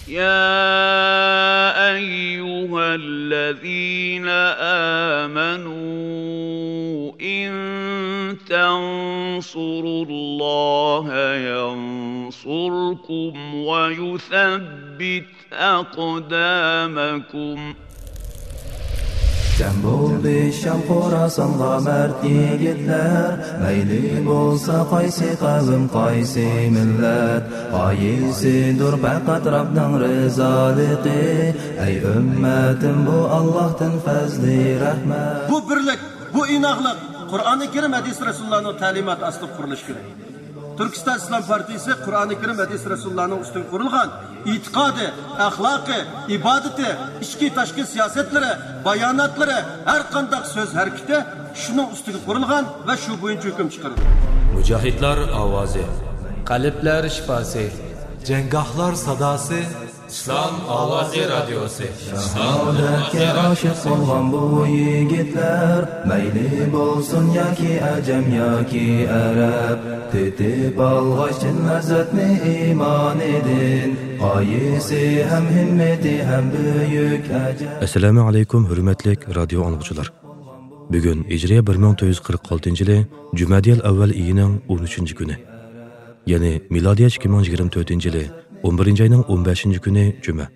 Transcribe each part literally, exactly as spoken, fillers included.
يا أيها الذين آمنوا إن تنصروا الله ينصركم ويثبت أقدامكم. جەم بولدى شام خوراسانغا مەرد يىگىتلەر، مەيلى بولسا قايسى قەۋم، قايسى مىللەت، غايىسىدۇر پەقەت رەبنىڭ رىزالىقى. ئەي ئۈممەتىم، بۇ ئاللاھتىن پەزلى رەھمەت. بۇ بىرلىك، بۇ ئىناقلىق قۇرئانى كەرىم، ھەدىس رەسۇلۇللانىڭ تەلىماتى ئاستىدا قۇرۇلۇشى كېرەك. تۈركىستان ئىسلام پارتىيىسى قۇرئانى كەرىم، ھەدىس رەسۇلۇللانىڭ ئۈستىگە قۇرۇلغان ئېتىقادى، ئەخلاقى، ئىبادىتى، ئىچكى تاشقى سىياسەتلىرى، باياناتلىرى، ھەر قانداق سۆز ھەرىكىتى شۇنىڭ ئۈستىگە قۇرۇلغان ۋە شۇ بويىچە ھۆكۈم چىقىرىدۇ. مۇجاھىدلار ئاۋازى. قەلبلەر شىپاسى. جەڭگاھلار ساداسى. ئىسلام ئاۋازى رادىيوسى. شاھادەتكە ئاشىق بولغان بۇ يىگىتلەر، مەيلى بولسۇن ياكى ئەجەم ياكى ئەرەب، تېتىپ ئالغاچ چىن لەززەتنى ئىمانىدىن، غايىسى ھەم ھىممىتى ھەم بۈيۈك ئەجەب. ئەسسالامۇ ئەلەيكۇم، ھۆرمەتلىك رادىيو ئاڭلىغۇچىلار. بۈگۈن ھىجرىيە بىر مىڭ تۆت يۈز قىرىق ئالتىنچى يىلى جۈمەدىيەل ئەۋۋەل ئېيىنىڭ ئون ئۈچىنچى كۈنى. يەنى مىلادىيە ئىككى مىڭ يىگىرمە تۆتىنچى يىلى ئون بىرىنچى ئاينىڭ ئون بەشىنچى كۈنى جۈمە.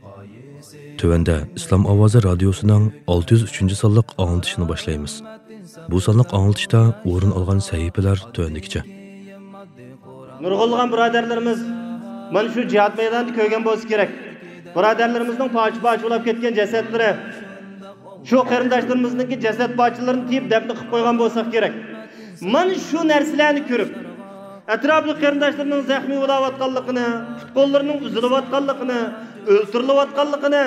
تۆۋەندە ئىسلام ئاۋازى رادىيوسىنىڭ ئالتە يۈز ئۈچىنچى سانلىق ئاڭلىتىشىنى باشلايمىز. بۇ سانلىق ئاڭلىتىشتا ئورۇن ئالغان سەھىپىلەر تۆۋەندىكىچە. نۇرغۇنلىغان بۇرادەرلىرىمىز مانا شۇ جىھاد مەيدانىدا كۆرگەن بولسا كېرەك. بۇرادەرلىرىمىزنىڭ پارچە-پارچە بولاپ كەتكەن جەسەتلىرى، شۇ قېرىنداشلىرىمىزنىڭكى جەسەت پارچىلىرىنى تېيىپ دەپنە قىلىپ قويغان بولساق كېرەك. مانا شۇ نەرسىلەرنى كۆرۈپ، ئەتراپلىق قېرىنداشلىرىنىڭ زەخمىي بولاۋاتقانلىقىنى، پۇت-قوللىرىنىڭ ئۈزۈلۈۋاتقانلىقىنى، ئۆلتۈرۈلۈۋاتقانلىقىنى،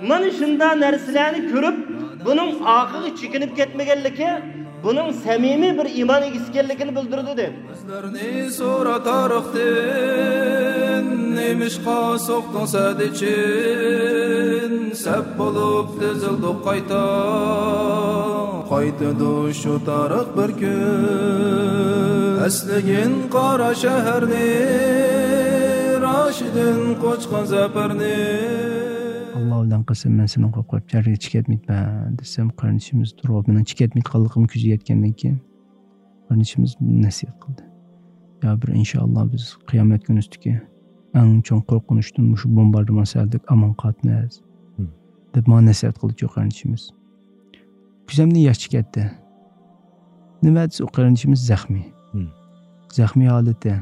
مانا شۇنداق نەرسىلەرنى كۆرۈپ، بۇنىڭ ئارقىغا چېكىنىپ كەتمىگەنلىكى، بۇنىڭ سەمىمىي بىر ئىمان ئىگىسى ئىكەنلىكىنى بىلدۈرىدۇ، دەيدۇ. بىزلەرنى سورا تارىختىن، نېمىشقا سوقتۇڭ سەدىچىن؟ سەپ بولۇپ تىزىلدۇق قايتا، قايتىدۇ شۇ تارىخ بىر كۈن. ئەسلىگىن قارا شەھەرنى، راشىدىن قوچقان زەپەرنى. ئاللا بىلەن قەسەم، مەن سېنىڭ قوپقاپ جەرگە چىكەتمەيتمەن دېسەم، قېرىندىشىمىز تۇرۇپ، مېنىڭ چىكەتمەيدىغانلىقىمنى كۆزىگە يەتكەندىن كېيىن، قېرىندىشىمىز نەسىھەت قىلدى. يا بىر ئىنشائاللا بىز قىيامەت كۈنى ئۈستىدىكى ئەڭ چوڭ قورقۇنچتىن مۇشۇ بومباردىمان سەۋەبلىك ئامان قالىمىز، مم، دەپ ماڭا نەسىھەت قىلدىچۇ قېرىندىشىمىز. كۆزۈمدىن ياش چىقىپ كەتتى. نېمە دېسە، ئۇ قېرىندىشىمىز زەخمىي. مم. زەخمىي ھالىتى.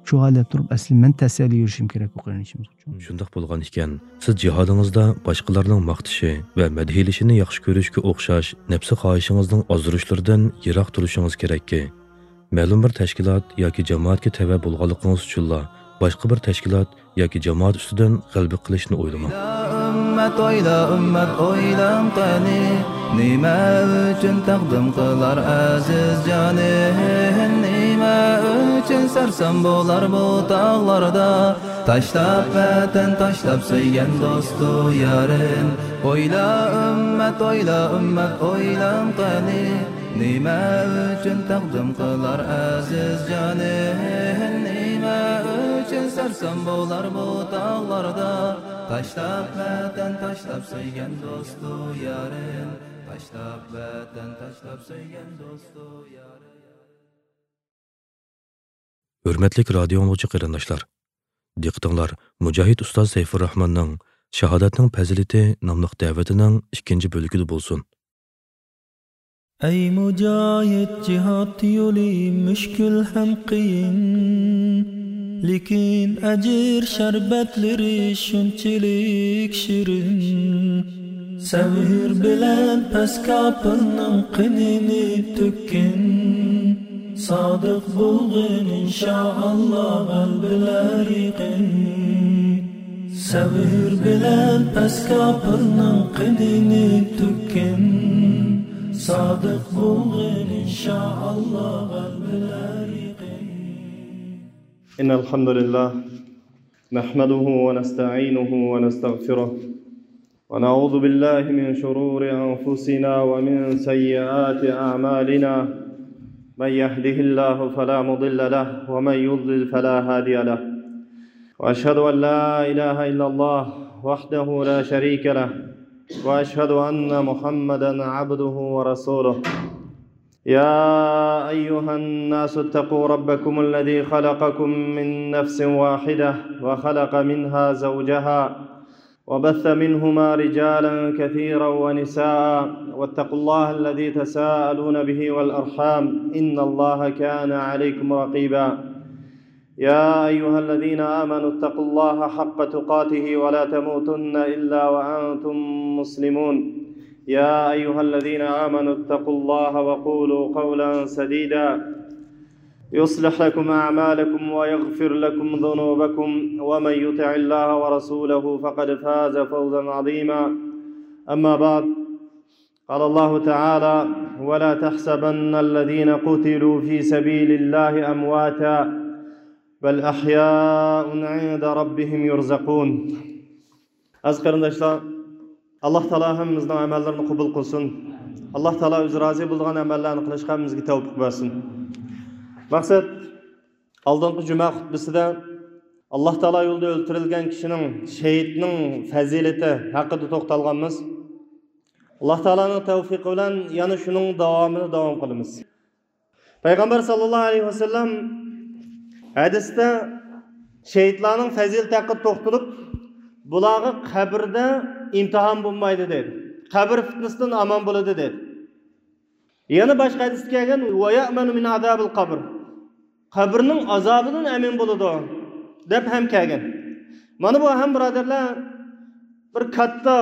شۇ ھالەتتە تۇرۇپ، ئەسلى مەن تەسەللى يۈرۈشۈم كېرەك ئۇ قېرىندىشىمىزغىچۇ. شۇنداق بولغان ئىكەن، سىز جىھادىڭىزدا باشقىلارنىڭ ماختىشى ۋە مەدھىيلىشىنى ياخشى كۆرۈشكە ئوخشاش نەپسى خاھىشىڭىزنىڭ ئازدۇرۇشلىرىدىن يىراق تۇرۇشىڭىز كېرەككى، مەلۇم بىر تەشكىلات ياكى جامائەتكە تەۋە بولغانلىقىڭىز ئۈچۈنلا باشقا بىر تەشكىلات ياكى جامائەت ئۈستىدىن غەلىبە قىلىشنى ئويلىماڭ. ئويلا ئۈممەت، ئويلا ئۈممەت، ئويلاڭ قېنى، نېمە ئۈچۈن تەقدىم قىلار ئەزىز جانى؟ نېمە ئۈچۈن سەرسان بولار بۇ تاغلاردا؟ تاشلاپ ۋەتەن، تاشلاپ سۆيگەن دوستۇ يارىن. ئويلا ئۈممەت، ئويلا ئۈممەت، ئويلاڭ قېنى، نېمە ئۈچۈن تەقدىم قىلار ئەزىز جانى؟ نېمە ئۈچۈن سەرسان بولار بۇ تاغلاردا؟ تاشلاپ ۋەتەن، تاشلاپ سۆيگەن دوستۇ يارىن. تاشلاپ ۋەتەن، تاشلاپ سۆيگەن دوستۇ يارىن. ھۆرمەتلىك رادىيو ئاڭلىغۇچى قېرىنداشلار، دىققىتىڭلار مۇجاھىد ئۇستاز سەيپۇرراھماننىڭ شاھادەتنىڭ پەزىلىتى ناملىق دەۋىتىنىڭ ئىككىنچى بۆلىكىدە بولسۇن. ئەي مۇجاھىد، جىھاد يولى مۈشكۈل ھەم قىيىن، لېكىن ئەجىر شەربەتلىرى شۇنچىلىك شېرىن. سەۋر بىلەن پەس كاپىرنىڭ قېنىنى تۆككىن، سادىق بولغىن، ئىنشائاللا، غەلىبىلەر يېقىن. سەۋر بىلەن پەس كاپىرنىڭ قېنىنى تۆككىن، سادىق بولغىن، ئىنشائاللا، غەلىبىلەر يېقىن. إن الحمد لله نحمده ونستعينه ونستغفره ونعوذ بالله من شرور أنفسنا ومن سيئات أعمالنا. من يهده الله فلا مضل له ومن يضلل فلا هادي له. وأشهد أن لا إله إلا الله وحده لا شريك له، وأشهد أن محمدا عبده ورسوله. يا أيها الناس اتقوا ربكم الذي خلقكم من نفس واحدة وخلق منها زوجها وبث منهما رجالا كثيرا ونساء واتقوا الله الذي تساءلون به والأرحام إن الله كان عليكم رقيبا. يا أيها الذين آمنوا اتقوا الله حق تقاته ولا تموتن إلا وأنتم مسلمون. يا أيها الذين آمنوا اتقوا الله وقولوا قولا سديدا يصلح لكم أعمالكم ويغفر لكم ذنوبكم ومن يطع الله ورسوله فقد فاز فوزا عظيما. أما بعد، قال الله تعالى: ولا تحسبن الذين قتلوا في سبيل الله أمواتا بل أحياء عند ربهم يرزقون. ئەزىز قېرىنداشلار، ئاللا تائالا ھەممىمىزنىڭ ئەمەللىرىنى قوبۇل قىلسۇن. ئاللا تائالا ئۆزى رازى بولىدىغان ئەمەللەرنى قىلىشقا ھەممىمىزگە تەۋپىق بەرسۇن. مەقسەت، ئالدىنقى جۈمە خۇتبىسىدە ئاللا تائالا يولىدا ئۆلتۈرۈلگەن كىشىنىڭ، شېھىتنىڭ پەزىلىتى ھەققىدە توختالغانمىز. ئاللا تائالانىڭ تەۋپىقى بىلەن يەنە شۇنىڭ داۋامىنى داۋام قىلىمىز. پەيغەمبەر ساللاللاھۇ ئەلەيھى ۋەسەللەم ھەدىستە شېھىتلارنىڭ پەزىلىتى ھەققىدە توختىلىپ، بۇلارغا قەبرىدە ئىمتىھان بولمايدۇ دېدى. قەبرە پىتنىسىدىن ئامان بولىدۇ دېدى. يەنە باشقا ھەدىستە كەلگەن، «ۋەيەئمەنۇ مىن ئازابىل قەبر»، قەبرىنىڭ ئازابىدىن ئەمىن بولىدۇ دەپ ھەم كەلگەن. مانا بۇ ھەم، بۇرادەرلەر، بىر كاتتا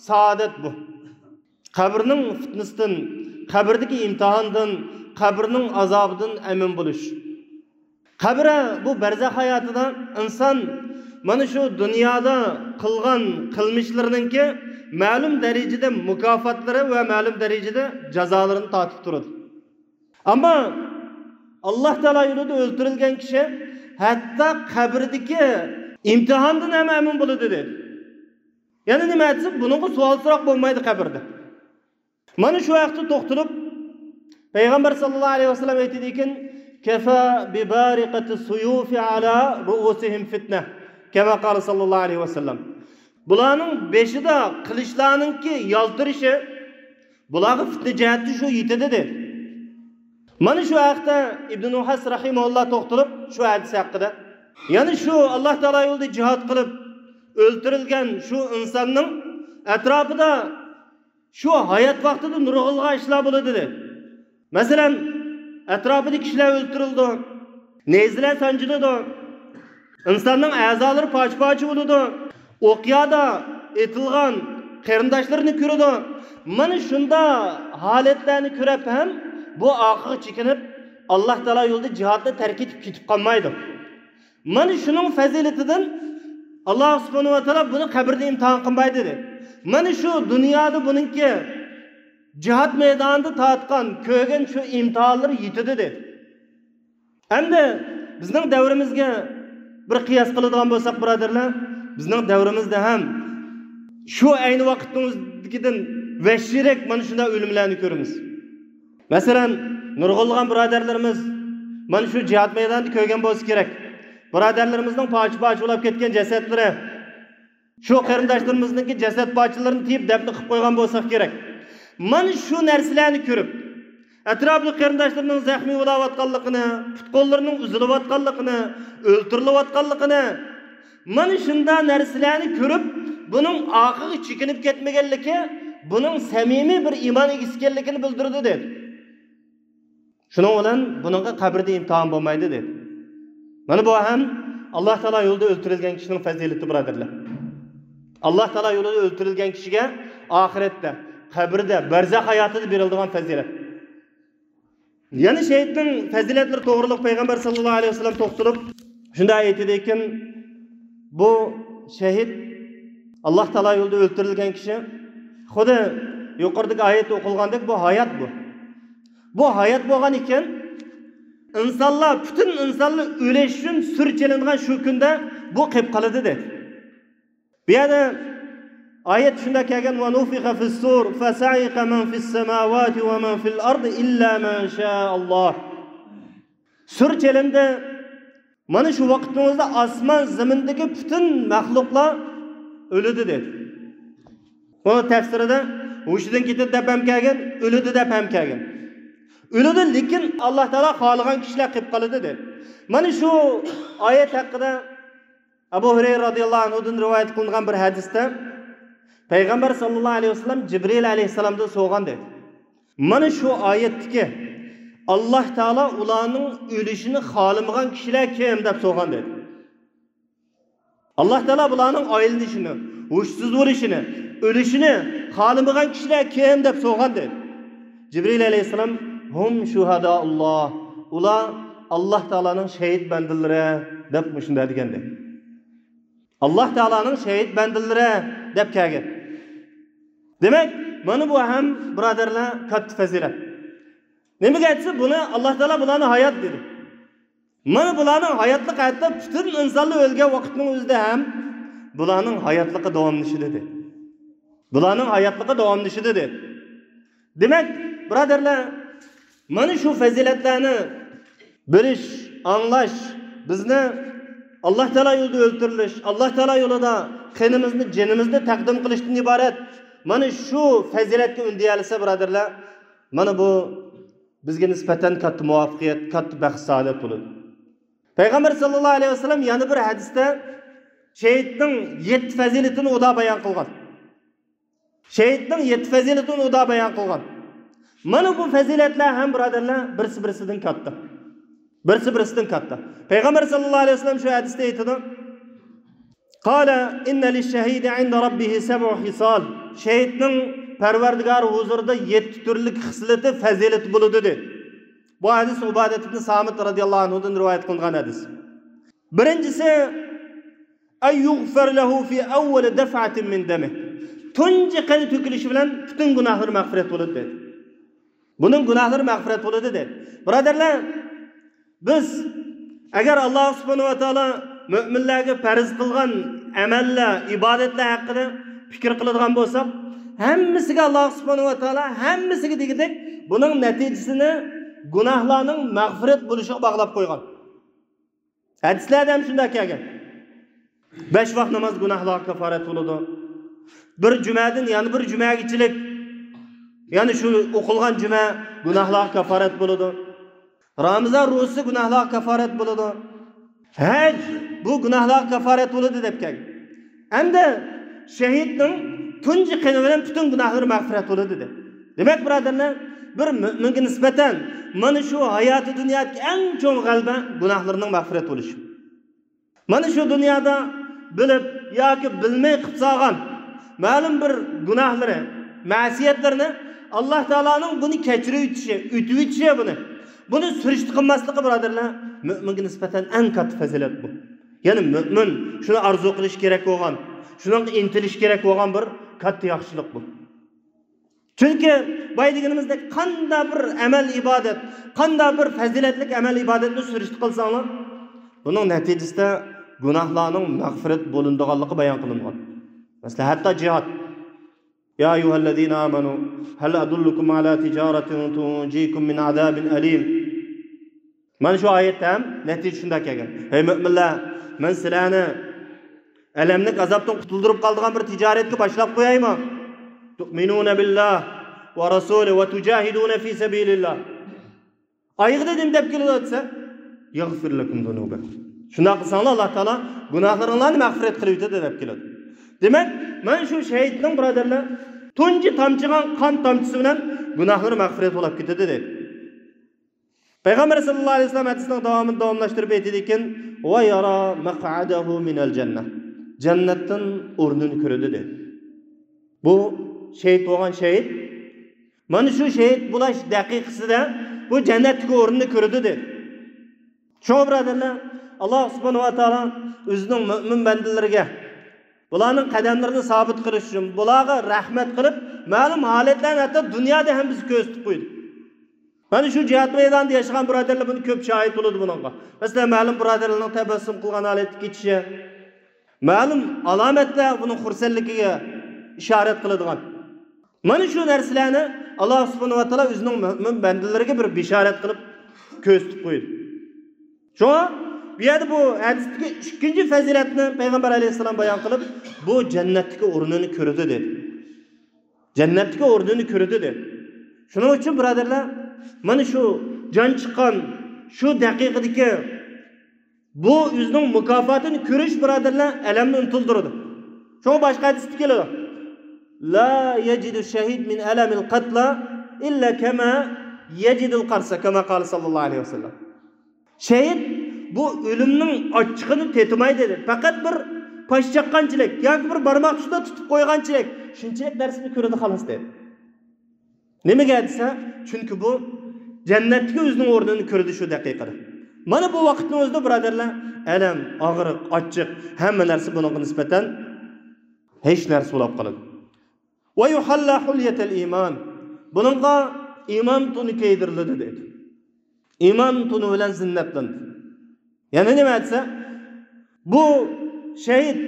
سائادەت بۇ. قەبرىنىڭ پىتنىسىدىن، قەبرىدىكى ئىمتىھاندىن، قەبرىنىڭ ئازابىدىن ئەمىن بولۇش. قەبرە، بۇ بەرزەخ ھاياتىدا ئىنسان مانا شۇ دۇنيادا قىلغان قىلمىشلىرىنىڭكى مەلۇم دەرىجىدە مۇكاپاتلىرى ۋە مەلۇم دەرىجىدە جازالىرىنى تارتىپ تۇرىدۇ. ئەمما ئاللا تائالا يولىدا ئۆلتۈرۈلگەن كىشى ھەتتا قەبرىدىكى ئىمتىھاندىن ھەم ئەمىن بولىدۇ دېدى. يەنە نېمە دېسە، بۇنىڭغا سوئال-سوراق بولمايدۇ قەبرىدە. مانا شۇ ھەقتە توختىلىپ، پەيغەمبەر ساللاللاھۇ ئەلەيھى ۋەسەللەم ئېيتىدىكەن، «كەفا بىبارىقەتى سۇيۇفى ئالا رۇئۇسىھىم فىتنە.» كەما قالە ساللاللاھۇ ئەلەيھى ۋەسەللەم. بۇلارنىڭ بېشىدا قىلىچلارنىڭكى يالتىرىشى بۇلارغا پىتنە جەھەتتە شۇ يېتىدۇ دېدى. مانا شۇ ھەقتە ئىبن نۇھەس رەھىمەھۇللا توختىلىپ، شۇ ھەدىس ھەققىدە، يەنى شۇ ئاللا تائالا يولىدا جىھاد قىلىپ ئۆلتۈرۈلگەن شۇ ئىنساننىڭ ئەتراپىدا شۇ ھايات ۋاقتىدا نۇرغۇنلىغان ئىشلار بولىدۇ دېدى. مەسىلەن، ئەتراپىدا كىشىلەر ئۆلتۈرۈلىدۇ، نەيزىلەر سانجىلىدۇ، ئىنساننىڭ ئەزالىرى پارچە-پارچە بولىدۇ، ئوقيادا ئېتىلغان قېرىنداشلىرىنى كۆرىدۇ. مانا شۇنداق ھالەتلەرنى كۆرۈپ ھەم بۇ ئارقىغا چېكىنىپ، ئاللا تائالا يولىدا جىھادنى تەرك ئېتىپ كېتىپ قالمايدۇ. مانا شۇنىڭ پەزىلىتىدىن ئاللا سۇبھانەھۇ ۋە تائالا بۇنى قەبرىدە ئىمتىھان قىلمايدۇ دېدى. مانا شۇ دۇنيادا بۇنىڭكى جىھاد مەيدانىدا تارتقان، كۆرگەن شۇ ئىمتىھانلىرى يېتىدۇ دېدى. ئەمدى بىزنىڭ دەۋرىمىزگە بىر قىياس قىلىدىغان بولساق، بۇرادەرلەر، بىزنىڭ دەۋرىمىزدە ھەم شۇ ئەينى ۋاقىتنىڭ ئۆزىدىكىدىن ۋەھشىيرەك مانا شۇنداق ئۆلۈملەرنى كۆرىمىز. مەسىلەن، نۇرغۇنلىغان بۇرادەرلىرىمىز مانا شۇ جىھاد مەيدانىدا كۆرگەن بولسا كېرەك، بۇرادەرلىرىمىزنىڭ پارچە-پارچە بولاپ كەتكەن جەسەتلىرى، شۇ قېرىنداشلىرىمىزنىڭكى جەسەت پارچىلىرىنى تېيىپ دەپنە قىلىپ قويغان بولساق كېرەك. مانا شۇ نەرسىلەرنى كۆرۈپ، ئەتراپىدا قېرىنداشلىرىنىڭ زەخمىي بولاۋاتقانلىقىنى، پۇت-قوللىرىنىڭ ئۈزۈلۈۋاتقانلىقىنى، ئۆلتۈرۈلۈۋاتقانلىقىنى، مانا شۇنداق نەرسىلەرنى كۆرۈپ، بۇنىڭ ئارقىغا چېكىنىپ كەتمىگەنلىكى بۇنىڭ سەمىمىي بىر ئىمان ئىگىسى ئىكەنلىكىنى بىلدۈرىدۇ، دېدى. شۇنىڭ بىلەن بۇنىڭغا قەبرىدە ئىمتىھان بولمايدۇ، دېدى. مانا بۇ ھەم ئاللا تائالا يولىدا ئۆلتۈرۈلگەن كىشىنىڭ پەزىلىتى، بۇرادەرلەر. ئاللا تائالا يولىدا ئۆلتۈرۈلگەن كىشىگە ئاخىرەتتە، قەبرىدە، بەرزەخ ھاياتىدا بېرىلىدىغان پەزىلەت. يەنە شېھىتنىڭ پەزىلەتلىرى توغرىلىق پەيغەمبەر ساللاللاھۇ ئەلەيھى ۋەسەللەم توختىلىپ، شۇنداق ئېيتىدىكىن، بۇ شېھىت، ئاللا تائالا يولىدا ئۆلتۈرۈلگەن كىشى، خۇددى يۇقىرىدىكى ئايەتتە ئوقۇلغاندەك، بۇ ھايات بۇ. بۇ ھايات بولغان ئىكەن، ئىنسانلار، پۈتۈن ئىنسانلار ئۆلۈش ئۈچۈن سۈر چېلىنغان شۇ كۈندە بۇ قېلىپ قالىدۇ، دېدى. بۇ يەردە ئايەت شۇنداق كەلگەن، «ونفخ في الصور فصعق من في السماوات ومن في الأرض إلا من شاء الله». سۈر چېلىندى، مانا شۇ ۋاقىتنىڭ ئۆزىدە ئاسمان زېمىندىكى پۈتۈن مەخلۇقلار ئۆلىدۇ دېدى. بۇ تەپسىرىدە ھوشىدىن كېتىدۇ دەپ ھەم كەلگەن، ئۆلىدۇ دەپ ھەم كەلگەن. ئۆلىدۇ، لېكىن ئاللا تائالا خالىغان كىشىلەر قېلىپ قالىدۇ دېدى. مانا شۇ ئايەت ھەققىدە ئەبۇ ھۇرەيرە رازىياللاھۇ ئەنھۇدىن رىۋايەت قىلىنغان بىر ھەدىستە پەيغەمبەر ساللاللاھۇ ئەلەيھى ۋەسەللەم جىبرىئىل ئەلەيھىسسالامدىن سورىغان دېدى. مانا شۇ ئايەتتىكى ئاللا تائالا ئۇلارنىڭ ئۆلۈشىنى خالىمىغان كىشىلەر كىم دەپ سورىغان دېدى. ئاللا تائالا بۇلارنىڭ ئايلىنىشىنى، ھوشسىز بولۇشىنى، ئۆلۈشىنى خالىمىغان كىشىلەر كىم دەپ سورىغان دېدى. جىبرىئىل ئەلەيھىسسالام، ھۇم شۇھەدائۇللا، ئۇلار ئاللا تائالانىڭ شېھىت بەندىلىرى دەپ مۇشۇنداق دېگەن دېدى. ئاللا تائالانىڭ شېھىت بەندىلىرى دەپ كەلگەن. دېمەك، مانا بۇ ھەم، بۇرادەرلەر، كاتتا پەزىلەت. نېمىگە دېسە، بۇنى ئاللا تائالا بۇلارنى ھايات دېدى. مانا بۇلارنىڭ ھاياتلىقى، ھەتتا پۈتۈن ئىنسانلار ئۆلگەن ۋاقىتنىڭ ئۆزىدە ھەم بۇلارنىڭ ھاياتلىقى داۋاملىشىدۇ دېدى. بۇلارنىڭ ھاياتلىقى داۋاملىشىدۇ دېدى. دېمەك، بۇرادەرلەر، مانا شۇ پەزىلەتلەرنى بىلىش، ئاڭلاش، بىزنى ئاللا تائالا يولىدا ئۆلتۈرۈلۈش، ئاللا تائالا يولىدا قېنىمىزنى، جېنىمىزنى تەقدىم قىلىشتىن ئىبارەت. مانا شۇ پەزىلەتكە ئۈندىيەلىسە، بۇرادەرلەر، مانا بۇ بىزگە نىسبەتەن كاتتا مۇۋەپپەقىيەت، كاتتا بەخت-سائادەت بولىدۇ. پەيغەمبەر ساللاللاھۇ ئەلەيھى ۋەسەللەم يەنە بىر ھەدىستە شېھىتنىڭ يەتتە پەزىلىتىنى ئۇدا بايان قىلغان. شېھىتنىڭ يەتتە پەزىلىتىنى ئۇدا بايان قىلغان. مانا بۇ پەزىلەتلەر ھەم، بۇرادەرلەر، بىرسى بىرسىدىن كاتتا. بىرسى بىرسىدىن كاتتا. پەيغەمبەر ساللاللاھۇ ئەلەيھى ۋەسەللەم شۇ ھەدىستە ئېيتىدۇ، قال إن للشهيد عند ربه سبع خصال. شېھىتنىڭ پەرۋەردىگارى ھۇزۇرىدا يەتتە تۈرلۈك خىسلىتى، پەزىلىتى بولىدۇ دېدى. بۇ ھەدىس ئۇبادەت ئىبن سامىت رازىياللاھۇ ئەنھۇدىن رىۋايەت قىلىنغان ھەدىس. بىرىنچىسى، أن يغفر له في أول دفعة من دمه. تۇنجى قېنى تۆكۈلۈشى بىلەن پۈتۈن گۇناھلىرى مەغپىرەت بولىدۇ دېدى. بۇنىڭ گۇناھلىرى مەغپىرەت بولىدۇ دېدى. بۇرادەرلەر، بىز ئەگەر ئاللا سۇبھانەھۇ ۋە تائالا مۆمىنلەرگە پەرز قىلغان ئەمەللەر، ئىبادەتلەر ھەققىدە پىكىر قىلىدىغان بولساق، ھەممىسىگە ئاللا سۇبھانەھۇ ۋە تائالا، ھەممىسىگە دېگۈدەك، بۇنىڭ نەتىجىسىنى گۇناھلارنىڭ مەغپىرەت بولۇشىغا باغلاپ قويغان. ھەدىسلەردە ھەم شۇنداق كەلگەن. بەش ۋاق ناماز گۇناھلارغا كاپارەت بولىدۇ. بىر جۈمەدىن يەنە بىر جۈمەگىچىلىك، يەنى شۇ ئوقۇلغان جۈمە گۇناھلارغا كاپارەت بولىدۇ. رامىزان روزىسى گۇناھلارغا كاپارەت بولىدۇ. ھەج بۇ گۇناھلارغا كاپارەت بولىدۇ دەپ كەلگەن. ئەمدى شېھىتنىڭ تۇنجى قېنى بىلەن پۈتۈن گۇناھلىرى مەغپىرەت بولىدۇ دېدى. دېمەك، بۇرادەرلەر، بىر مۆمىنگە نىسبەتەن مانا شۇ ھاياتى دۇنيادىكى ئەڭ چوڭ غەلىبە گۇناھلىرىنىڭ مەغپىرەت بولۇشى. مانا شۇ دۇنيادا بىلىپ ياكى بىلمەي قىلىپ سالغان مەلۇم بىر گۇناھلىرى، مەسىيەتلىرىنى ئاللا تائالانىڭ بۇنى كەچۈرۈۋېتىشى، ئۆتۈۋېتىشى بۇنى. بۇنى سۈرۈشتە قىلماسلىقى، بۇرادەرلەر، مۆمىنگە نىسبەتەن ئەڭ كاتتا پەزىلەت بۇ. يەنى مۆمىن شۇنى ئارزۇ قىلىشى كېرەك بولغان، شۇنىڭغا ئىنتىلىشى كېرەك بولغان بىر كاتتا ياخشىلىق بۇ. چۈنكى بايا دېگىنىمىزدەك، قانداق بىر ئەمەل ئىبادەت، قانداق بىر پەزىلەتلىك ئەمەل ئىبادەتنى سۈرۈشتە قىلساڭلار، بۇنىڭ نەتىجىسىدە گۇناھلارنىڭ مەغپىرەت بولۇنىدىغانلىقى بايان قىلىنغان. مەسىلەن، ھەتتا جىھاد. يا أيها الذين آمنوا هل أدلكم على تجارة تنجيكم من عذاب أليم. مانا شۇ ئايەتتە ھەم نەتىجە شۇنداق كەلگەن. ھەي مۆمىنلەر، مەن سىلەرنى ئەلەملىك ئازابتىن قۇتۇلدۇرۇپ قالىدىغان بىر تىجارەتكە باشلاپ قويايمۇ؟ تؤمنون بالله ورسوله وتجاهدون في سبيل الله. ئايىغىدا نېمە دەپ كېلىدۇ دېسە، يغفر لكم ذنوبكم. شۇنداق قىلساڭلار، ئاللا تائالا گۇناھلىرىڭلارنى مەغپىرەت قىلىۋېتىدۇ دەپ كېلىدۇ. دېمەك، مانا شۇ شېھىتنىڭ، بۇرادەرلەر، تۇنجى تامچىغان قان تامچىسى بىلەن گۇناھلىرى مەغپىرەت بولۇپ كېتىدۇ دېدى. پەيغەمبەر ساللاللاھۇ ئەلەيھى ۋەسەللەم ھەدىسنىڭ داۋامىدا داۋاملاشتۇرۇپ ئېيتىدىكەن، ويرى مقعده من الجنة. جەننەتتىن ئورنىنى كۆرىدۇ دېدى. بۇ شېھىت بولغان شېھىت، مانا شۇ شېھىت بولاش دەقىقىسىدە بۇ جەننەتتىكى ئورنىنى كۆرىدۇ دېدى. شۇڭا، بۇرادەرلەر، ئاللا سۇبھانەھۇ ۋە تائالا ئۆزىنىڭ مۆمىن بەندىلىرىگە بۇلارنىڭ قەدەملىرىنى سابىت قىلىش ئۈچۈن، بۇلارغا رەھمەت قىلىپ، مەلۇم ھالەتلەرنى ھەتتا دۇنيادا ھەم بىزگە كۆرسىتىپ قويدى. مانا شۇ جىھاد مەيدانىدا ياشىغان بۇرادەرلەر بۇنى كۆپ شاھىت بولىدۇ بۇنىڭغا. مەسىلەن، مەلۇم بۇرادەرلەرنىڭ تەبەسسۇم قىلغان ھالەتتە كېتىشى، مەلۇم ئالامەتلەر بۇنىڭ خۇرسەنلىكىگە ئىشارەت قىلىدىغان. مانا شۇ نەرسىلەرنى ئاللا سۇبھانەھۇ ۋە تائالا ئۆزىنىڭ مۆمىن بەندىلىرىگە بىر بېشارەت قىلىپ كۆرسىتىپ قويدى. شۇڭا بۇ يەردە بۇ ھەدىستىكى ئىككىنچى پەزىلەتنى پەيغەمبەر ئەلەيھىسسالام بايان قىلىپ، بۇ جەننەتتىكى ئورنىنى كۆرىدۇ دېدى. جەننەتتىكى ئورنىنى كۆرىدۇ دېدى. شۇنىڭ ئۈچۈن، بۇرادەرلەر، مانا شۇ جان چىققان شۇ دەقىقىدىكى بۇ ئۆزىنىڭ مۇكاپاتىنى كۆرۈش، بۇرادەرلەر، ئەلەمنى ئۇنتۇلدۇرىدۇ. شۇڭا باشقا ھەدىستە كېلىدۇ. لا يجد الشهيد من ألم القتلى إلا كما يجد القرص، كما قال صلى الله عليه وسلم. شېھىت بۇ ئۆلۈمنىڭ ئاچچىقىنى تېتىمايدۇ دېدى. پەقەت بىر پاش چاققانچىلىك ياكى بىر بارماق تۇشىدا تۇتۇپ قويغانچىلىك، شۇنچىلىك نەرسىنى كۆرىدۇ، خالاس، دېدى. نېمىگە دېسە، چۈنكى بۇ جەننەتتىكى ئۆزىنىڭ ئورنىنى كۆردى شۇ دەقىقىدە. مانا بۇ ۋاقىتنىڭ ئۆزىدە، بۇرادەرلەر، ئەلەم، ئاغرىق، ئاچچىق، ھەممە نەرسە بۇنىڭغا نىسبەتەن ھېچ نەرسە بولۇپ قالىدۇ. ويحلى حلية الإيمان. بۇنىڭغا ئىمان تونى كىيدۈرۈلىدۇ، دېدى. ئىمان تونى بىلەن زىننەتلىنىدۇ. يەنى نېمە دېسە، بۇ شېھىت،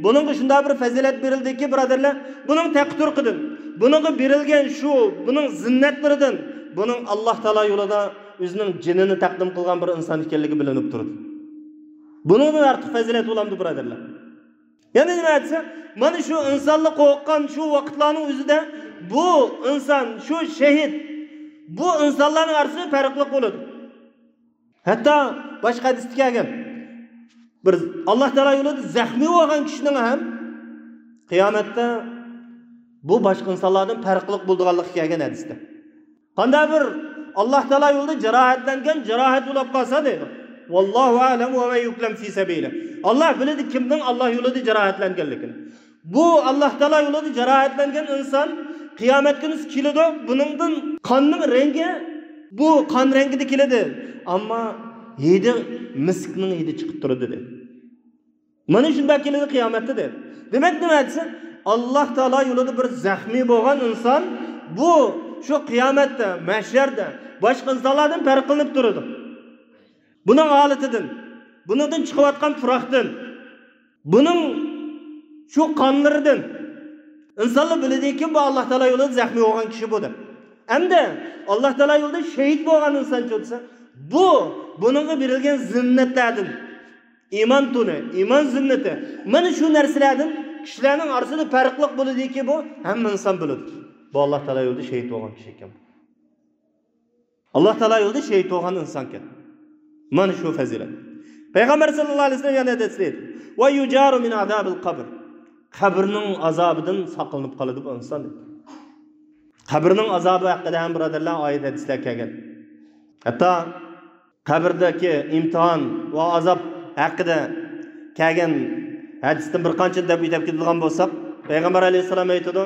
بۇنىڭغا شۇنداق بىر پەزىلەت بېرىلدىكى، بۇرادەرلەر، بۇنىڭ تەقى تۇرقىدىن، بۇنىڭغا بېرىلگەن شۇ، بۇنىڭ زىننەتلىرىدىن، بۇنىڭ ئاللاھ تائالا يولىدا ئۆزىنىڭ جېنىنى تەقدىم قىلغان بىر ئىنسان ئىكەنلىكى بىلىنىپ تۇرىدۇ. بۇنىڭدىن ئارتۇق پەزىلەت بولامدۇ، بۇرادەرلەر؟ يەنە نېمە دېسە، مانا شۇ ئىنسانلار قورققان شۇ ۋاقىتلارنىڭ ئۆزىدە بۇ ئىنسان، شۇ شېھىت، بۇ ئىنسانلارنىڭ ئارىسىدا پەرقلىق بولىدۇ. ھەتتا باشقا ھەدىستە كەلگەن، بىر ئاللاھ تائالا يولىدا زەخمىي بولغان كىشىنىڭ ھەم قىيامەتتە بۇ باشقا ئىنسانلاردىن پەرقلىق بولىدىغانلىقى كەلگەن ھەدىستە. قانداق بىر ئاللاھ تائالا يولىدا جاراھەتلەنگەن، جاراھەت بولۇپ قالسا، دەيدۇ. والله أعلم ومن يكلم في سبيله. ئاللاھ بىلىدۇ كىمنىڭ ئاللاھ يولىدا جاراھەتلەنگەنلىكىنى. بۇ ئاللاھ تائالا يولىدا جاراھەتلەنگەن ئىنسان قىيامەت كۈنى كېلىدۇ. بۇنىڭدىن قاننىڭ رەڭگى، بۇ قان رەڭگىدە كېلىدۇ. ئەمما ھىدى مىسكنىڭ ھىدى چىقىپ تۇرىدۇ، دەيدۇ. مانا شۇنداق كېلىدۇ قىيامەتتە، دەيدۇ. دېمەك، نېمە دېسە، ئاللاھ تائالا يولىدا بىر زەخمىي بولغان ئىنسان بۇ شۇ قىيامەتتە، مەھشەردە باشقا ئىنسانلاردىن پەرقلىنىپ تۇرىدۇ. بۇنىڭ ھالىتىدىن، بۇنىڭدىن چىقىۋاتقان پۇراقتىن، بۇنىڭ شۇ قانلىرىدىن ئىنسانلار بىلىدىكى، بۇ ئاللاھ تائالا يولىدا زەخمىي بولغان كىشى بۇ دەپ. ئەمدى ئاللاھ تائالا يولىدا شېھىت بولغان ئىنسانچۇ دېسە، بۇ بۇنىڭغا بېرىلگەن زىننەتلەردىن، ئىمان تونى، ئىمان زىننىتى، مانا شۇ نەرسىلەردىن كىشىلەرنىڭ ئارىسىدا پەرقلىق بولىدۇكى، بۇ ھەممە ئىنسان بىلىدۇ. بۇ ئاللاھ تائالا يولىدا شېھىت بولغان كىشى ئىكەن. ئاللاھ تائالا يولىدا شېھىت بولغان ئىنسانكەن. مانا شۇ پەزىلەت. پەيغەمبەر ساللاللاھۇ ئەلەيھى ۋەسەللەم يەنە ھەدىستە ئېيتتى، ويجار من عذاب القبر. قەبرىنىڭ ئازابىدىن ساقلىنىپ قالىدۇ بۇ ئىنسان، دېدى. قەبرىنىڭ ئازابى ھەققىدە ھەم، بۇرادەرلەر، ئايەت ھەدىسلەر كەلگەن. ھەتتا قەبرىدىكى ئىمتىھان ۋە ئازاب ھەققىدە كەلگەن ھەدىستىن بىر قانچىنى دەپ ئۆتۈپ كېتىدىغان بولساق، پەيغەمبەر ئەلەيھىسسالام ئېيتىدۇ،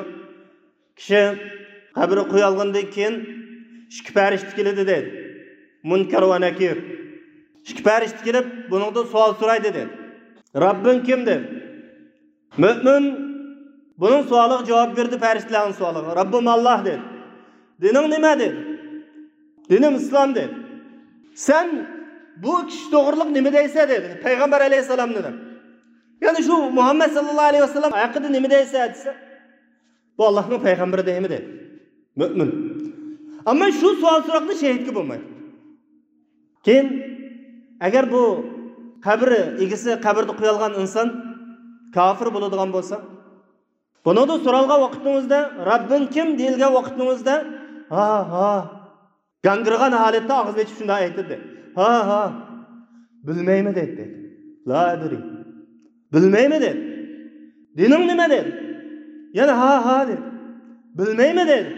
كىشى قەبرىگە قويۇلغاندىن كېيىن ئىككى پەرىشتە كېلىدۇ، دەيدۇ. مۇنكەر ۋە نەكىر. ئىككى پەرىشتە كېلىپ، بۇنىڭدىن سوئال سورايدۇ، دەيدۇ. رەببىڭ كىم؟ دەيدۇ. مۆمىن بۇنىڭ سوئالىغا جاۋاب بېرىدۇ، پەرىشتىلەرنىڭ سوئالىغا. رەببۇم ئاللاھ، دەيدۇ. دىنىڭ نېمە؟ دەيدۇ. دىنىم ئىسلام، دەيدۇ. سەن بۇ كىشى توغرىلىق نېمە دەيسەن؟ دەيدۇ. پەيغەمبەر ئەلەيھىسسالامنى دەپ. يەنى شۇ مۇھەممەد ساللاللاھۇ ئەلەيھى ۋەسەللەم ھەققىدە نېمە دەيسەن؟ دېسە، بۇ ئاللاھنىڭ پەيغەمبىرى دەيمۇ، دەيدۇ. مۆمىن. ئەمما شۇ سوئال سوراقتا شېھىتكە بولمايدۇ. كېيىن، ئەگەر بۇ قەبرە ئىگىسى، قەبرىدە قويۇلغان ئىنسان كاپىر بولىدىغان بولسا، بۇنىڭدىن سورالغان ۋاقتىڭىزدا، رەببىڭ كىم دېيىلگەن ۋاقتىڭىزدا، ھا، ھا، گاڭگىرىغان ھالەتتە ئاغزىنى ئېچىپ شۇنداق ئېيتىدۇ. ھا، ھا، بىلمەيمەن، دەيدۇ. لا ئەدرى. بىلمەيمەن، دەيدۇ. دىنىڭ نېمە؟ دەيدۇ. يەنە ھا، ھا، دەيدۇ. بىلمەيمەن، دەيدۇ.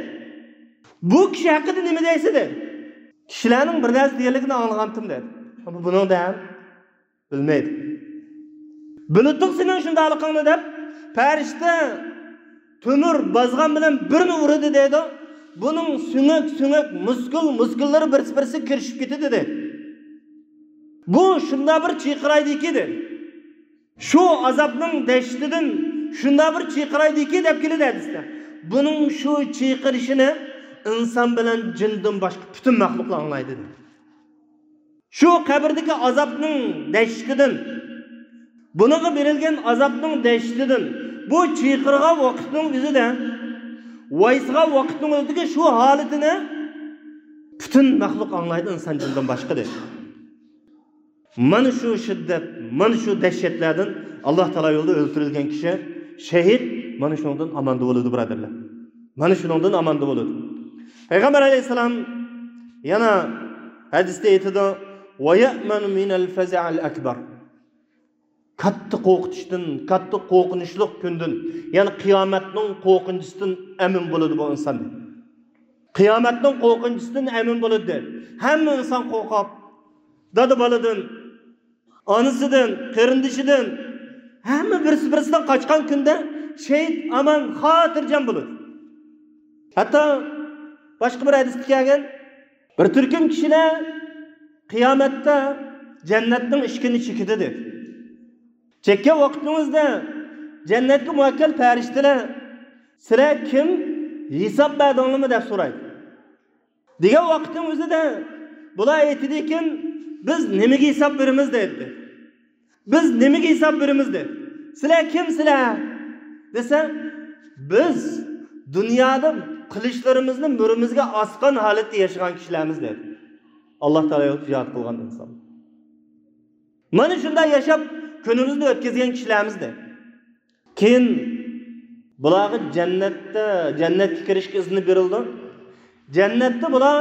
بۇ كىشى ھەققىدە نېمە دەيسەن؟ دەيدۇ. كىشىلەرنىڭ بىر نەرسە دېگەنلىكىنى ئاڭلىغانتىم، دەيدۇ. ئەمما بۇنىڭدا ھەم بىلمەيدۇ. بىلىدۇق سېنىڭ شۇنداقلىقىڭنى دەپ، پەرىشتە تۆمۈر بازغان بىلەن بىرنى ئۇرىدۇ، دەيدۇ. بۇنىڭ سۆڭەك، سۆڭەك، مۇسكۇل، مۇسكۇللىرى بىرسى، بىرسىگە كىرىشىپ كېتىدۇ، دەيدۇ. بۇ شۇنداق بىر چىرقىرايدىكى، دەيدۇ. شۇ ئازابنىڭ دەھشىتىدىن شۇنداق بىر چىرقىرايدىكى، دەپ كېلىدۇ ھەدىستە. بۇنىڭ شۇ چىرقىرىشىنى ئىنسان بىلەن جىندىن باشقا پۈتۈن مەخلۇقلار ئاڭلايدۇ، دەيدۇ. شۇ قەبرىدىكى ئازابنىڭ دەھشىتىدىن، بۇنىڭغا بېرىلگەن ئازابنىڭ دەھشىتىدىن، بۇ چىرقىرىغان ۋاقىتنىڭ ئۆزىدە، ۋايسىغان ۋاقىتنىڭ ئۆزىدىكى شۇ ھالىتىنى پۈتۈن مەخلۇق ئاڭلايدۇ، ئىنسان جىندىن باشقا، دەيدۇ. مانا شۇ شىددەت، مانا شۇ دەھشەتلەردىن ئاللاھ تائالا يولىدا ئۆلتۈرۈلگەن كىشى، شەھىد، مانا شۇنىڭدىن ئاماندا بولىدۇ، بۇرادەرلەر. مانا شۇنىڭدىن ئاماندا بولىدۇ. پەيغەمبەر ئەلەيھىسسالام يەنە ھەدىستە ئېيتىدۇ، «ۋە يەئمەنۇ مىنەل فەزەئىل ئەكبەر.» كاتتا قورقۇتۇشتىن، كاتتا قورقۇنچلۇق كۈندىن، يەنى قىيامەتنىڭ قورقۇنچىسىدىن ئەمىن بولىدۇ بۇ ئىنسان. قىيامەتنىڭ قورقۇنچىسىدىن ئەمىن بولىدۇ. ھەممە ئىنسان قورقۇپ، دادا-بالىدىن، ئانىسىدىن، قېرىندىشىدىن، ھەممە بىرسى-بىرسىدىن قاچقان كۈندە شەھىت ئامان، خاتىرجەم بولىدۇ. ھەتتا باشقا بىر ھەدىستە كەلگەن، بىر تۈركۈم كىشىلەر قىيامەتتە جەننەتنىڭ ئىشىكىنى چېكىدۇ، دېدى. چەككەن ۋاقتىڭىزدا جەننەتكە مۇۋەككىل پەرىشتىلەر، «سىلەر كىم؟ ھېساب بەردىڭلارمۇ؟» دەپ سورايدۇ. دېگەن ۋاقىتنىڭ ئۆزىدە بۇلار ئېيتىدىكەن، «بىز نېمىگە ھېساب بېرىمىز؟» دەيدۇ. «بىز نېمىگە ھېساب بېرىمىز؟» دەيدۇ. «سىلەر كىم سىلەر؟» دېسە، «بىز دۇنيادا قىلىچلىرىمىزنى مۈرىمىزگە ئاسقان ھالەتتە ياشىغان كىشىلەرمىز» دەيدۇ. ئاللاھ تائالا يولىدا جىھاد قىلغان ئىنسان. «مانا شۇنداق ياشاپ، كۈنىمىزنى ئۆتكۈزگەن كىشىلەرمىز» دەيدۇ. كېيىن بۇلارغا جەننەتتە، جەننەتكە كىرىشكە ئىزنى بېرىلىدۇ. جەننەتتە بۇلار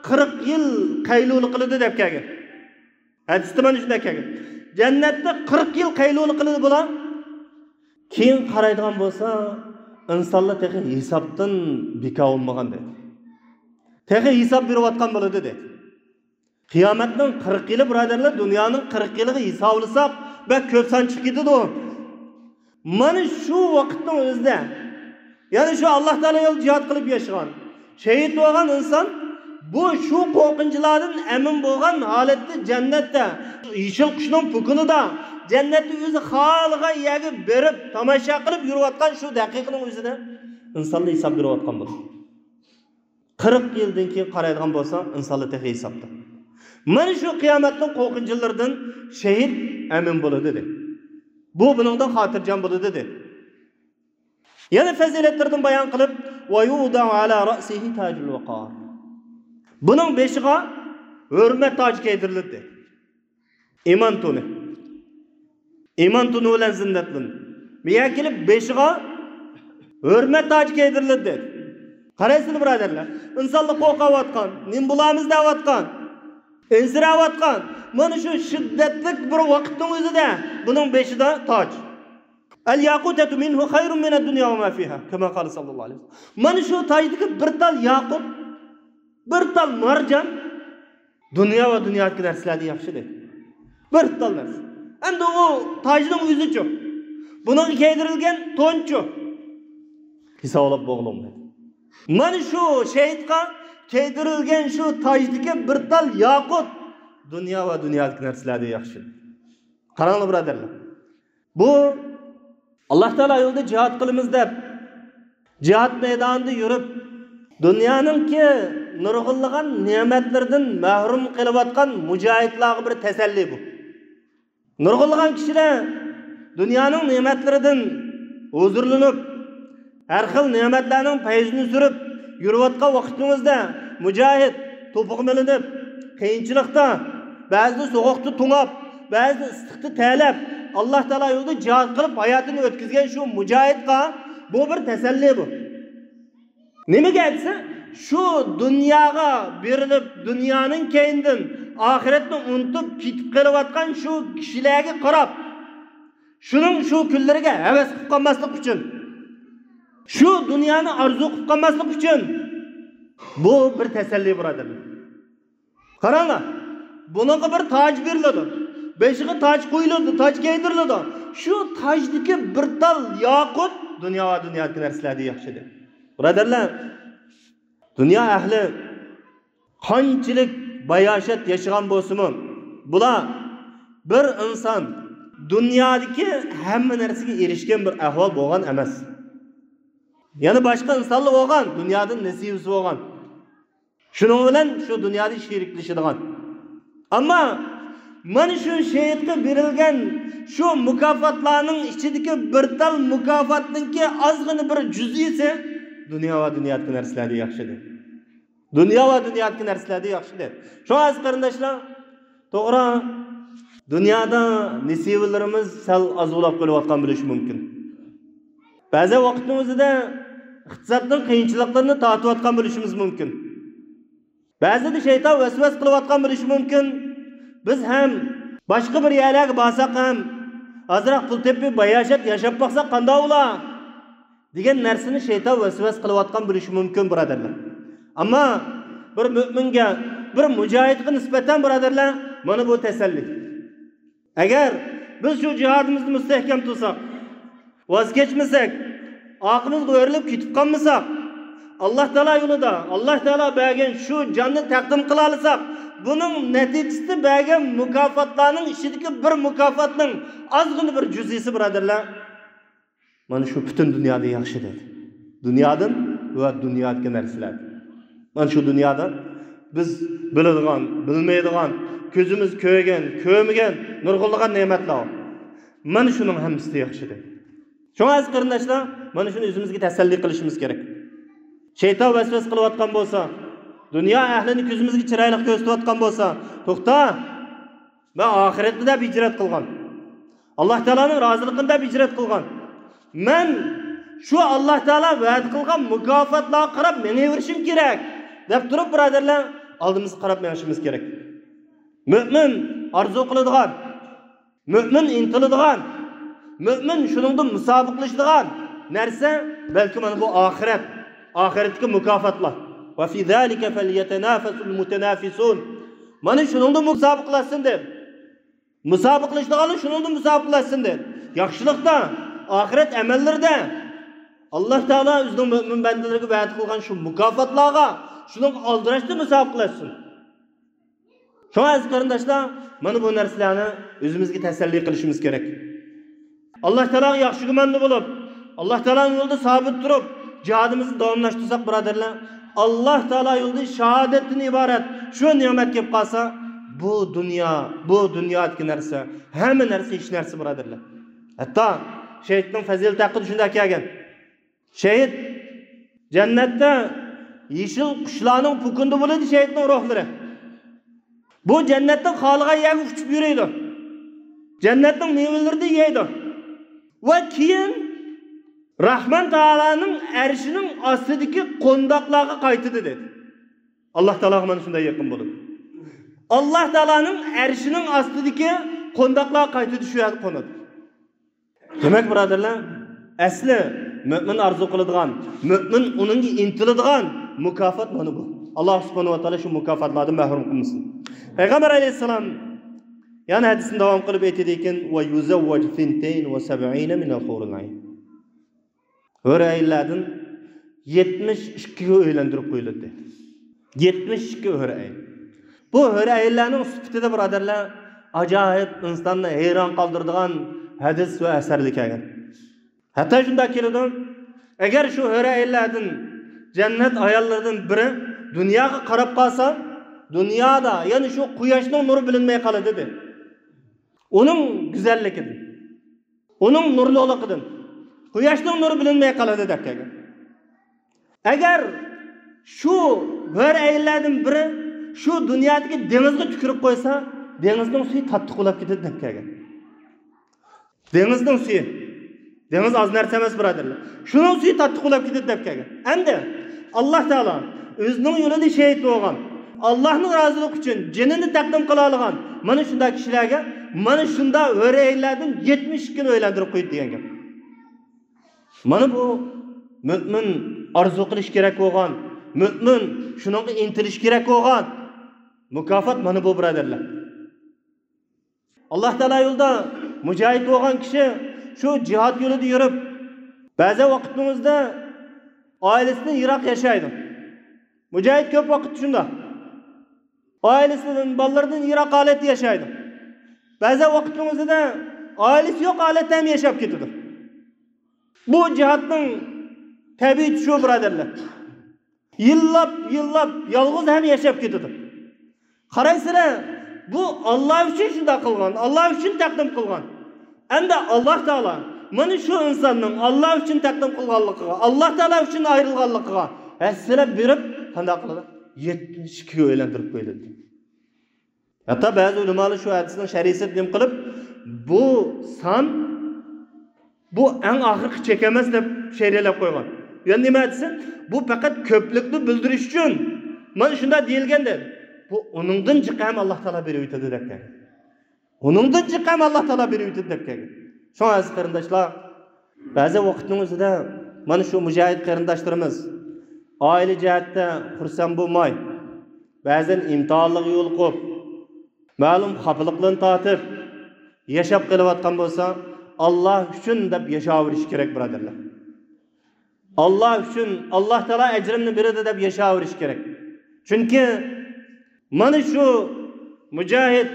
قىرىق يىل قەيلۇلا قىلىدۇ دەپ كەلگەن. ھەدىستە مانا شۇنداق كەلگەن. جەننەتتە قىرىق يىل قەيلۇلا قىلىدۇ بۇلار. كېيىن قارايدىغان بولسا، ئىنسانلار تېخى ھېسابتىن بىكار بولمىغان دەيدۇ. تېخى ھېساب بېرىۋاتقان بولىدۇ دەيدۇ. قىيامەتنىڭ قىرىق يىلى، بۇرادەرلەر، دۇنيانىڭ قىرىق يىلىغا ھېسابلىساق، بەك كۆپ سان چىقىپ كېتىدۇ. مانا شۇ ۋاقىتنىڭ ئۆزىدە، يەنى شۇ ئاللاھ تائالا يولىدا جىھاد قىلىپ ياشىغان، شەھىد بولغان ئىنسان بۇ شۇ قورقۇنچلاردىن ئەمىن بولغان ھالەتتە جەننەتتە، يېشىل قۇشنىڭ پۇكىنىدا، جەننەتتە ئۆزى خالىغان يەرگە بېرىپ، تاماشا قىلىپ يۈرۈۋاتقان شۇ دەقىقىنىڭ ئۆزىدە ئىنسانلار ھېساب بېرىۋاتقان بولىدۇ. قىرىق يىلدىن كېيىن قارايدىغان بولساڭ، ئىنسانلار تېخى ھېسابتا. مانا شۇ قىيامەتنىڭ قورقۇنچلىرىدىن شەھىد ئەمىن بولىدۇ، دېدى. بۇ بۇنىڭدىن خاتىرجەم بولىدۇ، دېدى. يەنە پەزىلەتلىرىدىن بايان قىلىپ، «ۋە يۇدەئۇ ئەلا رەئسىھى تاجۇل ۋەقار.» بۇنىڭ بېشىغا ھۆرمەت تاجى كىيدۈرۈلىدۇ. ئىمان تونى. ئىمان تونى بىلەن زىننەتلىنىدۇ. بۇ يەرگە كېلىپ بېشىغا ھۆرمەت تاجى كىيدۈرۈلىدۇ، دېدى. قارايسىلەر، بۇرادەرلەر، ئىنسانلار قورقۇۋاتقان، نېمە بولارمىز دەۋاتقان، ئەنسىرەۋاتقان، مانا شۇ شىددەتلىك بىر ۋاقىتنىڭ ئۆزىدە بۇنىڭ بېشىدا تاج. «ئەل ياقۇتەتۇ مىنھۇ خەيرۇن مىنەد دۇنيا ۋە ما فىھا، كەما قالە سەللەللاھۇ ئەلەيھى ۋەسەللەم.» مانا شۇ تاجدىكى بىر تال ياقۇت، بىر تال مارجان دۇنيا ۋە دۇنيادىكى نەرسىلەردىن ياخشى، دېدى. بىر تال نەرسە. ئەمدى ئۇ تاجنىڭ ئۆزىچۇ؟ بۇنىڭغا كىيدۈرۈلگەن تونچۇ؟ ھېسابلاپ بولغىلى بولمايدۇ. مانا شۇ شەھىدقا كىيدۈرۈلگەن شۇ تاجدىكى بىر تال ياقۇت دۇنيا ۋە دۇنيادىكى نەرسىلەردىن ياخشى. قاراڭلار، بۇرادەرلەر. بۇ ئاللاھ تائالا يولىدا جىھاد قىلىمىز دەپ، جىھاد مەيدانىدا يۈرۈپ، دۇنيانىڭكى نۇرغۇنلىغان نېمەتلىرىدىن مەھرۇم قېلىۋاتقان مۇجاھىدلارغا بىر تەسەللى بۇ. نۇرغۇنلىغان كىشىلەر دۇنيانىڭ نېمەتلىرىدىن ھۇزۇرلىنىپ، ھەر خىل نېمەتلەرنىڭ پەيزىنى سۈرۈپ يۈرۈۋاتقان ۋاقتىمىزدا، مۇجاھىد توپىغا مىلىنىپ، قىيىنچىلىقتا، بەزىدە سوغۇقتا توڭاپ، بەزىدە ئىسسىقتا تەرلەپ، ئاللاھ تائالا يولىدا جىھاد قىلىپ ھاياتىنى ئۆتكۈزگەن شۇ مۇجاھىدقا بۇ بىر تەسەللى بۇ. نېمىگە دېسە، شۇ دۇنياغا بېرىلىپ، دۇنيانىڭ كەينىدىن ئاخىرەتنى ئۇنتۇپ كېتىپ قېلىۋاتقان شۇ كىشىلەرگە قاراپ، شۇنىڭ شۇ كۈنلىرىگە ھەۋەس قىلىپ قالماسلىق ئۈچۈن، شۇ دۇنيانى ئارزۇ قىلىپ قالماسلىق ئۈچۈن بۇ بىر تەسەللى، بۇرادەرلەر. قاراڭلار، بۇنىڭغا بىر تاج بېرىلىدۇ، بېشىغا تاج قويۇلىدۇ، تاج كىيدۈرۈلىدۇ. شۇ تاجدىكى بىر تال ياقۇت دۇنيا ۋە دۇنيادىكى نەرسىلەردىن ياخشىدۇر. بۇرادەرلەر، دۇنيا ئەھلى قانچىلىك باياشات ياشىغان بولسىمۇ، بۇلار بىر ئىنسان دۇنيادىكى ھەممە نەرسىگە ئېرىشكەن بىر ئەھۋال بولغان ئەمەس. يەنە باشقا ئىنسانلار بولغان، دۇنيادىن نېسىۋىسى بولغان. شۇنىڭ بىلەن شۇ دۇنيادا شېرىكلىشىدىغان. ئەمما مانا شۇ شېھىتقا بېرىلگەن شۇ مۇكاپاتلارنىڭ ئىچىدىكى بىر تال مۇكاپاتنىڭكى ئازغىنە بىر جۈزئىسى دۇنيا ۋە دۇنيادىكى نەرسىلەردىن ياخشىدۇر. دۇنيا ۋە دۇنيادىكى نەرسىلەردىن ياخشىدۇر. شۇڭا ئەزىز قېرىنداشلار، توغرا، دۇنيادا نېسىۋىلىرىمىز سەل ئاز بولاپ قېلىۋاتقان بولۇشى مۇمكىن. بەزى ۋاقىتنىڭ ئۆزىدە ئىقتىسادنىڭ قىيىنچىلىقلىرىنى تارتىۋاتقان بولۇشىمىز مۇمكىن. بەزىدە شەيتان ۋەسۋەسە قىلىۋاتقان بولۇشى مۇمكىن. بىز ھەم باشقا بىر يەرلەرگە بارساق ھەم، ئازراق پۇل تېپىپ، باياشات ياشاپ باقساق قانداق بولا؟ دېگەن نەرسىنى شەيتان ۋەسۋەسە قىلىۋاتقان بولۇشى مۇمكىن، بۇرادەرلەر. ئەمما بىر مۆمىنگە، بىر مۇجاھىدقا نىسبەتەن، بۇرادەرلەر، مانا بۇ تەسەللى. ئەگەر بىز شۇ جىھادىمىزنى مۇستەھكەم تۇتساق، ۋاز كەچمىسەك، ئارقىمىزغا ئۆرۈلۈپ كېتىپ قالمىساق، ئاللا تائالا يولىدا، ئاللا تائالا بەرگەن شۇ جاننى تەقدىم قىلالىساق، بۇنىڭ نەتىجىسىدە بەرگەن مۇكاپاتلارنىڭ ئىچىدىكى بىر مۇكاپاتنىڭ ئازغىنە بىر جۈزئىسى، بۇرادەرلەر، مانا شۇ پۈتۈن دۇنيادىن ياخشى دېدى. دۇنيادىن ۋە دۇنيادىكى نەرسىلەردىن. مانا شۇ دۇنيادا بىز بىلىدىغان، بىلمەيدىغان، كۆزىمىز كۆرگەن، كۆرمىگەن نۇرغۇنلىغان نېمەتلەر بار. مانا شۇنىڭ ھەممىسى ياخشى دېدى. شۇڭا ئەزىز قېرىنداشلار، مانا شۇنى ئۆزىمىزگە تەسەللى قىلىشىمىز كېرەك. شەيتان ۋەسۋەسە قىلىۋاتقان بولسا، دۇنيا ئەھلىنى كۆزىمىزگە چىرايلىق كۆرسىتىۋاتقان بولسا، توختا، مەن ئاخىرەتنى دەپ ھىجرەت قىلغان. ئاللا تائالانىڭ رازىلىقىنى دەپ ھىجرەت قىلغان. مەن شۇ ئاللا تائالا ۋەدە قىلغان مۇكاپاتلارغا قاراپ مېڭىۋېرىشىم كېرەك، دەپ تۇرۇپ، بۇرادەرلەر، ئالدىمىزغا قاراپ مېڭىشىمىز كېرەك. مۆمىن ئارزۇ قىلىدىغان، مۆمىن ئىنتىلىدىغان، مۆمىن شۇنىڭدا مۇسابىقىلىشىدىغان نەرسە، بەلكى مانا بۇ ئاخىرەت، ئاخىرەتتىكى مۇكاپاتلار. وفي ذلك فليتنافس المتنافسون. مانا شۇنىڭدا مۇسابىقىلەشسۇن دېدى. مۇسابىقىلىشىدىغانلار شۇنىڭدا مۇسابىقىلەشسۇن دېدى. ياخشىلىقتا، ئاخىرەت ئەمەللىرىدە ئاللا تائالا ئۆزىنىڭ مۆمىن بەندىلىرىگە ۋەدە قىلغان شۇ مۇكاپاتلارغا، شۇنىڭغا ئالدىراشتا مۇسابىقىلەشسۇن. شۇڭا ئەزىز قېرىنداشلار، مانا بۇ نەرسىلەرنى ئۆزىمىزگە تەسەللى قىلىشىمىز كېرەك. ئاللا تائالاغا ياخشى گۇماندا بولۇپ، ئاللا تائالانىڭ يولىدا سابىت تۇرۇپ، جىھادىمىزنى داۋاملاشتۇرساق، بۇرادەرلەر، ئاللا تائالا يولىدا شاھادەتتىن ئىبارەت شۇ نېمەت كېلىپ قالسا، بۇ دۇنيا، بۇ دۇنيادىكى نەرسە، ھەممە نەرسە ھېچ نەرسە، بۇرادەرلەر. ھەتتا شېھىتنىڭ پەزىلىتى ھەققىدە شۇنداق كەلگەن. شېھىت جەننەتتە يېشىل قۇشلارنىڭ پوكۇندا بولىدۇ، شېھىتنىڭ روھلىرى. بۇ جەننەتنىڭ خالىغان يەرگە ئۇچۇپ يۈرىدۇ. جەننەتنىڭ مېۋىلىرىنى يەيدۇ. ۋە كېيىن راھمان تائالانىڭ ئەرشىنىڭ ئاستىدىكى قونداقلارغا قايتىدۇ، دېدى. ئاللا تائالاغا مانا شۇنداق يېقىن بولىدۇ. ئاللا تائالانىڭ ئەرشىنىڭ ئاستىدىكى قونداقلارغا قايتىدۇ، شۇ يەردە قونىدۇ. دېمەك، بۇرادەرلەر، ئەسلى مۆمىن ئارزۇ قىلىدىغان، مۆمىن ئۇنىڭغا ئىنتىلىدىغان مۇكاپات مانا بۇ. ئاللا سۇبھانەھۇ ۋە تائالا شۇ مۇكاپاتلاردىن مەھرۇم قىلمىسۇن. پەيغەمبەر ئەلەيھىسسالام يەنە ھەدىسىنى داۋام قىلىپ ئېيتىدىكەن، ويزوج ثنتين وسبعين من الحور العين. ھۆر ئەينلەردىن يەتمىش ئىككىگە ئۆيلەندۈرۈپ قويۇلدى. يەتمىش ئىككى ھۆر ئەين. بۇ ھۆر ئەينلەرنىڭ سۈپىتىدە، بۇرادەرلەر، ئاجايىپ، ئىنساننى ھەيران قالدۇرىدىغان ھەدىس ۋە ئەسەرلەر كەلگەن. ھەتتا شۇنداق كېلىدۇ، ئەگەر شۇ ھۆر ئەينلەردىن، جەننەت ئاياللىرىدىن بىرى دۇنياغا قاراپ قالسا، دۇنيادا يەنە شۇ قۇياشنىڭ نۇرى بىلىنمەي قالىدۇ، دېدى. ئۇنىڭ گۈزەللىكىدىن، ئۇنىڭ نۇرلۇقلۇقىدىن، قۇياشنىڭ نۇرى بىلىنمەي قالىدۇ، دەپ كەلگەن. ئەگەر شۇ ھۆر ئەينلەردىن بىرى شۇ دۇنيادىكى دېڭىزغا تۈكۈرۈپ قويسا، دېڭىزنىڭ سۈيى تاتلىق بولاپ كېتىدۇ، دەپ كەلگەن. دېڭىزنىڭ سۈيى. دېڭىز ئاز نەرسە ئەمەس، بۇرادەرلەر. شۇنىڭ سۈيى تاتلىق بولاپ كېتىدۇ، دەپ كەلگەن. ئەمدى ئاللا تائالا ئۆزىنىڭ يولىدا شېھىت بولغان، ئاللانىڭ رازىلىقى ئۈچۈن جېنىنى تەقدىم قىلالىغان مانا شۇنداق كىشىلەرگە مانا شۇنداق ھۆر ئەينلەردىن يەتمىش ئىككىنى ئۆيلەندۈرۈپ قويدى، دېگەن گەپ. مانا بۇ مۆمىن ئارزۇ قىلىش كېرەك بولغان، مۆمىن شۇنىڭغا ئىنتىلىش كېرەك بولغان مۇكاپات مانا بۇ، بۇرادەرلەر. ئاللا تائالا يولىدا مۇجاھىد بولغان كىشى شۇ جىھاد يولىدا يۈرۈپ، بەزى ۋاقىتنىڭ ئۆزىدە ئائىلىسىدىن يىراق ياشايدۇ. مۇجاھىد كۆپ ۋاقىت شۇنداق. ئائىلىسىدىن، بالىلىرىدىن يىراق ھالەتتە ياشايدۇ. بەزى ۋاقىتنىڭ ئۆزىدە ئائىلىسى يوق ھالەتتە ھەم ياشاپ كېتىدۇ. بۇ جىھادنىڭ تەبىئىتى شۇ، بۇرادەرلەر. يىللاپ، يىللاپ يالغۇز ھەم ياشاپ كېتىدۇ. قارايسىلەر، بۇ ئاللا ئۈچۈن شۇنداق قىلغان، ئاللا ئۈچۈن تەقدىم قىلغان. ئەمدى ئاللا تائالا مانا شۇ ئىنساننىڭ ئاللا ئۈچۈن تەقدىم قىلغانلىقىغا، ئاللا تائالا ئۈچۈن ئايرىلغانلىقىغا ھەسسىلەپ بېرىپ، قانداق قىلىدۇ؟ يەتمىش ئىككىگە ئۆيلەندۈرۈپ قويۇلدى. ھەتتا بەزى ئۆلىمالار شۇ ھەدىسنىڭ شەرھىسى دېگەن قىلىپ، بۇ سان، بۇ ئەڭ ئاخىرقى چەك ئەمەس دەپ شەرھلەپ قويغان. يەنى نېمە دېسە، بۇ پەقەت كۆپلۈكنى بىلدۈرۈش ئۈچۈن مانا شۇنداق دېيىلگەن دەپ. بۇ ئۇنىڭدىن جىق ھەم ئاللا تائالا بېرىۋېتىدۇ دەپ كەلگەن. ئۇنىڭدىن جىق ھەم ئاللا تائالا بېرىۋېتىدۇ دەپ كەلگەن. شۇڭا ئەزىز قېرىنداشلار، بەزى ۋاقىتنىڭ ئۆزىدە مانا شۇ مۇجاھىد قېرىنداشلىرىمىز ئائىلە جەھەتتە خۇرسەن بولماي، بەزەن ئىمتىھانلارغا يولۇقۇپ، مەلۇم خاپىلىقلارنى تارتىپ ياشاپ قېلىۋاتقان بولسا، ئاللا ئۈچۈن دەپ ياشاۋېرىش كېرەك، بۇرادەرلەر. ئاللا ئۈچۈن، ئاللا تائالا ئەجرىمنى بېرىدۇ دەپ ياشاۋېرىش كېرەك. چۈنكى مانا شۇ مۇجاھىد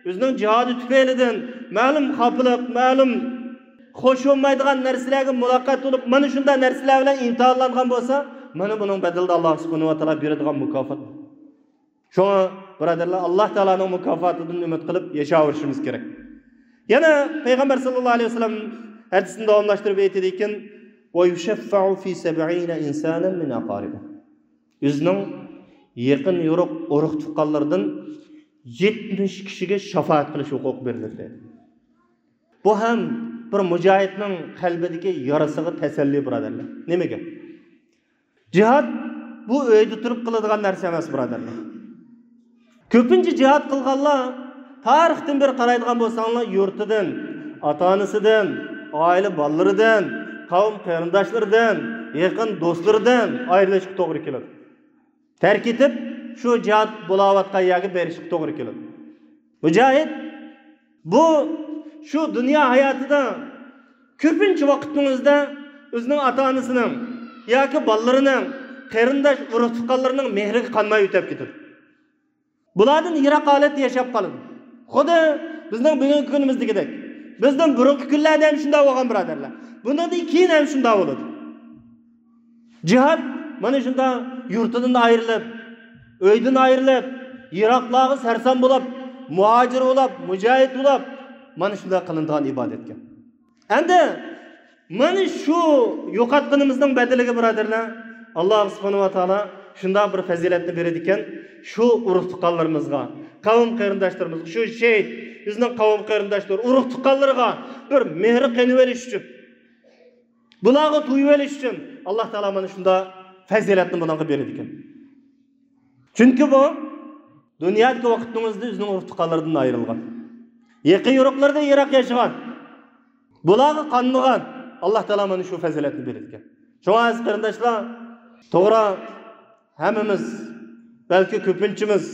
ئۆزىنىڭ جىھادى تۈپەيلىدىن مەلۇم خاپىلىق، مەلۇم خوش بولمايدىغان نەرسىلەرگە مۇلاقات بولۇپ، مانا شۇنداق نەرسىلەر بىلەن ئىمتىھانلانغان بولسا، مانا بۇنىڭ بەدىلىدە ئاللا سۇبھانەھۇ ۋە تائالا بېرىدىغان مۇكاپات. شۇڭا، بۇرادەرلەر، ئاللا تائالانىڭ مۇكاپاتىدىن ئۈمىد قىلىپ ياشاۋېرىشىمىز كېرەك. يەنە پەيغەمبەر ساللاللاھۇ ئەلەيھى ۋەسەللەم ھەدىسىنى داۋاملاشتۇرۇپ ئېيتىدىكەن، «ويشفع في سبعين إنسانا من أقاربه.» ئۆزىنىڭ يېقىن يورۇق ئۇرۇق تۇغقانلىرىدىن يەتمىش كىشىگە شاپائەت قىلىش ھوقۇقى بېرىلىدۇ. بۇ ھەم بىر مۇجاھىدنىڭ قەلبىدىكى يارىسىغا تەسەللى، بۇرادەرلەر. نېمىگە؟ جىھاد بۇ ئۆيدە تۇرۇپ قىلىدىغان نەرسە ئەمەس، بۇرادەرلەر. كۆپىنچە جىھاد قىلغانلار، تارىختىن بېرى قارايدىغان بولساڭلار، يۇرتىدىن، ئاتا-ئانىسىدىن، ئائىلە بالىلىرىدىن، قەۋم قېرىنداشلىرىدىن، يېقىن دوستلىرىدىن ئايرىلىشقا توغرا كېلىدۇ. تەرك ئېتىپ، شۇ جىھاد بولاۋاتقان يەرگە بېرىشقا توغرا كېلىدۇ. مۇجاھىد بۇ شۇ دۇنيا ھاياتىدا كۆپىنچە ۋاقىتنىڭ ئۆزىدە ئۆزىنىڭ ئاتا-ئانىسىنىڭ ياكى بالىلىرىنىڭ، قېرىنداش ئۇرۇق-تۇغقانلىرىنىڭ مېھرىگە قانماي ئۆتۈپ كېتىدۇ. بۇلاردىن يىراق ھالەتتە ياشاپ قالىدۇ. خۇددى بىزنىڭ بۈگۈنكى كۈنىمىزدىكىدەك. بىزدىن بۇرۇنقى كۈنلەردە ھەم شۇنداق بولغان، بۇرادەرلەر. بۇنىڭدىن كېيىن ھەم شۇنداق بولىدۇ. جىھاد مانا شۇنداق يۇرتىدىن ئايرىلىپ، ئۆيدىن ئايرىلىپ، يىراقلارغا سەرسان بولۇپ، مۇھاجىر بولۇپ، مۇجاھىد بولۇپ، مانا شۇنداق قىلىنىدىغان ئىبادەتكەن. ئەمدى مانا شۇ يوقاتقىنىمىزنىڭ بەدىلىگە، بۇرادەرلەر، ئاللا سۇبھانەھۇ ۋە تائالا شۇنداق بىر پەزىلەتنى بېرىدىكەن، شۇ ئۇرۇق-تۇغقانلىرىمىزغا، قەۋم قېرىنداشلىرىمىزغا، شۇ شېھىت، بىزنىڭ قەۋم قېرىنداشلىرى، ئۇرۇق-تۇغقانلىرىغا بىر مېھىر قېنىۋېلىش ئۈچۈن، بۇلارغا تۇيۇۋېلىش ئۈچۈن ئاللا تائالا مانا شۇنداق پەزىلەتنى بۇنىڭغا بېرىدىكەن. چۈنكى بۇ دۇنيادىكى ۋاقىتنىڭ ئۆزىدە ئۆزىنىڭ ئۇرۇق-تۇغقانلىرىدىن ئايرىلغان، يېقىن يورۇقلىرىدىن يىراق ياشىغان، بۇلارغا قانمىغان، ئاللا تائالا مانا شۇ پەزىلەتنى بېرىدىكەن. شۇڭا ئەزىز قېرىنداشلار، توغرا، ھەممىمىز، بەلكى كۆپىنچىمىز،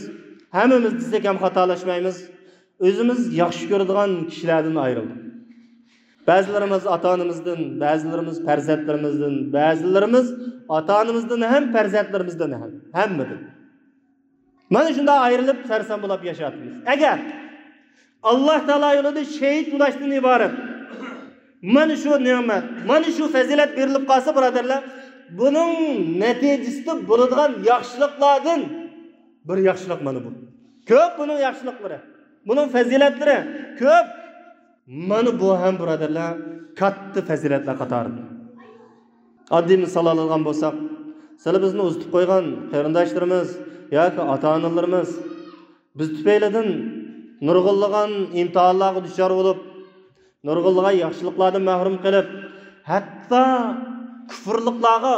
ھەممىمىز دېسەك ھەم خاتالاشمايمىز، ئۆزىمىز ياخشى كۆرىدىغان كىشىلەردىن ئايرىلدۇق. بەزىلىرىمىز ئاتا-ئانىمىزدىن، بەزىلىرىمىز پەرزەنتلىرىمىزدىن، بەزىلىرىمىز ئاتا-ئانىمىزدىن ھەم پەرزەنتلىرىمىزدىن ھەم، ھەممىدىن. مانا شۇنداق ئايرىلىپ، سەرسان بولاپ ياشاۋاتىمىز. ئەگەر ئاللا تائالا يولىدا شېھىت بولۇشتىن ئىبارەت مانا شۇ نېمەت، مانا شۇ پەزىلەت بېرىلىپ قالسا، بۇرادەرلەر، بۇنىڭ نەتىجىسىدە بولىدىغان ياخشىلىقلاردىن بىر ياخشىلىق مانا بۇ. كۆپ بۇنىڭ ياخشىلىقلىرى، بۇنىڭ پەزىلەتلىرى كۆپ. مانا بۇ ھەم، بۇرادەرلەر، كاتتا پەزىلەتلەر قاتارىدا. ئاددىي مىسال ئالىدىغان بولساق، سىلى بىزنى ئۇزىتىپ قويغان قېرىنداشلىرىمىز ياكى ئاتا-ئانىلىرىمىز بىز تۈپەيلىدىن نۇرغۇنلىغان ئىمتىھانلارغا دۇچار بولۇپ، نۇرغۇنلىغان ياخشىلىقلاردىن مەھرۇم قېلىپ، ھەتتا كۇفرلۇقلارغا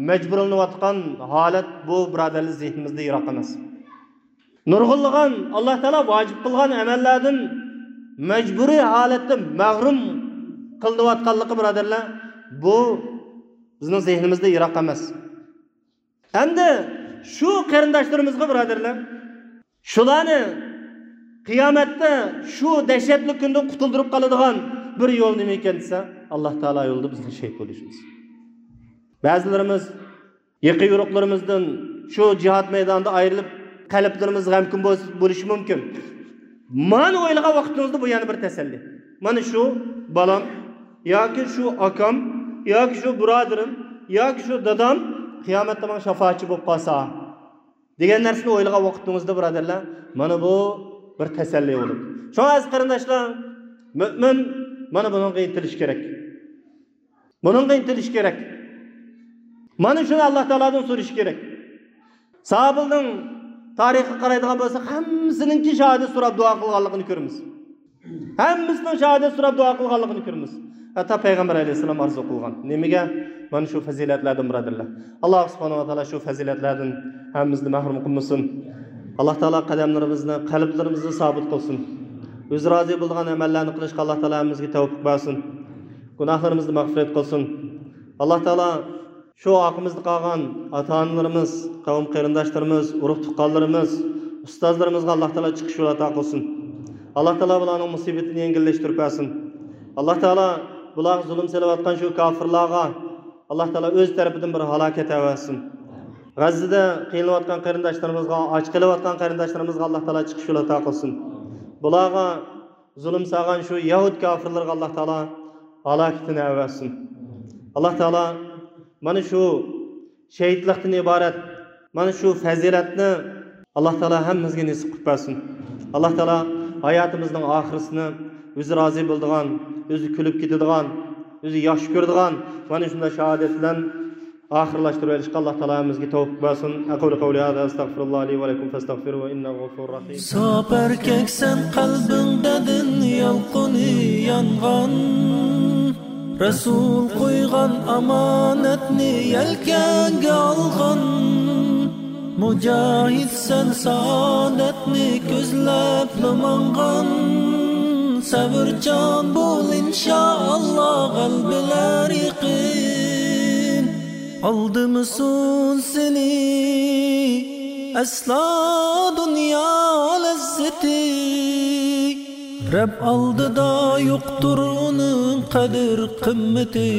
مەجبۇرلىنىۋاتقان ھالەت بۇ، بۇرادەرلەر، زېھنىمىزدە يىراق ئەمەس. نۇرغۇنلىغان ئاللا تائالا ۋاجىپ قىلغان ئەمەللەردىن مەجبۇرىي ھالەتتە مەھرۇم قىلىنىۋاتقانلىقى، بۇرادەرلەر، بۇ بىزنىڭ زېھنىمىزدە يىراق ئەمەس. ئەمدى شۇ قېرىنداشلىرىمىزغا، بۇرادەرلەر، شۇلارنى قىيامەتتە شۇ دەھشەتلىك كۈندىن قۇتۇلدۇرۇپ قالىدىغان بىر يول نېمە ئىكەن دېسە، ئاللا تائالا يولىدا بىزنىڭ شېھىت بولۇشىمىز. بەزىلىرىمىز يېقىن يورۇقلىرىمىزدىن شۇ جىھاد مەيدانىدا ئايرىلىپ، قەلبلىرىمىز غەمكىن بولسا، بولۇشى مۇمكىن. مانا ئويلىغان ۋاقتىڭىزدا بۇ يەنە بىر تەسەللى. مانا شۇ بالام ياكى شۇ ئاكام ياكى شۇ بۇرادىرىم ياكى شۇ دادام قىيامەتتە ماڭا شاپائەتچى بولۇپ قالسا، دېگەن نەرسىنى ئويلىغان ۋاقتىڭىزدا، بۇرادەرلەر، مانا بۇ بىر تەسەللى بولىدۇ. شۇڭا ئەزىز قېرىنداشلار، مۆمىن مانا بۇنىڭغا ئىنتىلىش كېرەك. بۇنىڭغا ئىنتىلىش كېرەك. مانا شۇنى ئاللا تائالادىن سورىشى كېرەك. ساھابىلىنىڭ تارىخقا قارايدىغان بولساق، ھەممىسىنىڭكى شاھادەت سوراپ دۇئا قىلغانلىقىنى كۆرىمىز. ھەممىسىنىڭ شاھادەت سوراپ دۇئا قىلغانلىقىنى كۆرىمىز. ھەتتا پەيغەمبەر ئەلەيھىسسالام ئارزۇ قىلغان. نېمىگە؟ مانا شۇ پەزىلەتلەردىن، بۇرادەرلەر. ئاللا سۇبھانەھۇ ۋە تائالا شۇ پەزىلەتلەردىن ھەممىمىزنى مەھرۇم قىلمىسۇن. ئاللا تائالا قەدەملىرىمىزنى، قەلبلىرىمىزنى سابىت قىلسۇن. ئۆزى رازى بولىدىغان ئەمەللەرنى قىلىشقا ئاللا تائالا ھەممىمىزگە تەۋپىق بەرسۇن. گۇناھلىرىمىزنى مەغپىرەت قىلسۇن. ئاللا تائالا شۇ ئارقىمىزدا قالغان ئاتا-ئانىلىرىمىز، قەۋم قېرىنداشلىرىمىز، ئۇرۇق-تۇغقانلىرىمىز، ئۇستازلىرىمىزغا ئاللا تائالا چىقىش يولى ئاتا قىلسۇن. ئاللا تائالا بۇلارنىڭ مۇسىبىتىنى يەڭگىللەشتۈرۈپ بەرسۇن. ئاللا تائالا بۇلارغا زۇلۇم سېلىۋاتقان شۇ كاپىرلارغا ئاللا تائالا ئۆز تەرىپىدىن بىر ھالاكەت ئەۋەتسۇن. غەززىدە قىينىلىۋاتقان قېرىنداشلىرىمىزغا، ئاچ قېلىۋاتقان قېرىنداشلىرىمىزغا ئاللا تائالا چىقىش يولى ئاتا قىلسۇن. بۇلارغا زۇلۇم سالغان شۇ يەھۇد كاپىرلىرىغا ئاللا تائالا ھالاكىتىنى ئەۋەتسۇن. ئاللا تائالا مانا شۇ شېھىتلىقتىن ئىبارەت مانا شۇ پەزىلەتنى ئاللا تائالا ھەممىمىزگە نېسىپ قىلىپ بەرسۇن. ئاللا تائالا ھاياتىمىزنىڭ ئاخىرىسىنى ئۆزى رازى بولىدىغان، ئۆزى كۈلۈپ كېتىدىغان، ئۆزى ياخشى كۆرىدىغان مانا شۇنداق شاھادەت بىلەن ئاخىرلاشتۇرۇۋېلىشقا ئاللا تائالا ھەممىمىزگە تەۋپىق بەرسۇن. أقول قولي هذا أستغفر الله لي ولكم فاستغفروه إنه غفور رحيم. ساپار كەكسەن قەلبىڭدە دىن يالقۇنى يانغان، رەسۇل قويغان ئامانەتنى يەلكەڭگە ئالغان، مۇجاھىدسەن سائادەتنى كۆزلەپلا ماڭغان، سەۋرچان بول ئىنشائاللا غەلىبىلەر يېقىن. ئالدىمىسۇن سېنى ئەسلا دۇنيا لەززىتى، رەب ئالدىدا يوقتۇر ئۇنىڭ قەدىر قىممىتى.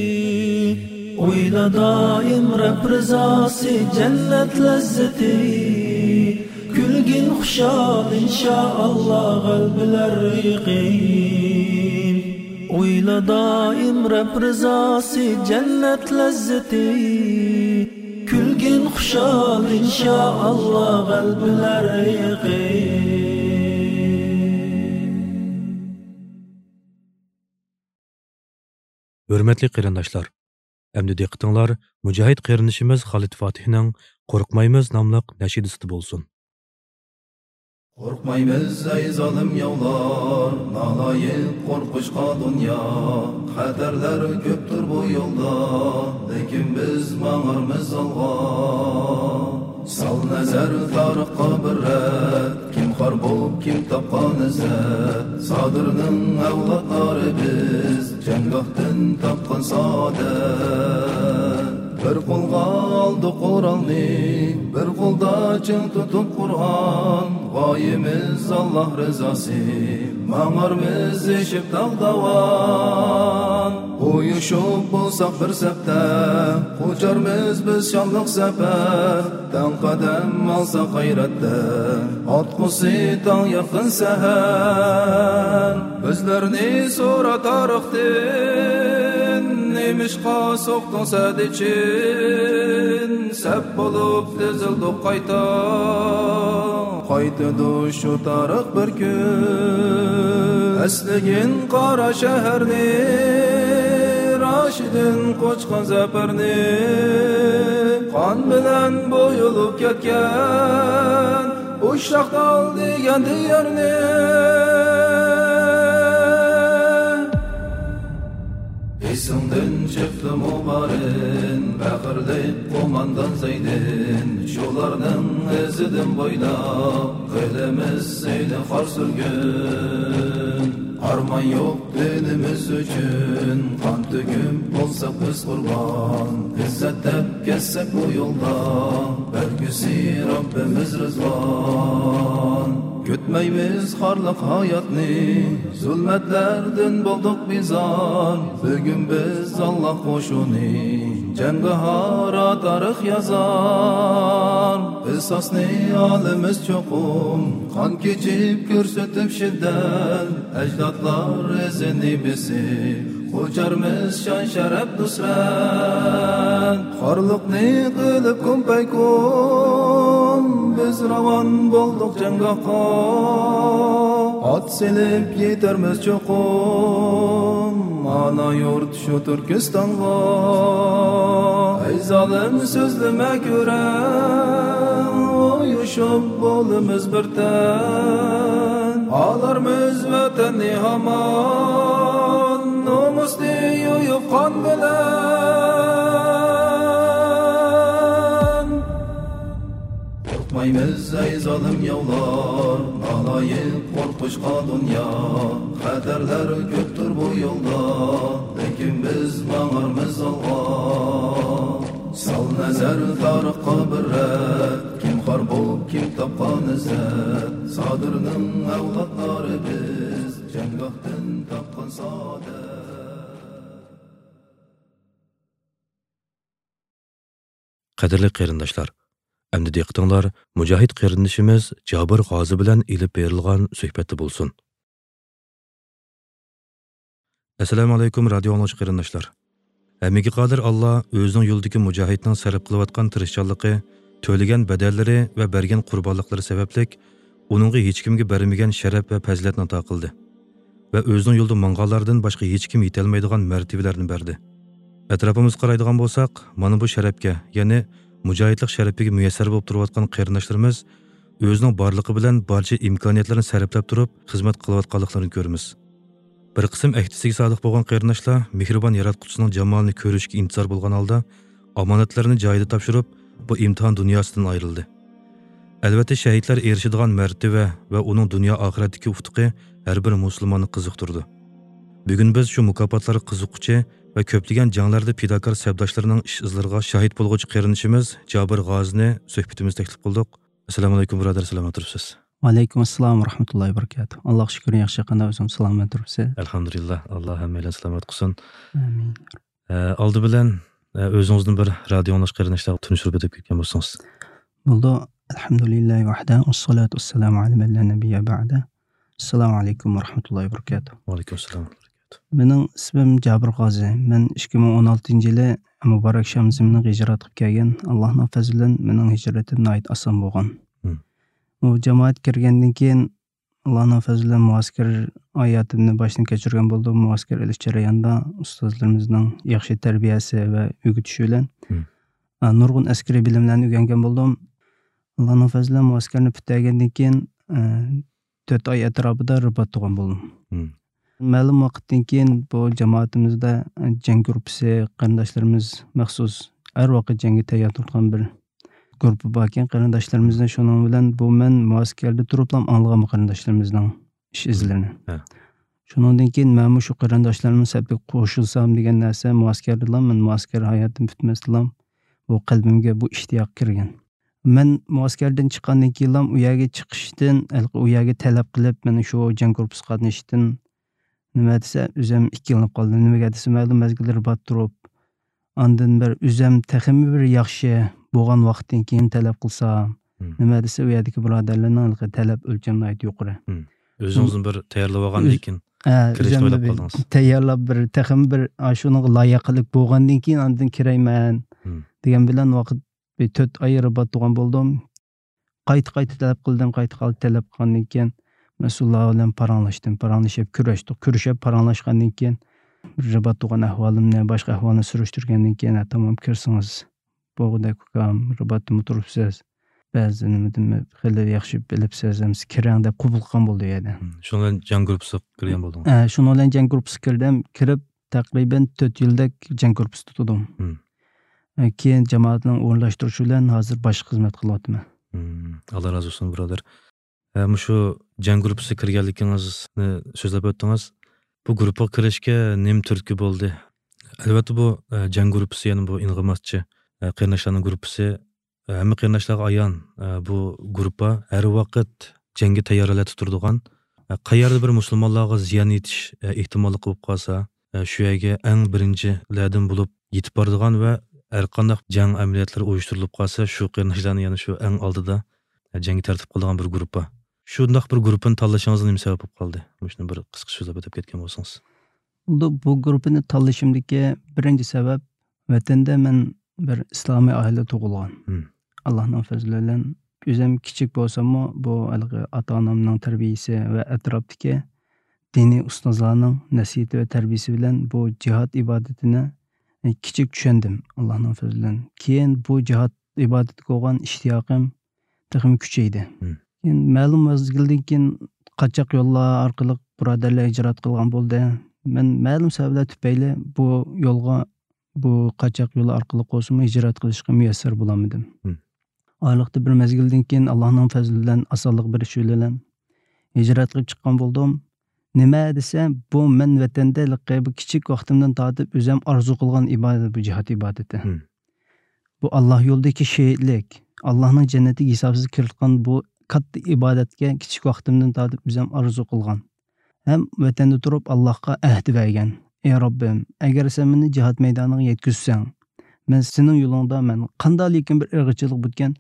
ئويلا دائىم رەب رىزاسى جەننەت لەززىتى، كۈلگىن خۇشال ئىنشائاللا غەلىبىلەر يېقىن. ئويلا دائىم رەب رىزاسى جەننەت لەززىتى، كۈلگىن خۇشال ئىنشائاللا غەلىبىلەر يېقىن. ھۆرمەتلىك قېرىنداشلار، ئەمدى دىققىتىڭلار مۇجاھىد قېرىندىشىمىز خالىد فاتىھنىڭ قورقمايمىز ناملىق نەشىدىسىدە بولسۇن. قورقمايمىز ئەي زالىم ياۋلار، نالايىق قورقۇشقا دۇنيا. خەتەرلەر كۆپتۇر بۇ يولدا، لېكىن بىز ماڭارمىز ئالغا. سال نەزەر تارىخقا بىر رەت، كىم خار بوپ، كىم تاپقان ئىززەت. سادىرنىڭ ئەۋلادلىرى بىز، جەڭگاھتىن تاپقان سائادەت. بىر قولغا ئالدۇق قورالنى، بىر قولدا چىڭ تۇتۇپ قۇرئان. غايىمىز ئاللا رىزاسى، ماڭارمىز ئېشىپ تاغ داۋان. ئۇيۇشۇپ بولساق بىر سەپتە، قوچارمىز بىز شانلىق سەپەر. تەڭ قەدەم ئالساق غەيرەتتە، ئاتقۇسى تاڭ يېقىن سەھەر. بىزلەرنى سورا تارىختىن، نېمىشقا سوقتۇڭ سەدىچىن؟ سەپ بولۇپ تىزىلدۇق قايتا، قايتىدۇ شۇ تارىخ بىر كۈن. ئەسلىگىن قارا شەھەرنى، راشىدىن قوچقان زەپەرنى، قان بىلەن بويىلىپ كەتكەن ئۇششاق تال دېگەن دىيارنى. ئېسىڭدىن چىقتىمۇ بارىن، پەخىرلىك قوماندان زەيدىن، شۇلارنىڭ ئىزىدىن بويلاپ، قىلىمىز سېنى خار سۈرگۈن. ئارمان يوق دىنىمىز ئۈچۈن، قان تۆكۈپ بولساق بىز قۇربان. ئىززەت دەپ كەتسەك بۇ يولدا، بەرگۈسى رەببىمىز رىزۋان. كۈتمەيمىز خارلىق ھاياتنى، زۇلمەتلەردىن بولدۇق بىزار. بۈگۈن بىز ئاللا قوشۇنى، جەڭگاھارا تارىخ يازار. قىساسنى ئالىمىز چوقۇم، قان كېچىپ كۆرسىتىپ شىددەت. ئەجدادلار ئىزىنى بېسىپ، قوچارمىز شان شەرەپ نۇسرەت. خارلىقنى قىلىپ كۇن پەيكۇن، بىز راۋان بولدۇق جەڭگاھقا. ئات سېلىپ يېتەرمىز چوقۇم، ئانا يۇرت شۇ تۈركىستانغا. ئەي زالىم سۆزلىمە كۆرە، يۇيۇشۇپ بولىمىز بىر تەن، ئالارمىز ۋەتەننى ھامان، نومۇسنى يۇيۇپ قان بىلەن. قورقمايمىز ئەي زالىم ياۋلار، نالايىق قورقۇشقا دۇنيا، خەتەرلەر كۆپتۇر بۇ يولدا، لېكىن بىز ماڭارمىز ئالغا. سال نەزەر تارىخقا بىر رەت، كىم خار بولۇپ، كىم تاپقان ئىززەت، سادىرنىڭ ئەۋلادلىرى بىز، جەڭگاھتىن تاپقان سائادەت. قەدىرلىك قېرىنداشلار، ئەمدى دىققىتىڭلار مۇجاھىد قېرىندىشىمىز جابىر غازى بىلەن ئېلىپ بېرىلغان سۆھبەتتە بولسۇن. ئەسسالامۇ ئەلەيكۇم، رادىيو ئاڭلىغۇچى قېرىنداشلار. ھەممىگە قادىر ئاللا ئۆزىنىڭ يولىدىكى مۇجاھىدنىڭ سەرپ قىلىۋاتقان تىرىشچانلىقى، تۆلىگەن بەدەللىرى ۋە بەرگەن قۇربانلىقلىرى سەۋەبلىك ئۇنىڭغا ھېچكىمگە بەرمىگەن شەرەپ ۋە پەزىلەتنى ئاتا قىلدى ۋە ئۆزىنىڭ يولىدا ماڭغانلاردىن باشقا ھېچكىم يېتەلمەيدىغان مەرتىۋىلەرنى بەردى. ئەتراپىمىزغا قارايدىغان بولساق، مانا بۇ شەرەپكە، يەنى مۇجاھىدلىق شەرىپىگە مۇيەسسەر بولۇپ تۇرۇۋاتقان قېرىنداشلىرىمىز ئۆزىنىڭ بارلىقى بىلەن بارچە ئىمكانىيەتلىرىنى سەرپلەپ تۇرۇپ خىزمەت قىلىۋاتقانلىقلىرىنى كۆرىمىز. بىر قىسىم ئەھدىسىگە سادىق بولغان قېرىنداشلار مېھرىبان ياراتقۇچىسىنىڭ جامالىنى كۆرۈشكە ئىنتىزار بولغان ھالدا ئامانەتلىرىنى جايىدا تاپشۇرۇپ، بۇ ئىمتىھان دۇنياسىدىن ئايرىلدى. ئەلۋەتتە، شەھىتلەر ئېرىشىدىغان مەرتىۋە ۋە ئۇنىڭ دۇنيا ئاخىرەتتىكى ئۇتۇقى ھەر بىر مۇسۇلماننى قىزىقتۇرىدۇ. بۈگۈن بىز شۇ مۇكاپاتلارغا قىزىققۇچى ۋە كۆپلىگەن جەڭلەردە پىداكار سەپداشلىرىنىڭ ئىش ئىزلىرىغا شاھىت بولغۇچى قېرىندىشىمىز جابىر غازىنى سۆھبىتىمىزگە تەكلىپ قىلدۇق. ئەسسالامۇ ئەلەيكۇم، بۇرادەر، سالامەت تۇرۇپسىز؟ ۋەئەلەيكۇم ئەسسالام ۋە رەھمەتۇللاھى ۋە بەرىكاتۇھ. ئاللاغا شۈكۈر، ياخشى، قانداق ئۆزۈڭ سالامەت تۇرۇپسىز؟ ئەلھەمدۇلىللا، ئاللا ھەممەيلەن سالامەت قىلسۇن. ئامىن. ئە، ئالدى بىلەن، ئە، ئۆزىڭىزنى بىر رادىيو ئاڭلاش قېرىنداشلارغا تونۇشتۇرۇپ ئۆتۈپ كەتكەن بولسىڭىز. بولىدۇ. ئەلھەمدۇلىللاھى ۋەھدە، ۋەسسالاتۇ ۋەسسالامۇ ئەلە مەن لا نەبىييە بەئدە. ئەسسالامۇ ئەلەيكۇم ۋە رەھمەتۇللاھى ۋە بەرىكاتۇھ. ۋەئەلەيكۇم ئەسسالام ۋە بەرىكاتۇھ. مېنىڭ ئىسمىم جابىر غازى. مەن ئىككى مىڭ ئون ئالتىنچى يىلى مۇبارەك شام زېمىنىغا ھىجرەت قىلىپ كەلگەن. ئاللاھنىڭ پەزلى بىلەن مېنىڭ ھىجرىتىم ناھايىتى ئاسان بولغان. مم. بۇ جامائەتكە كىرگەندىن كېيىن، ئاللاھنىڭ پەزلى بىلەن مۇئەسكەر ھاياتىمنى باشتىن كەچۈرگەن بولدۇم. مۇئەسكەر ئېلىش جەريانىدا ئۇستازلىرىمىزنىڭ ياخشى تەربىيەسى ۋە ئۆگىتىشى بىلەن، مم. ئا، نۇرغۇن ئەسكىرىي بىلىملەرنى ئۆگەنگەن بولدۇم. ئاللاھنىڭ پەزلى بىلەن مۇئەسكەرنى پۈتتۈرگەندىن كېيىن، ئە، تۆت ئاي ئەتراپىدا رىبات تۇرغان بولدۇم. مم. مەلۇم ۋاقىتتىن كېيىن بۇ جامائىتىمىزدە، ئە، جەڭ گۇرۇپپىسى، قېرىنداشلىرىمىز مەخسۇس ھەر ۋاقىت جەڭگە تەييار تۇرىدىغان بىر گۇرۇپپا باركەن قېرىنداشلىرىمىزنىڭ. شۇنىڭ بىلەن بۇ مەن مۇئەسكەردە تۇرۇپلا ئاڭلىغان بۇ قېرىنداشلىرىمىزنىڭ ئىش ئىزلىرىنى. ھە. شۇنىڭدىن كېيىن مەنمۇ شۇ قېرىنداشلارنىڭ سەپىگە قوشۇلسام دېگەن نەرسە مۇئەسكەردىلا، مەن مۇئەسكەر ھاياتىم پۈتمەستىلا بۇ قەلبىمگە بۇ ئىشتىياق كىرگەن. مەن مۇئەسكەردىن چىققاندىن كېيىنلا ئۇ يەرگە چىقىشتىن، ھېلىقى ئۇ يەرگە تەلەپ قىلىپ، مېنى شۇ جەڭ گۇرۇپپىسىغا قاتنىشىشتىن نېمە دېسە، ئۆزۈم ئىككىلىنىپ قالدىم. نېمىگە دېسە، مەلۇم مەزگىلدە رىبات تۇرۇپ، ئاندىن بىر ئۆزۈم تېخىمۇ بىر ياخشى بولغان ۋاقىتتىن كېيىن تەلەپ قىلسام، مم. نېمە دېسە، ئۇ يەردىكى بۇرادەرلەرنىڭ ھېلىقى تەلەپ ئۆلچەمى ناھايىتى يۇقىرى. مم. ئۆزىڭىزنى بىر تەييارلاپ ئالغاندىن كېيىن ھە، كىرىشنى ئۆزۈمنى ئويلاپ بىر قالدىڭىز. تەييارلاپ، بىر تېخىمۇ بىر، ئا، شۇنىڭغا لايىقلىق بولغاندىن كېيىن ئاندىن كىرەيمەن مم. دېگەن بىلەن ۋاقىت بىر تۆت ئاي رىبات تۇرغان بولدۇم. قايتا-قايتا تەلەپ قىلدىم، قايتا-قايتا تەلەپ قىلغاندىن كېيىن مەسئۇللار بىلەن پاراڭلاشتىم، پاراڭلىشىپ كۆرۈشتۇق. كۆرۈشۈپ پاراڭلاشقاندىن كېيىن رىبات تۇرغان ئەھۋالىمنى، باشقا ئەھۋالنى سۈرۈشتۈرگەندىن كېيىن، ھە، تامام كىرسىڭىز بولغۇدەك ئۇكام، رىباتتىمۇ تۇرۇپسىز. بەزى نېمىدىمۇ خېلى ياخشى بىلىپسىز، ئەمسە كىرەڭ دەپ قوبۇل قىلغان بولدى ئۇ يەردە. مم. شۇنىڭ بىلەن جەڭ گۇرۇپپىسىغا كىرگەن بولدىڭىز؟ ھە، شۇنىڭ بىلەن جەڭ گۇرۇپپىسىغا كىردىم. كىرىپ تەقرىبەن تۆت يىلدەك جەڭ گۇرۇپپىسىدا تۇردۇم. مم. ئە، كېيىن جامائەتنىڭ ئورۇنلاشتۇرۇشى بىلەن ھازىر باشقا خىزمەت قىلىۋاتىمەن. مم. ئاللا رازى بولسۇن، بۇرادەر. ئە، مۇشۇ جەڭ گۇرۇپپىسىغا كىرگەنلىكىڭىزنى سۆزلەپ ئۆتتىڭىز. بۇ گۇرۇپپىغا كىرىشكە نېمە تۈرتكە بولدى؟ ئەلۋەتتە، بۇ، ئە، جەڭ گۇرۇپپىسى، يەنى بۇ ئىنغىماسچى، ئە، قېرىنداشلارنىڭ گۇرۇپپىسى. ھەممە قېرىنداشلارغا ئايان، بۇ گۇرۇپپا ھەر ۋاقىت جەڭگە تەييار ھالەتتە تۇرىدىغان، قەيەردە بىر مۇسۇلمانلارغا زىيان يېتىش ئېھتىماللىقى بولۇپ قالسا، شۇ يەرگە ئەڭ بىرىنچىلەردىن بولۇپ يېتىپ بارىدىغان ۋە ھەرقانداق جەڭ ئەمەلىيەتلىرى ئۇيۇشتۇرۇلۇپ قالسا، شۇ قېرىنداشلارنى يەنە شۇ ئەڭ ئالدىدا جەڭگە تەرتىپ قىلىدىغان بىر گۇرۇپپا. شۇنداق بىر گۇرۇپپىنى تاللىشىڭىزغا نېمە سەۋەب بولۇپ قالدى؟ مۇشۇنى بىر قىسقىچە سۆزلەپ ئۆتۈپ كەتكەن بولسىڭىز. بۇ، بۇ گۇرۇپپىنى تاللىشىمدىكى بىرىنچى سەۋەب، ۋەتەندە مەن بىر ئىسلامىي ئائىلىدە تۇغۇلغان. مم. ئاللاھنىڭ پەزلى بىلەن ئۆزۈم كىچىك بولساممۇ، بۇ ھېلىقى ئاتا-ئانامنىڭ تەربىيىسى ۋە ئەتراپتىكى دىنىي ئۇستازلارنىڭ نەسىھىتى ۋە تەربىيىسى بىلەن بۇ جىھاد ئىبادىتىنى كىچىك چۈشەندىم، ئاللاھنىڭ پەزلى بىلەن. كېيىن بۇ جىھاد ئىبادىتىگە بولغان ئىشتىياقىم تېخىمۇ كۈچەيدى. مم. كېيىن مەلۇم مەزگىلدىن كېيىن قاچاق يوللار ئارقىلىق بۇرادەرلەر ھىجرەت قىلغان بولدى. مەن مەلۇم سەۋەبلەر تۈپەيلى بۇ يولغا، بۇ قاچاق يولى ئارقىلىق بولسىمۇ ھىجرەت قىلىشقا مۇيەسسەر بولالمىدىم. مم. ئارىلىقتا بىر مەزگىلدىن كېيىن ئاللاھنىڭ پەزلى بىلەن ئاسانلىق بېرىشى بىلەن ھىجرەت قىلىپ چىققان بولدۇم. نېمە دېسە، بۇ مەن ۋەتەندە ھېلىقى بۇ كىچىك ۋاقتىمدىن تارتىپ ئۆزۈم ئارزۇ قىلغان ئىبادەت، بۇ جىھاد ئىبادىتى. مم. بۇ ئاللا يولىدىكى شېھىتلىك، ئاللانىڭ جەننىتىگە ھېسابسىز كىرىۋاتقان بۇ كاتتا ئىبادەتكە كىچىك ۋاقتىمدىن تارتىپ ئۆزۈم ئارزۇ قىلغان. ھەم ۋەتەندە تۇرۇپ ئاللاغا ئەھدى بەرگەن. ئى رەببىم، ئەگەر سەن مېنى جىھاد مەيدانىغا يەتكۈزسەڭ، مەن سېنىڭ يولۇڭدا مەن قانداقلىكىن بىر ئېغىرچىلىق بۆتكەن،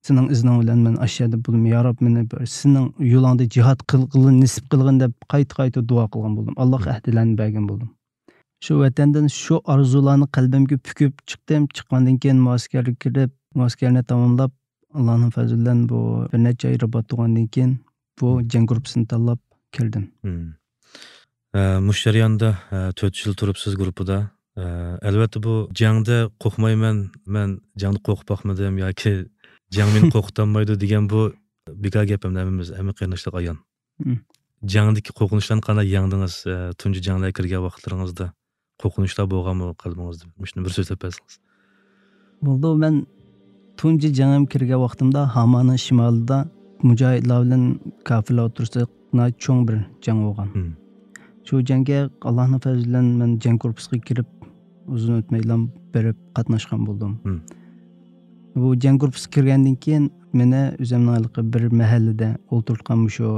سېنىڭ ئىزنىڭ بىلەن مەن ئاشۇ يەردە بولدۇم. يا رەب، مېنى بىر سېنىڭ يولۇڭدا جىھاد قىلغىلى نېسىپ قىلغىن دەپ قايتا-قايتا دۇئا قىلغان بولدۇم. ئاللاغا ئەھدىلەرنى بەرگەن بولدۇم. شۇ ۋەتەندىن شۇ ئارزۇلارنى قەلبىمگە پۈكۈپ چىقتىم. چىققاندىن كېيىن مۇئەسكەرگە كىرىپ، مۇئەسكەرنى تاماملاپ، ئاللانىڭ پەزلى بىلەن بۇ بىر نەچچە ئاي رىبات تۇرغاندىن كېيىن بۇ جەڭ گۇرۇپپىسىنى تاللاپ كىردىم. مم. ئە، مۇشۇ جەرياندا، ئە، تۆت يىل تۇرۇپسىز گۇرۇپپىدا. ئە، ئەلۋەتتە بۇ جەڭدە قورقمايمەن، مەن جەڭدە قورقۇپ باقمىدىم ياكى جەڭ مېنى قورقۇتالمايدۇ دېگەن بۇ بىكار گەپ ئەمدى ھەممىمىز، ھەممە قېرىنداشلارغا ئايان. مم. جەڭدىكى قورقۇنچلارنى قانداق يەڭدىڭىز؟ ئە، تۇنجى جەڭلەرگە كىرگەن ۋاقىتلىرىڭىزدا قورقۇنچلار بولغانمۇ قەلبىڭىزدە؟ مۇشۇنى بىر سۆزلەپ بەرسىڭىز. بولدى، مەن تۇنجى جەڭگە كىرگەن ۋاقتىمدا ھامانىڭ شىمالىدا مۇجاھىدلار بىلەن كاپىرلار ئوتتۇرىسىدا ناھايىتى چوڭ بىر جەڭ بولغان. مم. شۇ جەڭگە ئاللاھنىڭ پەزلى بىلەن مەن جەڭ گۇرۇپپىسىغا كىرىپ، ئۇزۇن ئۆتمەيلا بېرىپ قاتناشقان بولدۇم. مم. بۇ جەڭ گۇرۇپپىسىغا كىرگەندىن كېيىن مېنى ئۆزۈمنىڭ ھېلىقى بىر مەھەللىدە ئولتۇرتقان مۇشۇ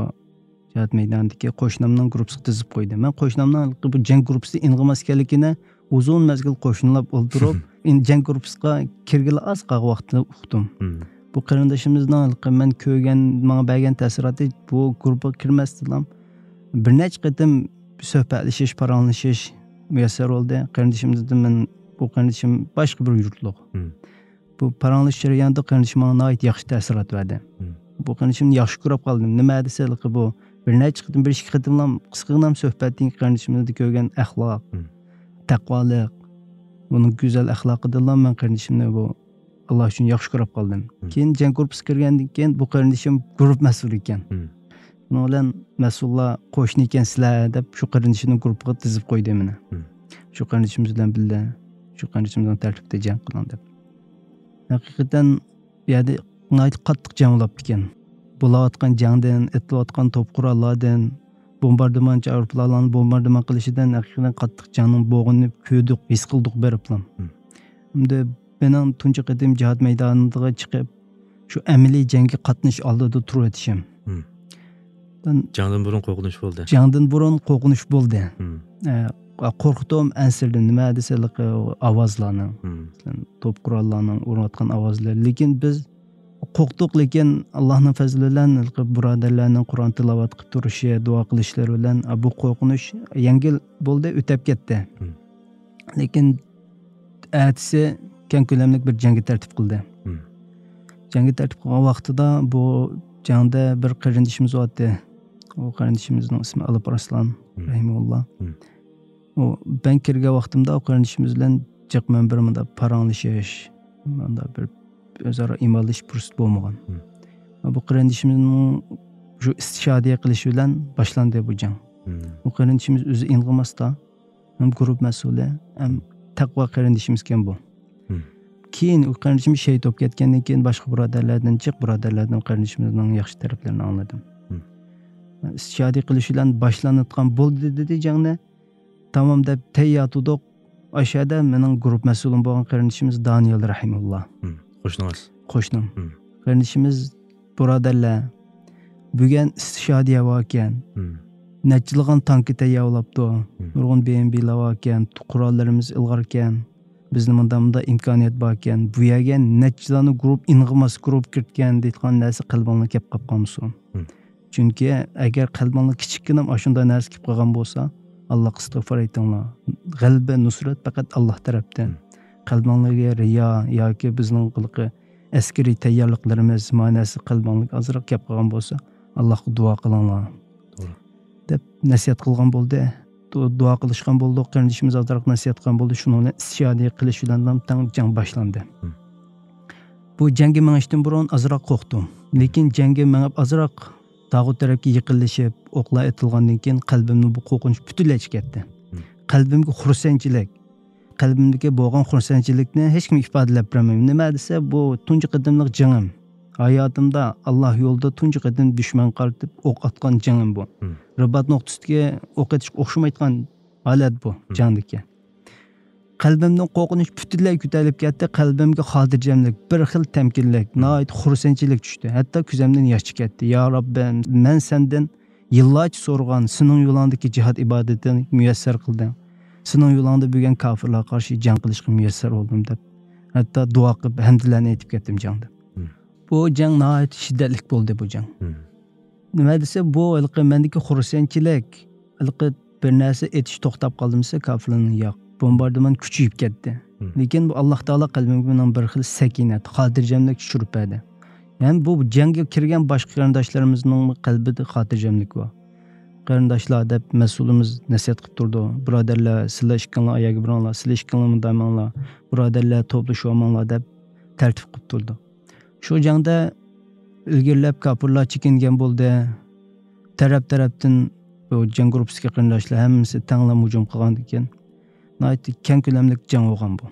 جىھاد مەيدانىدىكى قوشنامنىڭ گۇرۇپپىسىغا تىزىپ قويدى. مەن قوشنامنىڭ ھېلىقى بۇ جەڭ گۇرۇپپىسى ئېنىقىماس ئىكەنلىكىنى ئۇزۇن مەزگىل قوشنىلاپ ئولتۇرۇپ، ئېن-، جەڭ گۇرۇپپىسىغا كىرگىلى ئاز قالغان ۋاقىتتا ئۇقتۇم. مم. بۇ قېرىندىشىمىزنىڭ ھېلىقى مەن كۆرگەن، ماڭا بەرگەن تەسىراتى، بۇ گۇرۇپپىغا كىرمەستىنلا بىر نەچچە قېتىم سۆھبەتلىشىش، پاراڭلىشىش مۇيەسسەر بولدى. قېرىندىشىمىزدىن مەن، بۇ قېرىندىشىم باشقا بىر يۇرتلۇق. مم. بۇ پاراڭلىشىش جەريانىدا قېرىندىشىم ماڭا ناھايىتى ياخشى تەسىرات بەردى. مم. بۇ قېرىندىشىمنى ياخشى كۆرۈپ قالدىم. نېمە دېسە، ھېلىقى بۇ بىر نەچچە قېتىم، بىر ئىككى قېتىملا قىسقىغىنە سۆھبەتتىن كېيىن قېرىندىشىمىزدە كۆرگەن ئەخلاق، مم. تەقۋالىق، بۇنىڭ گۈزەل ئەخلاقىدىنلا مەن قېرىندىشىمنى بۇ ئاللا ئۈچۈن ياخشى كۆرۈپ قالدىم. مم. كېيىن جەڭ گۇرۇپپىسىغا كىرگەندىن كېيىن بۇ قېرىندىشىم گۇرۇپپا مەسئۇلى ئىكەن. مم. شۇنىڭ بىلەن مەسئۇللار قوشنا ئىكەنسىلەر دەپ شۇ قېرىندىشىمنى گۇرۇپپىغا تىزىپ قويدى مېنى. مم. شۇ قېرىندىشىمىز بىلەن بىللە، شۇ قېرىندىشىمىزنىڭ تەرتىپىدە جەڭ قىلىڭ دەپ. ھەقىقەتەن بۇ يەردە ناھايىتى قاتتىق جەڭ بولۇپتىكەن. بولۇۋاتقان جەڭدىن، ئېتىلىۋاتقان توپ قوراللاردىن، بومباردىمانچى ئايروپىلانلارنىڭ بومباردىمان قىلىشىدىن ھەقىقەتەن قاتتىق جەڭنىڭ بولغىنىنى كۆردۇق، ھېس قىلدۇق بېرىپلا. مم. ئەمدى مېنىڭ تۇنجى قېتىم جىھاد مەيدانىغا چىقىپ، شۇ ئەمەلىي جەڭگە قاتنىشىش ئالدىدا تۇرۇۋېتىشىم. مم. دىن جەڭدىن بۇرۇن قورقۇنچ بولدى. جەڭدىن بۇرۇن قورقۇنچ بولدى. مم. ئە، قورقتۇم، ئەنسىرىدىم. نېمە دېسە، ھېلىقى ئاۋازلارنىڭ، مم. مەسىلەن، توپ قوراللارنىڭ ئۇرۇۋاتقان ئاۋازلىرى. لېكىن بىز قورقتۇق، لېكىن ئاللانىڭ پەزلى بىلەن ھېلىقى بۇرادەرلەرنىڭ قۇرئان تىلاۋەت قىلىپ تۇرۇشى، دۇئا قىلىشلىرى بىلەن، ئە، بۇ قورقۇنچ يەڭگىل بولدى، ئۆتەپ كەتتى. مم. لېكىن ئەتىسى كەڭ كۆلەملىك بىر جەڭگە تەرتىپ قىلدى. مم. جەڭگە تەرتىپ قىلغان ۋاقتىدا بۇ جەڭدە بىر قېرىندىشىمىز بارتتى. ئۇ قېرىندىشىمىزنىڭ ئىسمى ئالىپ ئارسلان، مم. رەھىمەھۇللا. مم. ئۇ، مەن كىرگەن ۋاقتىمدا ئۇ قېرىندىشىمىز بىلەن جىق مەن بىر مۇنداق پاراڭلىشىش، مۇنداق بىر ئۆزئارا ئىمانلىشىش پۇرسىتى بولمىغان. مم. بۇ قېرىندىشىمىزنىڭ شۇ ئىستىشادىيە قىلىشى بىلەن باشلاندى بۇ جەڭ. مم. بۇ قېرىندىشىمىز ئۆزى ئېنىقلىماستا، ھەم گۇرۇپ مەسئۇلى، ھەم تەقۋا قېرىندىشىمىزكەن بۇ. مم. كېيىن ئۇ قېرىندىشىمىز شېھىت بولۇپ كەتكەندىن كېيىن باشقا بۇرادەرلەردىن جىق بۇرادەرلەردىن قېرىندىشىمىزنىڭ ياخشى تەرەپلىرىنى ئاڭلىدىم. مم. ئىستىشادىي قىلىش بىلەن باشلانىدىغان بولدى دېدى جەڭنى. تامام دەپ تەييار تۇردۇق. ئاشۇ يەردە مېنىڭ گۇرۇپ مەسئۇلۇم بولغان قېرىندىشىمىز دانىيال رەھىمۇللا. مم. قوشنىڭىز. قوشنام. مم. قېرىندىشىمىز، بۇرادەرلەر، بۈگۈن ئىستىشادىيە باركەن، مم. نەچچىلىغان تانكا تەييارلاپتۇ، مم. نۇرغۇن بىئېمبىلار باركەن، قوراللىرىمىز ئىلغاركەن، بىزنىڭ مۇنداق مۇنداق ئىمكانىيەت باركەن، بۇ يەرگە نەچچىلارنى گۇرۇپ، ئېنىقىماس گۇرۇپ كىرىدىكەن دەيدىغان نەرسە قەلبىڭلارغا كەپ قاپ قالمىسۇن. مم. چۈنكى ئەگەر قەلبىڭلارغا كىچىككىنە ئاشۇنداق نەرسە كەپ قالغان بولسا، ئاللاغا ئىستىغپار ئېيتىڭلار. غەلىبە، نۇسرەت پەقەت ئاللا تەرەپتىن. مم. قەلبىڭلارغا رىيا ياكى بىزنىڭ ھېلىقى ئەسكىرىي تەييارلىقلىرىمىز، مانەسى قەلبىڭلارغا ئازراق كەپ قالغان بولسا، ئاللاغا دۇئا قىلىڭلار، توغرا. دەپ نەسىھەت قىلغان بولدى. دۇ-، دۇئا قىلىشقان بولدۇق، قېرىندىشىمىز ئازراق نەسىھەت قىلغان بولدى. شۇنىڭ بىلەن ئىستىشادىيە قىلىش بىلەن تەڭ جەڭ باشلاندى. مم. بۇ جەڭگە مېڭىشتىن بۇرۇن ئازراق قورقتۇم. لېكىن جەڭگە مېڭىپ ئازراق تاغۇت تەرەپكە يېقىنلىشىپ، ئوقلار ئېتىلغاندىن كېيىن قەلبىمدىن بۇ قورقۇنچ پۈتۈنلەي چىقىپ كەتتى. قەلبىمگە خۇرسەنچىلىك، قەلبىمدىكى بولغان خۇرسەنچىلىكنى ھېچكىمگە ئىپادىلەپ بېرەلمەيمەن. نېمە دېسە، بۇ تۇنجى قېتىملىق جېڭىم. ھاياتىمدا ئاللا يولىدا تۇنجى قېتىم دۈشمەنگە قارىتىپ ئوق ئاتقان جېڭىم بۇ. رىبات نۇقتىسىدىكى ئوق ئېتىشقا ئوخشىمايدىغان ھالەت بۇ جەڭدىكى. قەلبىمدىن قورقۇنچ پۈتۈنلەي كۆتۈرۈلۈپ كەتتى. قەلبىمگە خاتىرجەملىك، بىر خىل تەمكىنلىك، ناھايىتى خۇرسەنچىلىك چۈشتى. ھەتتا كۆزۈمدىن ياش چىقىپ كەتتى. يا رەببى، مەن سەندىن يىللارچە سورىغان سېنىڭ يولۇڭدىكى جىھاد ئىبادىتىنى مۇيەسسەر قىلدىڭ. سېنىڭ يولۇڭدا بۈگۈن كاپىرلارغا قارشى جەڭ قىلىشقا مۇيەسسەر بولدۇم دەپ، ھەتتا دۇئا قىلىپ، ھەمدىلەرنى ئېيتىپ كەتتىم جەڭدە. بۇ جەڭ ناھايىتى شىددەتلىك بولدى، بۇ جەڭ. نېمە دېسە، بۇ ھېلىقى مەندىكى خۇرسەنچىلىك، ھېلىقى بىر نەرسە ئېتىش توختاپ قالدىمۇ دېسە، كاپىرلارنىڭ ياق. بومباردىمان كۈچىيىپ كەتتى. لېكىن بۇ ئاللا تائالا قەلبىمگە مېنىڭ بىر خىل سەكىنە، خاتىرجەملىك چۈشۈرۈپ بەردى. يەنى بۇ جەڭگە كىرگەن باشقا قېرىنداشلىرىمىزنىڭ قەلبىدە خاتىرجەملىك بار. قېرىنداشلار دەپ مەسئۇلىمىز نەسىھەت قىلىپ تۇرىدۇ. بۇرادەرلەر، سىلەر ئىككىڭلار ئاياغغا بېرىڭلار، سىلەر ئىككىڭلار مۇنداق ماڭلار، بۇرادەرلەر توپلىشىۋالماڭلار دەپ تەرتىپ قىلىپ تۇرىدۇ. شۇ جەڭدە ئىلگىرىلەپ كاپىرلار چېكىنگەن بولدى. تەرەپ-تەرەپتىن بۇ جەڭ گۇرۇپپىسىدىكى قېرىنداشلار ھەممىسى تەڭلا ھۇجۇم قىلغاندىكىن، ناھايىتى كەڭ كۆلەملىك جەڭ بولغان بۇ.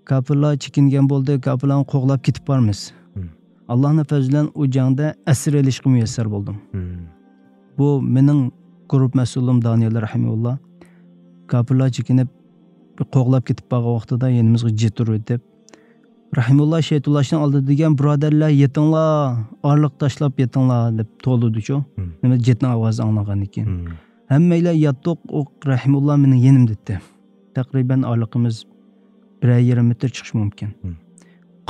كاپىرلار چېكىنگەن بولدى، كاپىرلارنى قوغلاپ كېتىپ بارىمىز. ئاللانىڭ پەزلى بىلەن ئۇ جەڭدە ئەسىر ئېلىشقا مۇيەسسەر بولدۇم. بۇ مېنىڭ گۇرۇپپا مەسئۇلۇم دانىيەللا رەھىمۇللا. كاپىرلار چېكىنىپ، بىر قوغلاپ كېتىپ بارغان ۋاقتىدا يېنىمىزغا جېتۇرۇۋېتىپ، رەھىمۇللا شەيتۇللاشنىڭ ئالدىدا دېگەن، بۇرادەرلەر، يېتىڭلار، ئارىلىق تاشلاپ يېتىڭلار دەپ توۋلىدىچۇ. نېمە، جېتنىڭ ئاۋازى ئاڭلانغاندىن كېيىن. ھەممەيلەن ياتتۇق، ئۇ رەھىمۇللا مېنىڭ يېنىمدا ئىدى. تەقرىبەن ئارىلىقىمىز بىرەر يېرىم مېتىر چىقىشى مۇمكىن.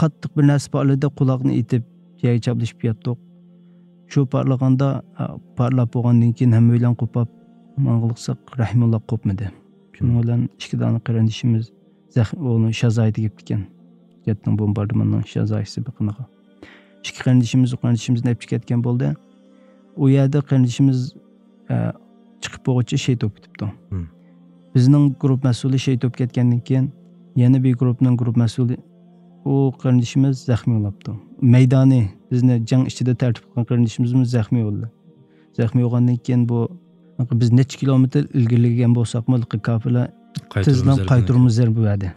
قاتتىق بىر نەرسە پارتلىدى، قۇلاقنى ئېتىپ يەرگە چاپلىشىپ ياتتۇق. شۇ پارتلىغاندا، ئا، پارتلاپ بولغاندىن كېيىن ھەممەيلەن قوپاپ ماڭغىلىقساق، رەھىمۇللا قوپمىدى. شۇنىڭ بىلەن ئىككى دانە قېرىندىشىمىز زەخ-، ئۇنى شازايى تېگىپتىكەن. جەتنىڭ بومباردىماننىڭ شازايىسى بېقىنىغا. ئىككى قېرىندىشىمىز، قېرىندىشىمىزنى ئەپچىقىپ كەتكەن بولدى. ئۇ يەردە قېرىندىشىمىز، ئە، چىقىپ بولغۇچە شېھىت بولۇپ كېتىپتۇ. بىزنىڭ گۇرۇپپا مەسئۇلى شېھىت بولۇپ كەتكەندىن كېيىن، يەنە بىر گۇرۇپپىنىڭ گۇرۇپپا مەسئۇلى، ئۇ قېرىندىشىمىز زەخمىي بولاپتۇ. مەيدانى، بىزنى جەڭ ئىچىدە تەرتىپ قىلغان قېرىندىشىمىزمۇ زەخمىي بولدى. زەخمىي بولغاندىن كېيىن بۇ، بىز نەچچە كىلومېتىر ئىلگىرىلىگەن بولساقمۇ، كاپىرلار تېزلا قايتۇرما زەربە بەردى.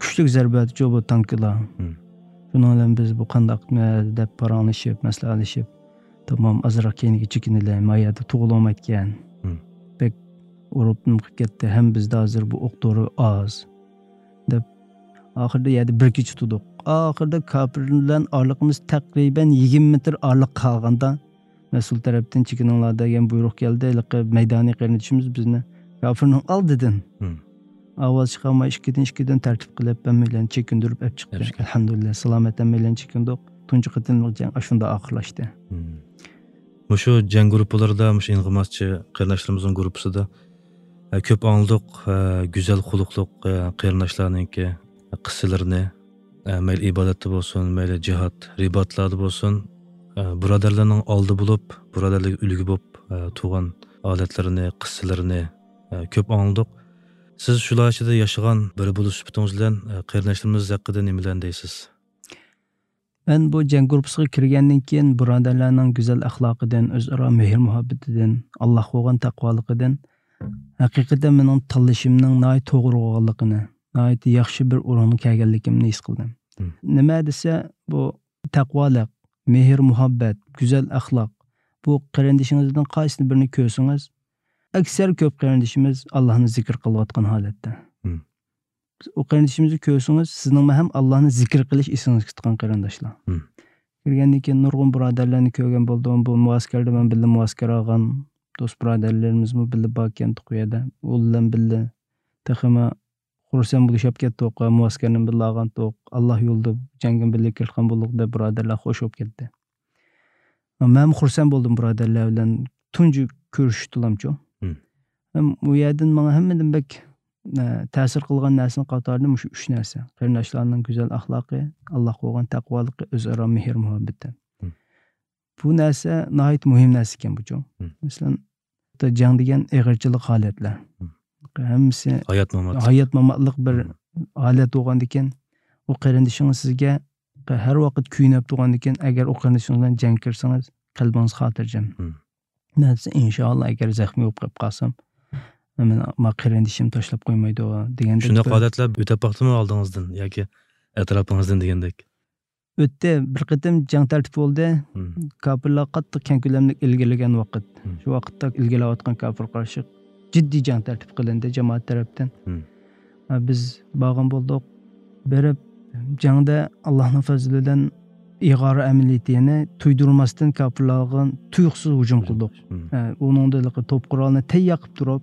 كۈچلۈك زەربە بەردىچۇ بۇ تانكىلار. شۇنىڭ بىلەن بىز بۇ قانداق دەپ پاراڭلىشىپ، مەسلىھەتلىشىپ، تامام ئازراق كەينىگە چېكىنىلى، ما يەردە تۇغۇلالمايدىكەن. بەك ئۇرۇپ نېمە قىلىپ كەتتى، ھەم بىزدە ھازىر بۇ ئوق دورا ئاز دەپ، ئاخىرىدا يەردە بىر كېچە تۇردۇق. ئاخىرىدا كاپىر بىلەن ئارىلىقىمىز تەقرىبەن يىگىرمە مېتىر ئارىلىق قالغاندا، مەسئۇل تەرەپتىن «چېكىنىڭلار» دېگەن بۇيرۇق كەلدى. ھېلىقى مەيدانىي قېرىندىشىمىز بىزنى كاپىرنىڭ ئالدىدىن ئاۋاز چىقارماي ئىككىدىن، ئىككىدىن تەرتىپ قىلىپ، ھەممەيلەننى چېكىندۈرۈپ ئەپ چىقتى. ئەلھەمدۇلىللا، سالامەت ھەممەيلەننى چېكىندۇق. تۇنجى قېتىملىق جەڭ ئاشۇنداق ئاخىرلاشتى. مۇشۇ جەڭ گۇرۇپپىلىرىدا، مۇشۇ ئىنقىماسچى قېرىنداشلىرىمىزنىڭ گۇرۇپپىسىدا، ئە، كۆپ ئاڭلىدۇق، ئە، گۈزەل خۇلقلۇق، ئە، قېرىنداشلارنىڭكى قىسسىلىرىنى، ئە، مەيلى ئىبادەتتە بولسۇن، مەيلى جىھاد، رىباتلاردا بولسۇن، ئە، بۇرادەرلەرنىڭ ئالدى بولۇپ، بۇرادەرلەرگە ئۈلگە بولۇپ، ئە، تۇرغان ھالەتلىرىنى، قىسسىلىرىنى، ئە، كۆپ ئاڭلىدۇق. سىز شۇلار ئىچىدە ياشىغان بىرى بولۇش سۈپىتىڭىز بىلەن، ئە، قېرىنداشلىرىمىز ھەققىدە نېمىلەرنى دەيسىز؟ مەن بۇ جەڭ گۇرۇپپىسىغا كىرگەندىن كېيىن، بۇرادەرلەرنىڭ گۈزەل ئەخلاقىدىن، ئۆزئارا مېھىر-مۇھەببىتىدىن، ئاللاھقا بولغان تەقۋالىقىدىن ھەقىقەتەن مېنىڭ تاللىشىمنىڭ ناھايىتى توغرا بولغانلىقىنى، ناھايىتى ياخشى بىر ئورۇنغا كەلگەنلىكىمنى ھېس قىلدىم. نېمە دېسە، بۇ تەقۋالىق، مېھىر-مۇھەببەت، گۈزەل ئەخلاق، بۇ قېرىندىشىڭىزدىن قايسىنى بىرىنى كۆرسىڭىز، ئەكسەر كۆپ قېرىندىشىمىز ئاللاھنى زىكىر قىلىۋاتقان ھالەتتە. ئۇ قېرىندىشىمىزنى كۆرسىڭىز، سىزنىڭمۇ ھەم ئاللانى زىكىر قىلىش ئېسىڭىزگە كەتكەن قېرىنداشلار. كىرگەندىن كېيىن نۇرغۇن بۇرادەرلەرنى كۆرگەن بولدۇم. بۇ مۇئەسكەردە مەن بىللە مۇئەسكەر ئالغان دوست بۇرادەرلىرىمىزمۇ بىللە باركەنتۇق ئۇ يەردە. ئۇ بىلەن بىللە تېخىمۇ خۇرسەن بولۇشۇپ كەتتۇق ۋە مۇئەسكەرنى بىللە ئالغانتۇق. ئاللا يولىدا جەڭگە بىللە كىرىشكەن بولدۇق دەپ بۇرادەرلەر خوش بولۇپ كەتتى. مەنمۇ خۇرسەن بولدۇم بۇرادەرلەر بىلەن تۇنجى كۆرۈشۈشتىلامچۇ. ھەم ئۇ يەردىن ماڭا ھەممىدىن بەك، ئە، تەسىر قىلغان نەرسىنىڭ قاتارىدا مۇشۇ ئۈچ نەرسە. قېرىنداشلارنىڭ گۈزەل ئەخلاقى، ئاللاھقا بولغان تەقۋالىقى، ئۆزئارا مېھىر-مۇھەببىتى. بۇ نەرسە ناھايىتى مۇھىم نەرسە ئىكەن بۇچۇ. مەسىلەن، جەڭ دېگەن ئېغىرچىلىق ھالەتلەر. ھەممىسى ھايات-مامات. ھايات-ماماتلىق بىر ھالەت بولغاندىكىن، ئۇ قېرىندىشىڭىز سىزگە ھەر ۋاقىت كۆيۈنۈپ تۇرغاندىكىن، ئەگەر ئۇ قېرىندىشىڭىز بىلەن جەڭ كىرسىڭىز، قەلبىڭىز خاتىرجەم. مم. نەدىسە، ئىنشائاللا، ئەگەر زەخمىي بولۇپ قېلىپ قالسام، مېنى ما قېرىندىشىم تاشلاپ قويمايدۇ دېگەندەك شۇنداق بىر ھالەتلەر ئۆتۈپ باقتىمۇ ئالدىڭىزدىن ياكى ئەتراپىڭىزدىن دېگەندەك؟ ئۆتتى. بىر قېتىم جەڭ تەرتىپ بولدى. مم. كاپىرلار قاتتىق كەڭ كۆلەملىك ئىلگىرىلىگەن ۋاقىت. مم. شۇ ۋاقىتتا ئىلگىرىلەۋاتقان كاپىرغا قارشى جىددىي جەڭ تەرتىپ قىلىندى جامائەت تەرەپتىن. مم. ھە، بىز بارغان بولدۇق. بېرىپ، جەڭدە ئاللاھنىڭ پەزلى بىلەن ئىغارە ئەمەلىيىتى، يەنى تۇيدۇرماستىن كاپىرلارغا تۇيۇقسىز ھۇجۇم قىلدۇق. مم. ھە، ئۇنىڭدا ھېلىقى توپ قورالنى تەييار قىلىپ تۇرۇپ،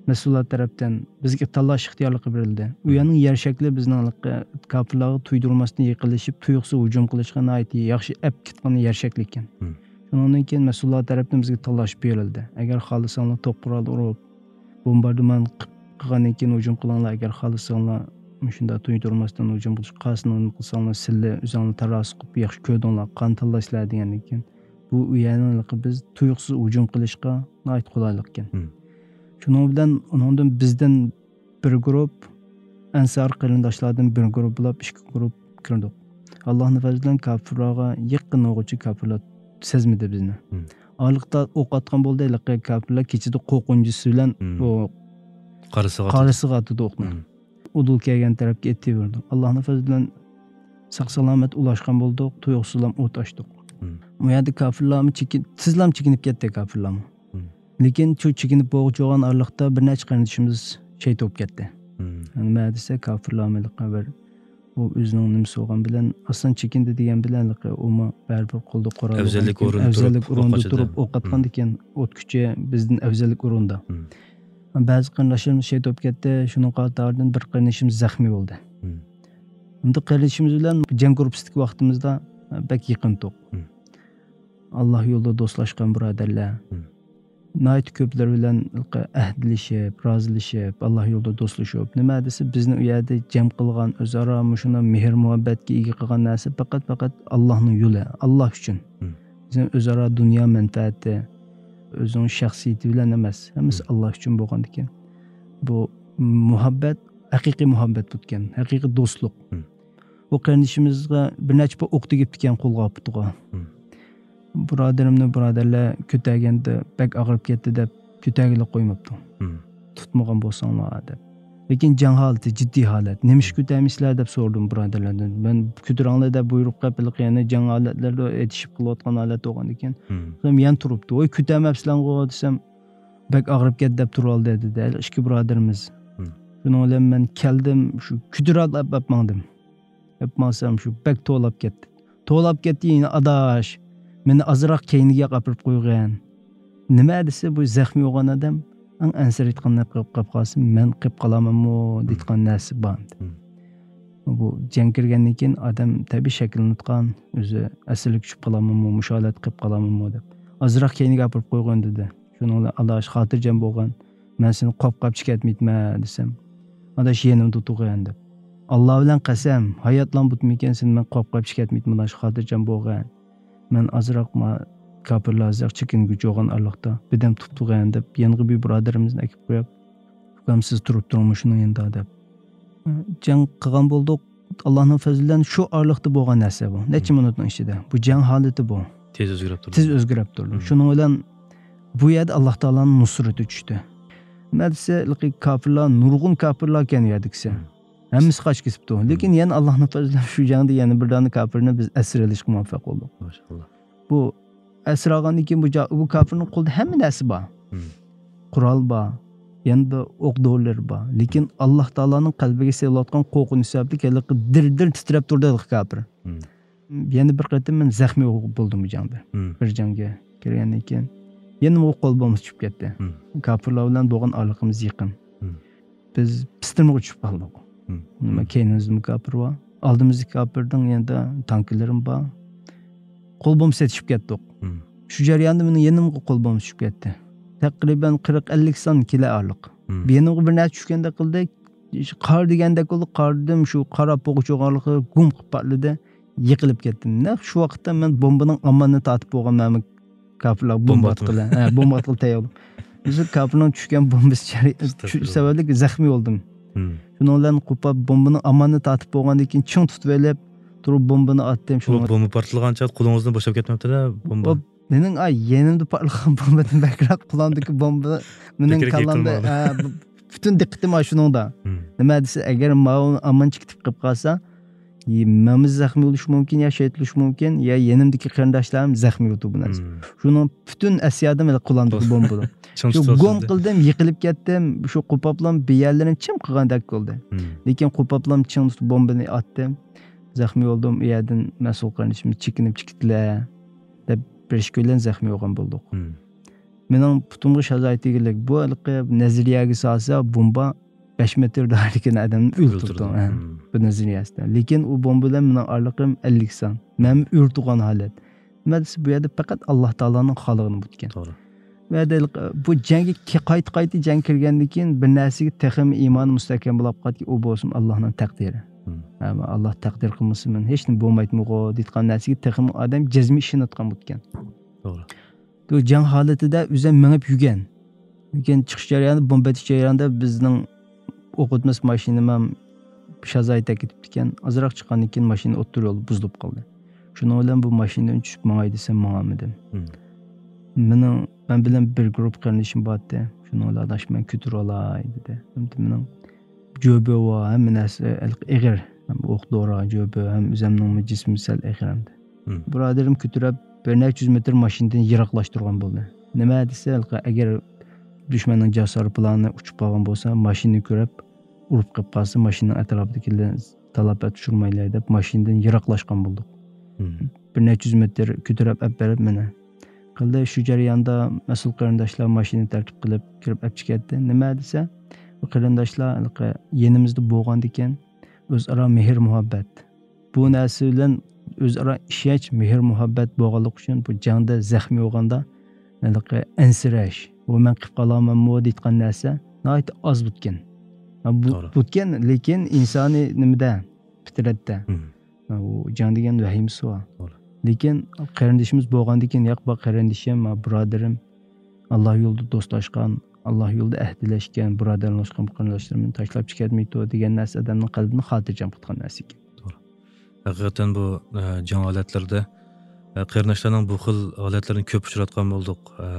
مەسئۇللار تەرەپتىن بىزگە تاللاش ئىختىيارلىقى بېرىلدى. ئۇ مم. يەرنىڭ يەر شەكلى بىزنىڭ ھېلىقى كاپىرلارغا تۇيدۇرماستىن يېقىنلىشىپ، تۇيۇقسىز ھۇجۇم قىلىشقا ناھايىتى ياخشى ئەپ كەتكەن يەر شەكلى ئىكەن. مم. شۇنىڭدىن كېيىن مەسئۇللار تەرەپتىن بىزگە تاللاش بېرىلدى. ئەگەر خالىساڭلار توپ قورال ئۇرۇپ، بومباردىمان قىلغاندىن كېيىن ھۇجۇم قىلىڭلار، ئەگەر خالىساڭلار مۇشۇنداق تۇيدۇرماستىن ھۇجۇم قىلىش قارىسىنى نېمە قىلساڭلار، سىلى ئۆزۈڭلار تاراسا قىلىپ ياخشى كۆردۈڭلار، قان تاللاشلار دېگەندىن كېيىن، بۇ ئۇ يەرنىڭ بىز تۇيۇقسىز ھۇجۇم قىلىشقا ناھايىتى قولايلىق ئىكەن. مم. شۇنىڭ بىلەن ئۇنىڭدىن بىزدىن بىر گۇرۇپ، ئەنسار قېرىنداشلاردىن بىر گۇرۇپ بولاپ ئىككى گۇرۇپ كىردۇق. ئاللاھنىڭ پەزلى بىلەن كاپىرلارغا يېقىن بولغۇچە كاپىرلار سەزمىدى بىزنى. مم. ئارىلىقتا ئوق ئاتقان بولدى، ھېلىقى كاپىرلار كېچىدە قورقۇنچىسى بىلەن مم. ئۇ قارىسىغا ئاتىدۇ. قارىسىغا ئاتىدۇ ئوقنى. مم. ئۇدۇل كەلگەن تەرەپكە ئېتىۋېرىدۇ. ئاللاھنىڭ پەزلى بىلەن ساق سالامەت ئۇلاشقان بولدۇق، تۇيۇقسىزلام ئوت ئاچتۇق. مم. ئۇ يەردە كاپىرلارمۇ چېكىن-، تېزلام چېكىنىپ كەتتى كاپىرلارمۇ. مم. لېكىن شۇ چېكىنىپ بولغۇچە بولغان ئارىلىقتا بىر نەچچە قېرىندىشىمىز شېھىت بولۇپ كەتتى. مم. نېمە دېسە، كاپىرلارمۇ ھېلىقى بىر ئۇ ئۆزىنىڭ نېمىسى بولغان بىلەن، ئاسان چېكىندى دېگەن بىلەن، ھېلىقى ئۇمۇ بەرىبىر قولدا قورال ئەۋزەللىك بولغاندىكىن، ئورۇندا ئەۋزەللىك تۇرۇپ ئورۇندا ئوق ئاچىدۇ. تۇرۇپ ئوق ئاتقاندىكىن، ئوت كۈچى بىزدىن ئەۋزەللىك ئورۇندا. مم. بەزى قېرىنداشلىرىمىز شېھىت بولۇپ كەتتى، شۇنىڭ قاتارىدىن بىر قېرىندىشىمىز زەخمىي بولدى. مم. ئەمدى قېرىندىشىمىز بىلەن جەڭ گۇرۇپپىسىدىكى ۋاقتىمىزدا بەك يېقىن تۇق. مم. ئاللا يولىدا دوستلاشقان بۇرادەرلەر. مم. ناھايىتى كۆپلىرى بىلەن ئەھدىلىشىپ، رازىلىشىپ، ئاللا يولىدا دوستلىشىپ، نېمە دېسە، بىزنى ئۇ يەردە جەم قىلغان، ئۆزئارا مۇشۇنداق مېھىر-مۇھەببەتكە ئىگە قىلغان نەرسە پەقەت، پەقەت ئاللانىڭ يولى، ئاللا ئۈچۈن. مم. بىزنىڭ ئۆزئارا دۇنيا مەنپەئەتى، ئۆزىنىڭ شەخسىيىتى بىلەن ئەمەس، ھەممىسى مم. ئاللا ئۈچۈن بولغاندىكىن، بۇ مۇھەببەت ھەقىقىي مۇھەببەت بولىدىكەن، ھەقىقىي دوستلۇق. مم. بۇ قېرىندىشىمىزغا بىر نەچچە پۇت ئوق تېگىپتىكەن قولىغا، پۇتىغا. مم. بۇرادىرىمنى بۇرادەرلەر كۆتەرگەندە بەك ئاغرىپ كەتتى دەپ كۆتەرگىلى قويماپتۇ. مم. تۇتمىغان بولساڭلار دەپ. لېكىن جەڭ ھالىتى، جىددىي ھالەت. نېمىشقا كۆتەرمەيسىلەر دەپ سورىدىم بۇرادەرلەردىن. مەن كۆتۈرۈڭلار دەپ بۇيرۇق قىلىپ، ھېلىقى يەنە جەڭ ھالەتلىرىدە ئېتىشىپ قېلىۋاتقان ھالەت بولغاندىكىن، مم. يەنە تۇرۇپتۇ. ۋاي، كۆتەرمەپسىلەرغۇ دېسەم، بەك ئاغرىپ كەتتى دەپ تۇرۇۋالدى دېدى. ھېلى ئىككى بۇرادىرىمىز. مم. شۇنىڭ بىلەن مەن كەلدىم، شۇ كۆتۈرۈپ ئەپ ماڭدىم. ئەپ ماڭسام شۇ بەك توۋلاپ كەتتى. توۋلاپ كەتتى يەنە، ئاداش، مېنى ئازراق كەينىگە ئاپىرىپ قويغىن. نېمە دېسە، بۇ زەخمىي بولغان ئادەم ئەڭ ئەنسىرەيدىغان قىلىپ قالسا، مەن قېلىپ قالامەنمۇ دېيىدىغان نەرسە بار ئەمدى. مم. بۇ جەڭ كىرگەندىن كېيىن ئادەم تەبىئىي شەكىللىنىدىغان، ئۆزى ئەسلىگە چۈشۈپ قالامەنمۇ، مۇشۇ ھالەتتە قېلىپ قالامەنمۇ دەپ. ئازراق كەينىگە ئاپىرىپ قويغىن دېدى. شۇنىڭ بىلەن ئاداش خاتىرجەم بولغان. مەن سېنى قويۇپ قېلىپ كەتمەيتمەن دېسەم، ئاداش يېنىمدا تۇرغىن دەپ. ئاللا بىلەن قەسەم، ھاياتلام بۇتمىكەن سېنى مەن قويۇپ قېلىپ كەتمەيتمەن ئاداش، خاتىرجەم بولغىن. مەن ئازراق ما كاپىرلار ئازراق چېكىنگۈچى بولغان ئارىلىقتا بىردەم تۇرۇپ تۇرغىن دەپ يەنىغا بىر بۇرادىرىمىزنى ئەكىپ قويۇپ، ئۇكام سىز تۇرۇپ تۇرۇڭ مۇشۇنىڭ يېنىدا دەپ. جەڭ قىلغان بولدۇق. ئاللانىڭ پەزلى بىلەن شۇ ئارىلىقتا بولغان نەرسە بۇ. نەچچە مىنۇتنىڭ ئىچىدە. بۇ جەڭ ھالىتى بۇ. تېز ئۆزگىرىپ تۇرىدۇ. تېز ئۆزگىرىپ تۇرىدۇ. مم. شۇنىڭ بىلەن بۇ يەردە ئاللا تائالانىڭ نۇسرىتى چۈشتى. نېمە دېسە، ھېلىقى كاپىرلار، نۇرغۇن كاپىرلار ئىكەن ئۇ يەردىكىسى. مم. ھەممىسى قاچىپ كېتىپتۇ. مم. لېكىن يەنە ئاللانىڭ پەزلى بىلەن شۇ جەڭدە يەنە بىر دانە كاپىرنى بىز ئەسىر ئېلىشقا مۇۋەپپەق بولدۇق. ماشائاللا. بۇ ئەسىر ئالغاندىن كېيىن بۇ جا-، بۇ كاپىرنىڭ قولىدا ھەممە نەرسە بار. مم. قورال بار، يەنە ئوق دورىلىرى بار. لېكىن ئاللا تائالانىڭ قەلبىگە سېلىۋاتقان قورقۇنچ سەۋەبلىك ھېلىقى دىر-دىر تىترەپ تۇردى ھېلىقى كاپىر. مم. يەنە بىر قېتىم مەن زەخمىي بولدۇم بۇ جەڭدە. مم. بىر جەڭگە كىرگەندىن كېيىن يەنە قول بومبىسى چۈشۈپ كەتتى. مم. كاپىرلار بىلەن بولغان ئارىلىقىمىز يېقىن. مم. بىز پىستىرمىغا چۈشۈپ قالدۇق. مم. نېمە، مم. كەينىمىزدىمۇ كاپىر بار. ئالدىمىزدىكى كاپىرنىڭ يېنىدا تانكىلىرىم بار. قول بومبىسى ئېتىشىپ كەتتۇق. مم. شۇ جەرياندا مېنىڭ يېنىمغا قول بومبىسى چۈشۈپ كەتتى. تەقرىبەن قىرىق ئەللىك سان كېلە ئارىلىق. مم. يېنىمغا بىر نەرسە چۈشكەندەك قىلدى. قار دېگەندەك بولدى. قاردىم، شۇ قارا پوغا چوغانلىقى گۇم قىلىپ پارتلىدى. يىقىلىپ كەتتىم. نەق شۇ ۋاقىتتا مەن بومبىنىڭ ئامانىنى تارتىپ بولغان مەن كاپىرلار بومبا بومبا ئاتقىلى. ھە، بومبا ئاتقىلى تەييار بولدۇم. بىز كاپىرنىڭ چۈشكەن بومبىسى چۈ-، ئەستەغپىرۇللا. سەۋەبلىك زەخمىي بولدۇم. مم. شۇنىڭ بىلەن قوپاپ بومبىنىڭ ئامانىنى تارتىپ بولغاندىن كېيىن چىڭ تۇتۇۋېلىپ، تۇرۇپ بومبىنى ئاتتىم. شۇنىڭ بومبا پارتلىغان چاغ قولىڭىزنى بوشاپ كەتمەپتىلا، بومبا. مېنىڭ، ئاي، يېنىمدا پارتلىغان بومبىدىن بەكرەك قولۇمدىكى بومبا مېنىڭ كاللامدا، ھە، بۇ-، پۈتۈن دىققىتىم ئاشۇنىڭدا. نېمە دېسە، ئەگەر ماۋۇ ئامانچە كېتىپ قېلىپ قالسا، مەنمۇ زەخمىي بولۇشۇم مۇمكىن، يا شېھىت بولۇشۇم مۇمكىن، يا يېنىمدىكى قېرىنداشلارمۇ زەخمىي بولىدۇ بۇ نەرسە. شۇنىڭ پۈتۈن ئەسيادىم قولۇمدىكى بومبىدا. شۇ گوم قىلدىم، يىقىلىپ كەتتىم. شۇ قوپاپلام بىر يەرلىرىم چىم قىلغاندەك بولدى. لېكىن قوپاپلام چىڭ تۇتۇپ بومبىنى ئاتتىم. زەخمىي بولدۇم، ئۇ يەردىن مەسئۇل قېرىندىشىمىز چېكىنىپ چىقىپتىلە دەپ بېرىشكە بىلەن زەخمىي بولغان بولدۇق. مېنىڭ پۇتۇمغا شازايتىگىلىك، بۇ ھېلىقى نەزەرىيەگە سالسا، بومبا بەش مېتىر دائىرىدىكى ئادەمنى ئۆلتۈرىدۇ. بۇ نەزەرىيەسىدە. لېكىن ئۇ بومبا بىلەن مېنىڭ ئارىلىقىم ئەللىك سان. مەنمۇ ئۆرە تۇرغان ھالەت. نېمە دېسە، بۇ يەردە پەقەت ئاللا تائالانىڭ خالىغىنى بولىدىكەن. توغرا. بۇ يەردە ھېلىقى، بۇ جەڭگە كە-، قايتا-قايتا جەڭ كىرگەندىن كېيىن بىر نەرسىگە تېخىمۇ ئىمانى مۇستەھكەم بولاپ قالدىكەن، ئۇ بولسىمۇ ئاللانىڭ تەقدىرى. ھە، ئاللا تەقدىر قىلمىسا مەن ھېچنېمە بولمايتتىمغۇ دېيىتقان نەرسىگە تېخىمۇ ئادەم جەزمىي ئىشىنىۋاتقان بولىدىكەن. توغرا. بۇ جەڭ ھالىتىدە ئۆزۈم مېڭىپ يۈرگەن. لېكىن چىقىش جەريانىدا، بومبا ئېتىش جەريانىدا بىزنىڭ ئوقۇتمىسى ماشىنىمۇ شازايتەك كېتىپتىكەن. ئازراق چىققاندىن كېيىن ماشىنا ئوتتۇرا يولدا بۇزۇلۇپ قالدى. شۇنىڭ بىلەن بۇ ماشىنىدىن چۈشۈپ ماڭاي دېسەم ماڭالمىدىم. مېنىڭ، مەن بىلەن بىر گۇرۇپپا قېرىندىشىم بارتتى. شۇنىڭ بىلەن ئاداش مەن كۆتۈرۈۋالاي دېدى. ئەمدى مېنىڭ جۆبە ۋە ھەممە نەرسە ئېغىر. ئوق دورا، جۆبە ھەم ئۆزەمنىڭمۇ جىسمى سەل ئېغىر ئەمدى. بۇرادىرىم كۆتۈرۈپ، بىر نەچچە يۈز مېتىر ماشىنىدىن يىراقلاشتۇرغان بولدى. نېمە دېسە، ئەگەر دۈشمەننىڭ جاسارى پىلانى ئۇچۇپ قالغان بولسا، ماشىنىنى كۆرۈپ، ئۇرۇپ قېلىپ قالسا، ماشىنىنىڭ ئەتراپىدىكىلەر تالاپەت ئۇچۇرمايلى دەپ، ماشىنىدىن يىراقلاشقان بولدۇق. بىر نەچچە يۈز مېتىر كۆتۈرۈپ ئەپ بېرىپ مېنى قىلدى. شۇ جەرياندا مەسئۇل قېرىنداشلار ماشىنا تەرتىپ قىلىپ كىرىپ ئەپ چىكەتتى. نېمە دېسە، بۇ قېرىنداشلار ھېلىقى يېنىمىزدا بولغاندىكىن، ئۆزئارا مېھىر-مۇھەببەت. بۇ نەرسە بىلەن ئۆزئارا ئىشەنچ، مېھىر-مۇھەببەت بولغانلىقى ئۈچۈن بۇ جەڭدە زەخمىي بولغاندا ھېلىقى ئەنسىرەش، بۇ مەن قىلىپ قالامەنمۇ دەيدىغان نەرسە ناھايىتى ئاز بوتكەن. ھە، بۇ توغرا. بوتكەن، لېكىن ئىنسانىي نېمىدە، پىترەتتە. ھە، ئۇ جەڭ دېگەن ۋەھىمىسى بار. توغرا. لېكىن قېرىندىشىمىز بولغاندىن كېيىن، ياق، بۇ قېرىندىشىم، بۇ بۇرادىرىم، ئاللا يولىدا دوستلاشقان، ئاللا يولىدا ئەھدىلەشكەن، بۇرادەرلەشكەن قېرىنداشلىرىمنى تاشلاپ چىكەتمەيدۇ دېگەن نەرسە ئادەمنىڭ قەلبىنى خاتىرجەم قىلىدىغان نەرسە ئىكەن. توغرا. ھەقىقەتەن بۇ، ئە، جەڭ ھالەتلىرىدە، ئە، قېرىنداشلارنىڭ بۇ خىل ھالەتلىرىنى كۆپ ئۇچراتقان بولدۇق. ئە،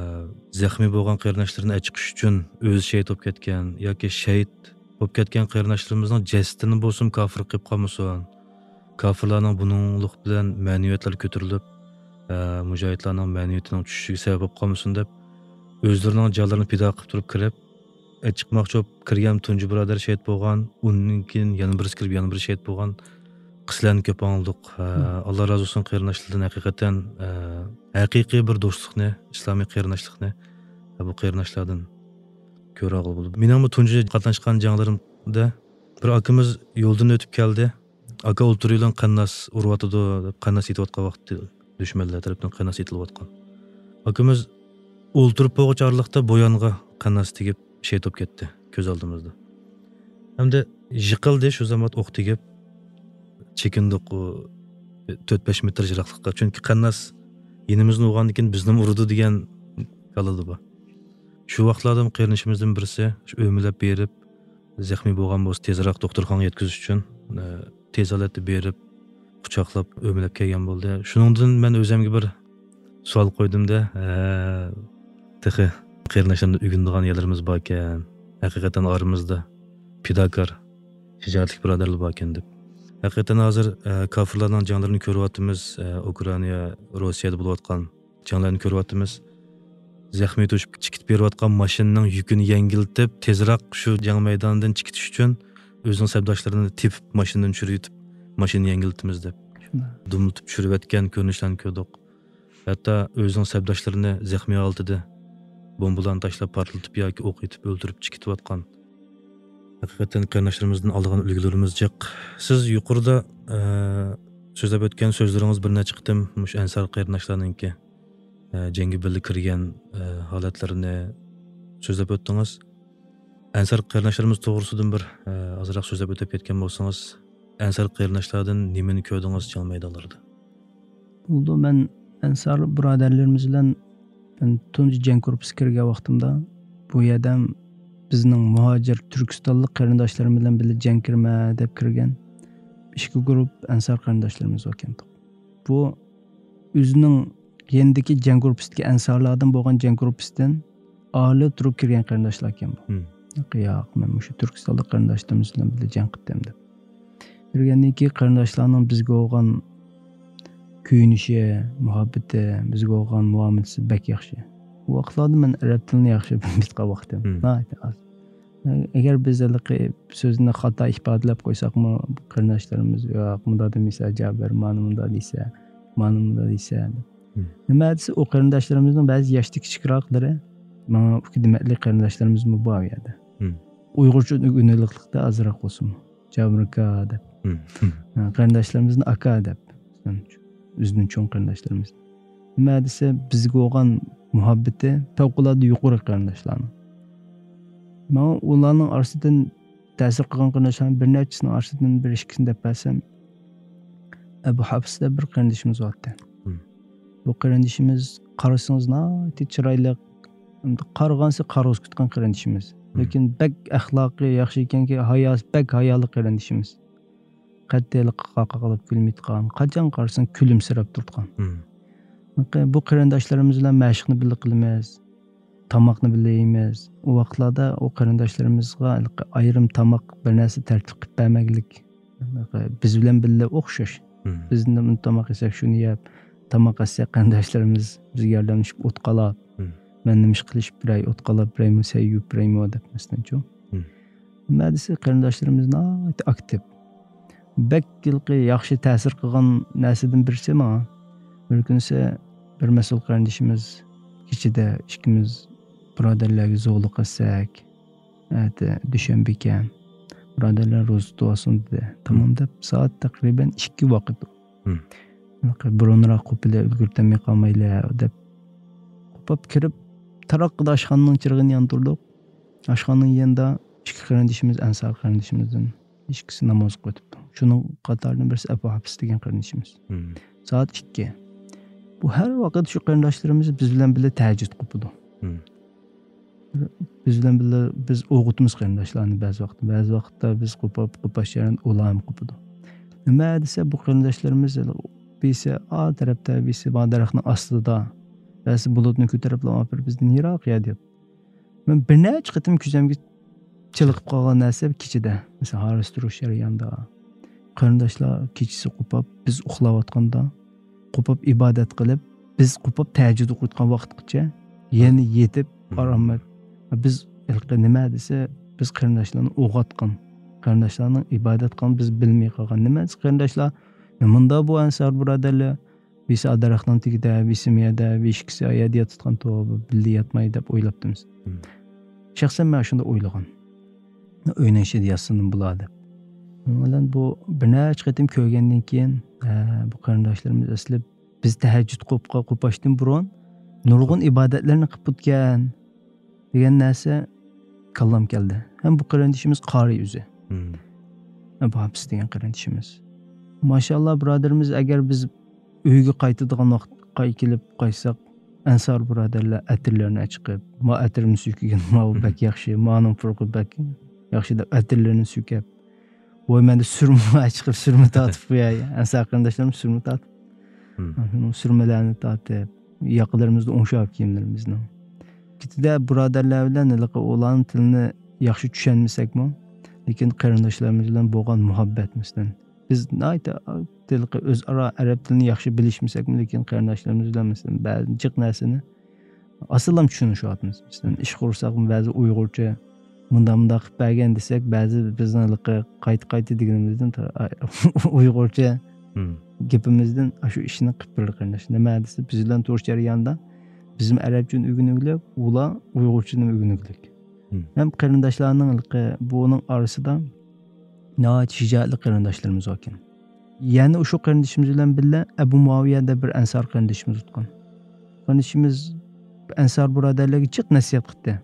زەخمىي بولغان قېرىنداشلىرىنى ئەچىقىش ئۈچۈن ئۆزى شېھىت بولۇپ كەتكەن ياكى شېھىت بولۇپ كەتكەن قېرىنداشلىرىمىزنىڭ جەسىتىنى بولسىمۇ كاپىر قىلىپ قالمىسۇن. كاپىرلارنىڭ بۇنىڭلىق بىلەن مەنىۋىيەتلىرى كۆتۈرۈلۈپ، ئە، مۇجاھىدلارنىڭ مەنىۋىيىتىنىڭ چۈشۈشىگە سەۋەب بولۇپ قالمىسۇن دەپ، ئۆزلىرىنىڭ جانلىرىنى پىدا قىلىپ تۇرۇپ كىرىپ، ئە، چىقماقچى بولۇپ كىرگەن تۇنجى بۇرادەر شېھىت بولغان، ئۇنىڭدىن كېيىن يەنە بىرسى كىرىپ، يەنە بىرى شېھىت بولغان قىسسىلەرنى كۆپ ئاڭلىدۇق. ئە، ئاللا رازى بولسۇن قېرىنداشلاردىن ھەقىقەتەن، ئە، ھەقىقىي بىر دوستلۇقنى، ئىسلامىي قېرىنداشلىقنى، ئە، بۇ قېرىنداشلاردىن كۆرەلىغىلى بولدى. مېنىڭمۇ تۇنجى قاتناشقان جەڭلىرىمدە بىر ئاكىمىز يولدىن ئۆتۈپ كەلدى. ئاكا ئولتۇرۇۋېلىڭ، قەنناس ئۇرۇۋاتىدۇ دەپ، قەنناس ئېتىۋاتقان ۋاقتى، دۈشمەنلەر تەرىپىدىن قەنناس ئېتىلىۋاتقان. ئاكىمىز ئولتۇرۇپ بولغۇچە ئارىلىقتا بۇ يانغا قەنناس تېگىپ شېھىت بولۇپ كەتتى كۆز ئالدىمىزدا. ھەمدە يىقىلدى شۇ زامات ئوق تېگىپ، چېكىندۇق، ئۇ تۆت بەش مېتىر يىراقلىققا. چۈنكى قەنناس يېنىمىزدىن ئۇرغاندىن كېيىن بىزنىمۇ ئۇرىدۇ دېگەن كاللىدا بار. شۇ ۋاقىتلاردا قېرىندىشىمىزدىن بىرسى شۇ ئۆمىلەپ بېرىپ، زەخمىي بولغان بولسا تېزراق دوختۇرخانىغا يەتكۈزۈش ئۈچۈن، ئە، تېز ھالەتتە بېرىپ، قۇچاقلاپ، ئۆمىلەپ كەلگەن بولدى. شۇنىڭدىن مەن ئۆزەمگە بىر سوئال قويدۇم-دە، ئە، تېخى قېرىنداشلاردىن ئۆگىنىدىغان يەرلىرىمىز باركەن، ھەقىقەتەن ئارىمىزدا پىداكار، شىجائەتلىك بۇرادەرلەر باركەن دەپ. ھەقىقەتەن ھازىر، ئە، كاپىرلارنىڭ جەڭلىرىنى كۆرۈۋاتىمىز، ئە، ئۇكرائىنا، روسىيەدە بولۇۋاتقان جەڭلەرنى كۆرۈۋاتىمىز. زەخمىي توشۇپ چىقىپ بېرىۋاتقان ماشىنىنىڭ يۈكىنى يەڭگىلتىپ، تېزراق شۇ جەڭ مەيدانىدىن چىقىتىش ئۈچۈن ئۆزىنىڭ سەپداشلىرىنى تېپىپ، ماشىنىدىن چۈشۈرۈۋېتىپ، ماشىنىنى يەڭگىلتىمىز دەپ، شۇنداق. دۈملىتىپ چۈشۈرۈۋەتكەن كۆرۈنۈشلەرنى كۆردۇق. ھەتتا ئۆزىنىڭ سەپداشلىرىنى زەخمىي ھالىتىدە بومبىلارنى تاشلاپ، پارتلىتىپ ياكى ئوق ئېتىپ ئۆلتۈرۈپ چىقىۋاتقان. ھەقىقەتەن قېرىنداشلىرىمىزدىن ئالىدىغان ئۈلگىلىرىمىز جىق. سىز يۇقىرىدا، ئە، سۆزلەپ ئۆتكەن سۆزلىرىڭىز بىر نەچچە قېتىم مۇشۇ ئەنسار قېرىنداشلارنىڭكى، ئە، جەڭگە بىللە كىرگەن، ئە، ھالەتلىرىنى سۆزلەپ ئۆتتىڭىز. ئەنسار قېرىنداشلىرىمىز توغرىسىدىن بىر، ئە، ئازراق سۆزلەپ ئۆتۈپ كەتكەن بولسىڭىز، ئەنسار قېرىنداشلاردىن نېمىنى كۆردىڭىز جەڭ مەيدانلىرىدا؟ بولىدۇ، مەن ئەنسار بۇرادەرلىرىمىز بىلەن مەن تۇنجى جەڭ گۇرۇپپىسىغا كىرگەن ۋاقتىمدا، بۇ يەردە بىزنىڭ مۇھاجىر تۈركىستانلىق قېرىنداشلىرىم بىلەن بىللە جەڭ كىرىمەن دەپ كىرگەن. ئىككى گۇرۇپ ئەنسار قېرىنداشلىرىمىز باركەن. بۇ ئۆزىنىڭ يېنىدىكى جەڭ گۇرۇپپىسىدىكى ئەنسارلاردىن بولغان جەڭ گۇرۇپپىسىدىن ئايرىلىپ تۇرۇپ كىرگەن قېرىنداشلار ئىكەن بۇ. مم. ياق، ياق، مەن مۇشۇ تۈركىستانلىق قېرىنداشلىرىمىز بىلەن بىللە جەڭ قىلدىم دەپ. كىرگەندىن كېيىن قېرىنداشلارنىڭ بىزگە بولغان كۆيۈنۈشى، مۇھەببىتى، بىزگە بولغان مۇئامىلىسى بەك ياخشى. ئۇ ۋاقىتلاردا مەن ئەرەب تىلىنى ياخشى بىلمەيدىغان ۋاقتىم. مم. ناھايىتى ئاز. ئەگەر بىز ھېلىقى سۆزنى خاتا ئىپادىلەپ قويساقمۇ، قېرىنداشلىرىمىز، «ياق، مۇنداق دېمىسە، جابىر، مانا مۇنداق دېسە، مانا مۇنداق دېسە» دەپ. مم. نېمە دېسە، ئۇ قېرىنداشلىرىمىزنىڭ بەزى ياشتا كىچىكراقلىرى، ماڭا ئۇكا دېمەكلىك قېرىنداشلىرىمىزمۇ بار ئۇ يەردە. مم. ئۇيغۇرچە ئۆگىنىلىقلىقتا ئازراق بولسىمۇ. جابىر ئاكا دەپ. مم. مم. ھە، قېرىنداشلىرىمىزنى ئاكا دەپ. مىسال ئۈچۈن، ئۆزىدىن چوڭ قېرىنداشلىرىمىز. نېمە دېسە، بىزگە بولغان مۇھەببىتى پەۋقۇلئاددە يۇقىرى قېرىنداشلارنىڭ. ماڭا ئۇلارنىڭ ئارىسىدىن تەسىر قىلغان قېرىنداشلارنىڭ بىر نەچچىسىنىڭ ئارىسىدىن بىر ئىككىسىنى دەپ بەرسەم، ئەبۇ ھەپس دەپ بىر قېرىندىشىمىز بارتى. مم. بۇ قېرىندىشىمىز قارىسىڭىز ناھايىتى چىرايلىق، قارىغانسېرى قارىغۇسى كېتىدىغان قېرىندىشىمىز. مم. لېكىن بەك ئەخلاقى ياخشى ئىكەنكى، ھاياسى بەك ھايالىق قېرىندىشىمىز. قەتئىي قاقا قىلىپ كۈلمەيدىغان، قاچان قارىساڭ كۈلۈمسىرەپ تۇرىدىغان. مم. بۇ قېرىنداشلىرىمىز بىلەن مەشىقنى بىللە قىلىمىز، تاماقنى بىللە يەيمىز. ئۇ ۋاقىتلاردا ئۇ قېرىنداشلىرىمىزغا ئايرىم تاماق، بىر نەرسە تەرتىپ قىلىپ بەرمەگلىك. بىز بىلەن بىللە ئوخشاش. مم. بىز نېمە تاماق يېسەك، شۇنى يەپ، تاماق ئەتسەك، قېرىنداشلىرىمىز بىزگە ياردەملىشىپ ئوت قالاپ، مم. مەن نېمە ئىش قىلىشىپ بېرەي، ئوت قالاپ بېرەيمۇ، سەي يۇيۇپ بېرەيمۇ دەپ، مەسىلەنچۇ. مم. نېمە دېسە، قېرىنداشلىرىمىز ناھايىتى ئاكتىپ. بەك ھېلىقى ياخشى تەسىر قىلغان نەرسىدىن بىرسى ماڭا، بىر كۈنسى بىر مەسئۇل قېرىندىشىمىز كېچىدە ئىككىمىز بۇرادەرلەرگە زورلۇق قىلساك، ئەتە دۈشەنبىكەن، بۇرادەرلەر روزا تۇتۇۋالسۇن دېدى. تامام دەپ، سائەت تەقرىبەن ئىككى ۋاقىت. مم. بۇرۇنراق قوپىلى ئۈلگۈرتەلمەي قالمايلى دەپ، قوپاپ كىرىپ، تاراققىدە ئاشخانىنىڭ چىرىغىنى ياندۇردۇق. ئاشخانىنىڭ يېنىدا ئىككى قېرىندىشىمىز، ئەنسار قېرىندىشىمىزدىن ئىككىسى نامازغا ئۆتۈپتۇ. شۇنىڭ قاتارىدىن بىرسى ئەبۇ ھەپس دېگەن قېرىندىشىمىز. مم. سائەت ئىككى. بۇ ھەر ۋاقىت شۇ قېرىنداشلىرىمىز بىز بىلەن بىللە تەھەججۇد قوپىدۇ. مم. بىز بىلەن بىللە بىز ئويغىتىمىز قېرىنداشلارنى بەزى ۋاقىتتا. بەزى ۋاقىتتا بىز قوپاپ، قوپاش جەريانىدا ئۇلارمۇ قوپىدۇ. نېمە دېسە، بۇ قېرىنداشلىرىمىز بىرسى ئا تەرەپتە، بىرسى بار دەرەخنىڭ ئاستىدا، بەزىسى بۇلۇتنى كۆتۈرۈپلا بىر بىزدىن يىراق يەردە ياتىدۇ. مەن بىر نەچچە قېتىم كۆزۈمگە چېلىقىپ قالغان نەرسە كېچىدە، مەسىلەن، ھارۋىسى تۇرۇش جەريانىدا، قېرىنداشلار كېچىسى قوپاپ، بىز ئۇخلاۋاتقاندا، قوپاپ ئىبادەت قىلىپ، بىز قوپاپ تەھەججۇد ئوقۇيدىغان ۋاقىتقىچە يەنە يېتىپ، مم. ئارام ئېلىپ، بىز ھېلىقى نېمە دېسە، بىز قېرىنداشلارنى ئويغاتقان، قېرىنداشلارنىڭ ئىبادەت قىلغان بىز بىلمەي قالغان. نېمە دېسە، قېرىنداشلار، مۇندا بۇ ئەنسار بۇرادەرلەر، بىرسى ئا دەرەخنىڭ تېگىدە، بىرسى مۇ يەردە، بىر ئىككىسى ئا يەردە ياتىدىغان، توۋا، بىللە ياتماي دەپ ئويلاپتىمىز. مم. شەخسەن مەن شۇنداق ئويلىغان. ئۆينىڭ ئىچىدە ياتسىمۇ بولار دەپ. شۇنىڭ بىلەن بۇ بىر نەچچە قېتىم كۆرگەندىن كېيىن، ئە، بۇ قېرىنداشلىرىمىز ئەسلى بىز تەھەججۇد قوپقا-، قوپاشتىن بۇرۇن نۇرغۇن ئىبادەتلەرنى قىلىپ بوپتىكەن دېگەن نەرسە كاللام كەلدى. ھەم بۇ قېرىندىشىمىز قارىي ئۆزى. مم. ئەبۇ ھەپس دېگەن قېرىندىشىمىز. ماشائاللا، بۇرادىرىمىز، ئەگەر بىز ئۆيگە قايتىدىغان ۋاقىت قاي-، كېلىپ قايتساق، ئەنسار بۇرادەرلەر ئەتىرلىرىنى چىقىپ، ما ئەتىرنى سۈركىگىن، ماۋۇ بەك ياخشى، مانىڭ پۇرىقى بەك ياخشى دەپ ئەتىرلىرىنى سۈركەپ، ۋوي، مەندە سۈرمە چىقىپ، سۈرمە تارتىپ قوياي. ئەنسار قېرىنداشلىرىم سۈرمە تارتىپ، مم. شۇنىڭ سۈرمىلەرنى تارتىپ، ياقىلىرىمىزنى ئوڭشاپ كىيىملىرىمىزنىڭ. كېتىدە بۇرادەرلەر بىلەن ھېلىقى ئۇلارنىڭ تىلىنى ياخشى چۈشەنمىسەكمۇ، لېكىن قېرىنداشلىرىمىز بىلەن بولغان مۇھەببەت، مەسىلەن، بىز ناھايىتى ھېلىقى ئۆزئارا ئەرەب تىلىنى ياخشى بىلىشمىسەكمۇ، لېكىن قېرىنداشلىرىمىز بىلەن، مەسىلەن، بەزى جىق نەرسىنى ئاسانلا چۈشىنىشىۋاتىمىز. مەسىلەن، ئىش قۇرساقمۇ بەزى ئۇيغۇرچە مۇنداق مۇنداق قىلىپ بەرگەن دېسەك، بەزى بىزنىڭ ھېلىقى قايتا قايتا دېگىنىمىزدىن تا-، ئۇيغۇرچە مم. گېپىمىزدىن ئاشۇ ئىشنى قىلىپ بېرىدۇ قېرىنداش. نېمە دېسە، بىز بىلەن تۇرۇش جەريانىدا بىزمۇ ئەرەبچىنى ئۆگىنىۋېلىپ، ئۇلار ئۇيغۇرچىنى ئۆگىنىۋېلىك. مم. ھەم قېرىنداشلارنىڭ ھېلىقى بۇنىڭ ئارىسىدا ناھايىتى شىجائەتلىك قېرىنداشلىرىمىز باركەن. يەنە ئۇشۇ قېرىندىشىمىز بىلەن بىللە ئەبۇ مۇئاۋىيە دەپ بىر ئەنسار قېرىندىشىمىز تۇتقان. قېرىندىشىمىز ئەنسار بۇرادەرلەرگە جىق نەسىھەت قىلدى.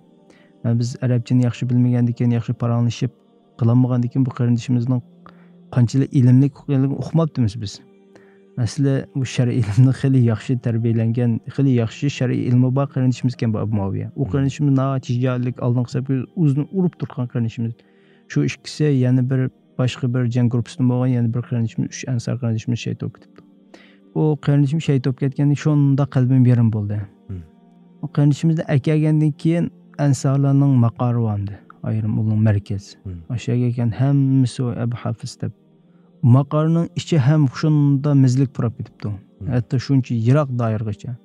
مەن بىز ئەرەبچىنى ياخشى بىلمىگەندىكىن، ياخشى پاراڭلىشىپ قىلالمىغاندىكىن، بۇ قېرىندىشىمىزنىڭ قانچىلىك ئىلىملىك ئىكەنلىكىنى ئۇقماپتىمىز بىز. ئەسلى بۇ شەرئىي ئىلىمنى خېلى ياخشى تەربىيەلەنگەن، خېلى ياخشى شەرئىي ئىلمى بار قېرىندىشىمىز ئىكەن بۇ ئەبۇ مۇئاۋىيە. ئۇ مم. قېرىندىشىمىز ناھايىتى شىجائەتلىك، ئالدىنقى سەپكە ئۆزىنى ئۇرۇپ تۇرغان قېرىندىشىمىز. شۇ ئىككىسى يەنە بىر باشقا بىر جەڭ گۇرۇپپىسىدىن بولغان يەنە بىر قېرىندىشىمىز، ئۈچ ئەنسار قېرىندىشىمىز شېھىت بولۇپ كېتىپتۇ. ئۇ قېرىندىشىم شېھىت بولۇپ كەتكەندىن شۇنداق قەلبىم يېرىم بولدى. ئۇ قېرىندىشىمىزنى ئەكەلگەندىن كېيىن ئەنسارلارنىڭ ماقارى بار ئىدى. ئايرىم ئۇنىڭ مەركەز. ئاشۇ يەرگە كەلگەن ھەممىسى ئەبۇ ھافىز دەپ. ماقارنىڭ ئىچى ھەم شۇنداق مېزىلىك پۇراپ كېتىپتۇ. ھەتتا شۇنچە يىراق دائىرىغىچە.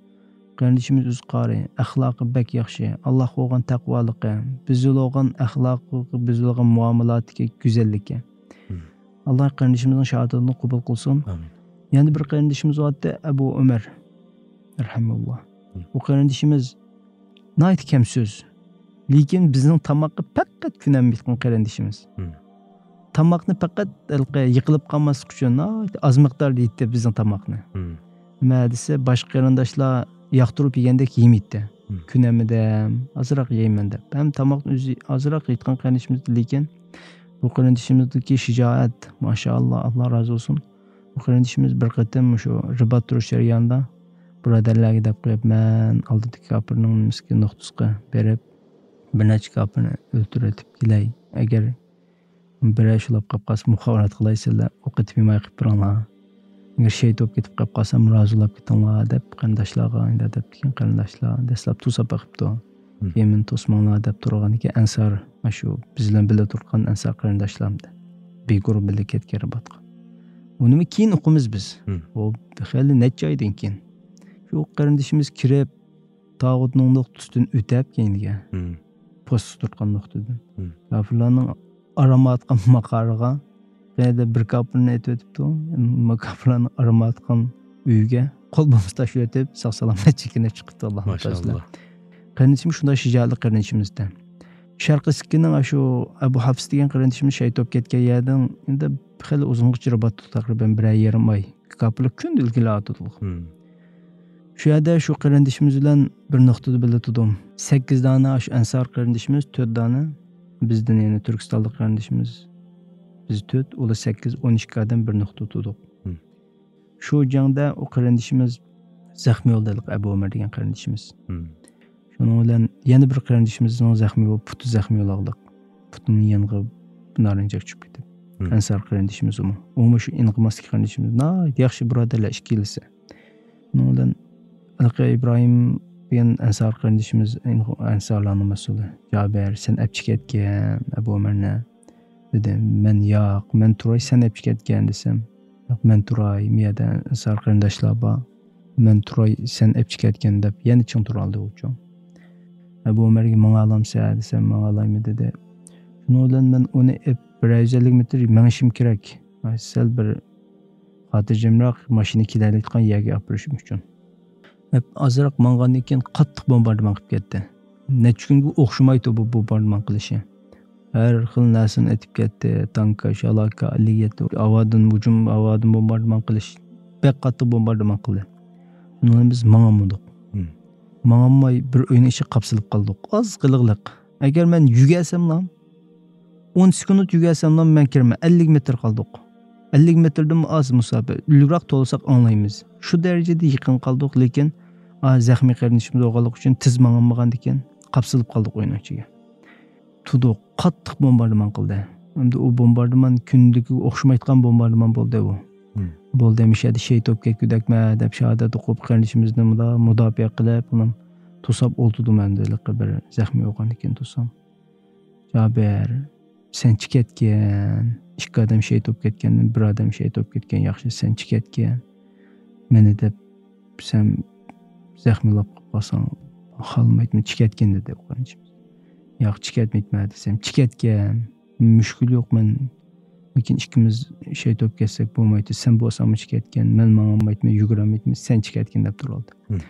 قېرىندىشىمىز ئۆزى قارى، ئەخلاقى بەك ياخشى، ئاللاھقا بولغان تەقۋالىقى، بىزگە بولغان ئەخلاقى، بىزگە بولغان مۇئامىلاتىدىكى گۈزەللىكى. ئاللاھ قېرىندىشىمىزنىڭ شاھادىتىنى قوبۇل قىلسۇن. يەنە بىر قېرىندىشىمىز بارتتى، ئەبۇ ئۆمەر رەھىمەھۇللاھ. بۇ قېرىندىشىمىز ناھايىتى كەمسۆز. لېكىن بىزنىڭ تاماققا پەقەت كۆنەلمەيدىغان قېرىندىشىمىز. تاماقنى پەقەت ھېلىقى يىقىلىپ قالماسلىق ئۈچۈن ناھايىتى ئاز مىقداردا يەيتتى بىزنىڭ تاماقنى. نېمە دېسە، باشقا قېرىنداشلار ياقتۇرۇپ يېگەندەك يېمەيتتى. كۆنەلمىدىم، ئازراق يەيمەن دەپ. ھەم تاماقنى ئۆزى ئازراق يەيدىغان قېرىندىشىمىز، لېكىن بۇ قېرىندىشىمىزدىكى شىجائەت، ماشائاللاھ، ئاللاھ رازى بولسۇن. بۇ قېرىندىشىمىز بىر قېتىم شۇ رىبات تۇرۇش جەريانىدا بۇرادەرلەرگە دەپ قويۇپ، مەن ئالدىدىكى كاپىرنىڭ نېمىسىگە، نۇقتىسىغا بېرىپ، بىر نەچچە كاپىرنى ئۆلتۈرۈۋېتىپ كېلەي. ئەگەر بىرەر شۇلاپ قاپ قالسا، مۇخابىرات قىلاي، سىلەر ئوق ئېتىپ يېمەي قېلىپ بېرىڭلار. ئەگەر شېھىت بولۇپ كېتىپ قاپ قالسام، رازىلاپ كېتىڭلار دەپ قېرىنداشلارغا، ئەندە دەپتىكەن قېرىنداشلار دەسلەپ توساپ بېقىپتۇ. كېيىن مېنى توسماڭلار دەپ تۇرغاندىكىن ئەنسار، شۇ بىز بىلەن بىللە تۇرغان ئەنسار قېرىنداشلار بىر گۇرۇھ بىللە كەتكەن رىباتقا. ئۇنىمۇ كېيىن ئۇقىمىز بىز. ئۇ خېلى نەچچە ئايدىن كېيىن. شۇ قېرىندىشىمىز كىرىپ، تاغۇتنىڭ نۇقتىسىدىن ئۆتەپ كەينىگە، پوستقا تۇرتقان نۇقتىدىن. كاپىرلارنىڭ ئارام ئاتقان ماقارىغا، قەيەردە بىر كاپىرنى ئېتىۋېتىپتۇ. كاپىرلارنىڭ ئارام ئاتقان ئۆيىگە قول بومبىسى تاشلىۋېتىپ، ساق سالامەت چېكىنىپ چىقىپتۇ، ئاللاھ تازىلا. قېرىندىشىمىز شۇنداق شىجائەتلىك قېرىندىشىمىزدە. شەرقىي سىككىنىڭ ئاشۇ ئەبۇ ھافىز دېگەن قېرىندىشىمىز شېھىت بولۇپ كەتكەن يەردىن ئەمدى خېلى ئۇزۇنغىچە رىبات تۇتۇپ، تەقرىبەن بىرەر يېرىم ئاي كاپىرلار كۈندە ئىلگىرىلەۋاتىدۇ. شۇ يەردە شۇ قېرىندىشىمىز بىلەن بىر نۇقتىدا بىللە تۇردۇم. سەككىز دانە ئاشۇ ئەنسار قېرىندىشىمىز، تۆت دانە بىزدىن، يەنى تۈركىستانلىق قېرىندىشىمىز، بىز تۆت، ئۇلار سەككىز، ئون ئىككى ئادەم بىر نۇقتىدا تۇردۇق. شۇ جەڭدە ئۇ قېرىندىشىمىز زەخمىي بولدى، ئەبۇ ئۆمەر دېگەن قېرىندىشىمىز. شۇنىڭ بىلەن يەنە بىر قېرىندىشىمىزنىڭ زەخمىي بولۇپ، پۇتى زەخمىي بولغانلىق. پۇتىنىڭ يېنىغا نارىنجاق چۈشۈپ كېتىپ. ئەنسار قېرىندىشىمىز ئۇمۇ. ئۇمۇ شۇ ئىنقىماسلىق قېرىندىشىمىز. ناھايىتى ياخشى بۇرادەرلەر ئىككىلىسى. شۇنىڭ بىلەن ھېلىقى ئىبراھىم دېگەن ئەنسار قېرىندىشىمىز، ئەنسارلارنىڭ مەسئۇلى. جابىر، سەن ئەپ چىكەتكەن ئەبۇ ئۆمەرنى. دېدى، مەن، ياق، مەن تۇراي، سەن ئەپ چىكەتكەن دېسەم، ياق، مەن تۇراي، مۇ يەردە ئەنسار قېرىنداشلار بار، مەن تۇراي، سەن ئەپ چىكەتكەن دەپ يەنە چىڭ تۇرالدى ئۇچۇ. ئەبۇ ئۆمەرگە ماڭالامسەن دېسەم، ماڭالايمەن دېدى. شۇنىڭ بىلەن مەن ئۇنى ئېپ بىر يۈز ئەللىك مېتىر مېڭىشىم كېرەك. سەل بىر خاتىرجەمراق ماشىنا كېلەلەيدىغان يەرگە ئاپىرىشىم ئۈچۈن. ئازراق ماڭغاندىن كېيىن قاتتىق بومباردىمان قىلىپ كەتتى. نەچچە كۈنگە ئوخشىمايتتى بۇ بومباردىمان قىلىشى. ھەر خىل نەرسىنى ئېتىپ كەتتى. تانكا، شالاكا، ئەللىك يەتتە، ھاۋادىن ھۇجۇم، ھاۋادىن بومباردىمان قىلىش. بەك قاتتىق بومباردىمان قىلدى. شۇنىڭ بىلەن بىز ماڭالمىدۇق. ماڭالماي بىر ئۆينىڭ ئىچىگە قاپسىلىپ قالدۇق. ئاز قېلىغلىق. ئەگەر مەن يۈگۈرسەملا، ئون سېكۇنت يۈگۈرسەملا مەن كىرىمەن. ئەللىك مېتىر قالدۇق. ئەللىك مېتىردىنمۇ ئاز مۇساپە. ئۇلۇغراق توۋلىساق ئاڭلايمىز. شۇ دەرىجىدە يېقىن قالدۇق، لېكىن، ئا، زەخمىي قېرىندىشىمىز بولغانلىقى ئۈچۈن تېز ماڭالمىغاندىكىن قاپسىلىپ قالدۇق ئۆينىڭ ئىچىگە. تۇردۇق، قاتتىق بومباردىمان قىلدى. ئەمدى ئۇ بومباردىمان كۈندىكىگە ئوخشىمايدىغان بومباردىمان بولدى ئۇ. بولدى، مۇشۇ يەردە شېھىت بولۇپ كەتكۈدەكمەن دەپ شاھادەت ئوقۇپ، قېرىندىشىمىزنى مۇدا-، مۇداپىئە قىلىپ، ئۇنى توساپ ئولتۇردۇم ئەمدى، ھېلىقى بىر زەخمىي بولغاندىن كېيىن توسام. جابىر، سەن چىكەتكەن، ئىككى ئادەم شېھىت بولۇپ كەتكەندىن بىر ئادەم شېھىت بولۇپ كەتكەن ياخشى، سەن چىكەتكەن. مېنى دەپ سەن زەخمىي بولۇپ قالساڭ، خالىمايتتىم، چىكەتكىن دېدى ئۇ قېرىندىشىمىز. ياق، چىكەتمەيتتىم دېسەم، چىكەتكەن، مۈشكۈل يوق، مەن، لېكىن ئىككىمىز شېھىت بولۇپ كەتسەك بولمايتتى، سەن بولساڭمۇ چىكەتكەن، مەن ماڭالمايتتىم، يۈگۈرەلمەيتتىم، سەن چىكەتكىن دەپ تۇرۇۋالدى.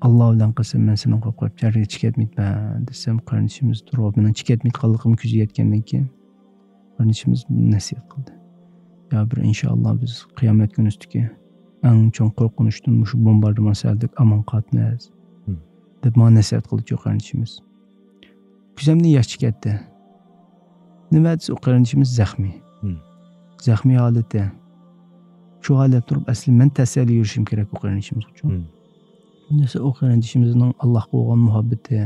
ئاللا بىلەن قەسەم، مەن سېنىڭ قوپ قويۇپ جەرگە چىكەتمەيتتىم دېسەم، قېرىندىشىمىز تۇرۇپ، مېنىڭ چىكەتمەيدىغانلىقىمنى كۆزى يەتكەندىن كېيىن، قېرىندىشىمىز نەسىھەت قىلدى. يا بىر، ئىنشائاللا، بىز قىيامەت كۈنى ئۈستىدىكى ئەڭ چوڭ قورقۇنچتىن مۇشۇ بومباردىمان سەۋەبلىك ئامان قالىمىز، دەپ ماڭا نەسىھەت قىلدى شۇ قېرىندىشىمىز. كۆزۈمدىن ياش چىقىپ كەتتى. نېمە دېسە، ئۇ قېرىندىشىمىز زەخمىي. زەخمىي ھالىتى. شۇ ھالەتتە تۇرۇپ، ئەسلى مەن تەسەللى يۈرۈشۈم كېرەك ئۇ قېرىندىشىمىز ئۈچۈن. نېمە دېسە، ئۇ قېرىندىشىمىزنىڭ ئاللاھقا بولغان مۇھەببىتى،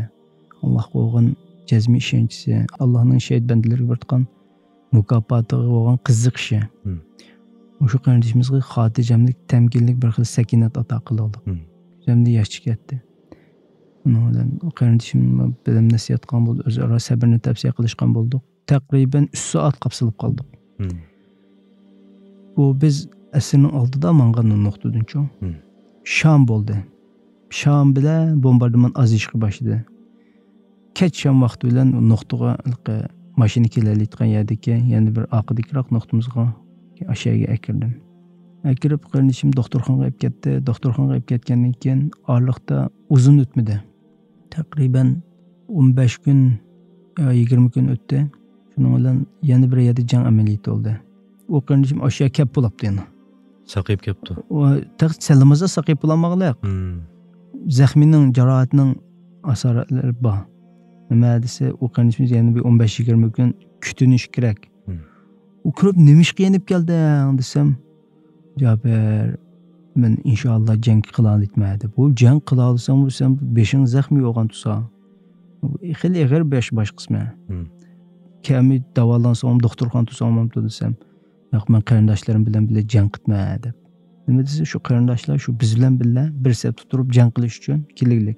ئاللاھقا بولغان جەزمىي ئىشەنچىسى، ئاللاھنىڭ شېھىت بەندىلىرىگە بېرىدىغان مۇكاپاتىغا بولغان قىزىقىشى. مم. مۇشۇ قېرىندىشىمىزغا خاتىرجەملىك، تەمكىنلىك، بىر خىل سەكىنات ئاتا قىلدۇق. مم. كۆزۈمدە ياش چىقىپ كەتتى. شۇنىڭ بىلەن قېرىندىشىم بىلەن نەسىھەت قىلغان بولدى، ئۆزئارا سەبرنى تەۋسىيە قىلىشقان بولدۇق. تەقرىبەن ئۈچ سائەت قاپسىلىپ قالدۇق. مم. بۇ بىز ئەسىرنىڭ ئالدىدا ماڭغان نۇقتىدىنچۇ. مم. شام بولدى. شام بىلەن بومباردىمان ئازىيىشقا باشلىدى. كەچ شام ۋاقتى بىلەن نۇقتىغا ھېلىقى ماشىنا كېلەلەيدىغان يەردىكى يەنە بىر ئارقىدىكىراق نۇقتىمىزغا ئاشۇ يەرگە ئەكىردىم. ئەكىرىپ قېرىندىشىم دوختۇرخانىغا ئېلىپ كەتتى. دوختۇرخانىغا ئېلىپ كەتكەندىن كېيىن ئارىلىقتا ئۇزۇن ئۆتمىدى. تەقرىبەن ئون بەش كۈن يا يىگىرمە كۈن ئۆتتى. شۇنىڭ بىلەن يەنە بىر يەردە جەڭ ئەمەلىيىتى بولدى. ئۇ قېرىندىشىم ئاشۇ يەرگە كەپ بولاپتۇ يەنە. ساقىيىپ كەپتۇ. ئۇ تېخى سەللىمازا ساقىيىپ بولالمىغانلىق. مم. زەخمىنىڭ، جاراھەتنىڭ ئاسارەتلىرى بار. نېمە دېسە، ئۇ قېرىندىشىمىز يەنە بىر ئون بەش يىگىرمە كۈن كۈتۈنۈش كېرەك. مم. ئۇ كۆرۈپ، «نېمىشقا يېنىپ كەلدىڭ؟» دېسەم، «جابىر، مەن ئىنشائاللا جەڭ قىلالايمەن» دەپ. «ئۇ جەڭ قىلالىساڭ، بۇ سەن بېشىڭ زەخمى بولغان تۇرسا. خېلى ئېغىر باش، باش قىسمى. مم. كەمى داۋالانساڭ، دوختۇرخانىدا تۇرساڭ بولامدۇ؟» دېسەم، «ياق، مەن قېرىنداشلىرىم بىلەن بىللە جەڭ قىلىمەن» دەپ. نېمە دېسە، شۇ قېرىنداشلار شۇ بىز بىلەن بىللە بىر سەپتە تۇرۇپ جەڭ قىلىش ئۈچۈن كېلىگلىك.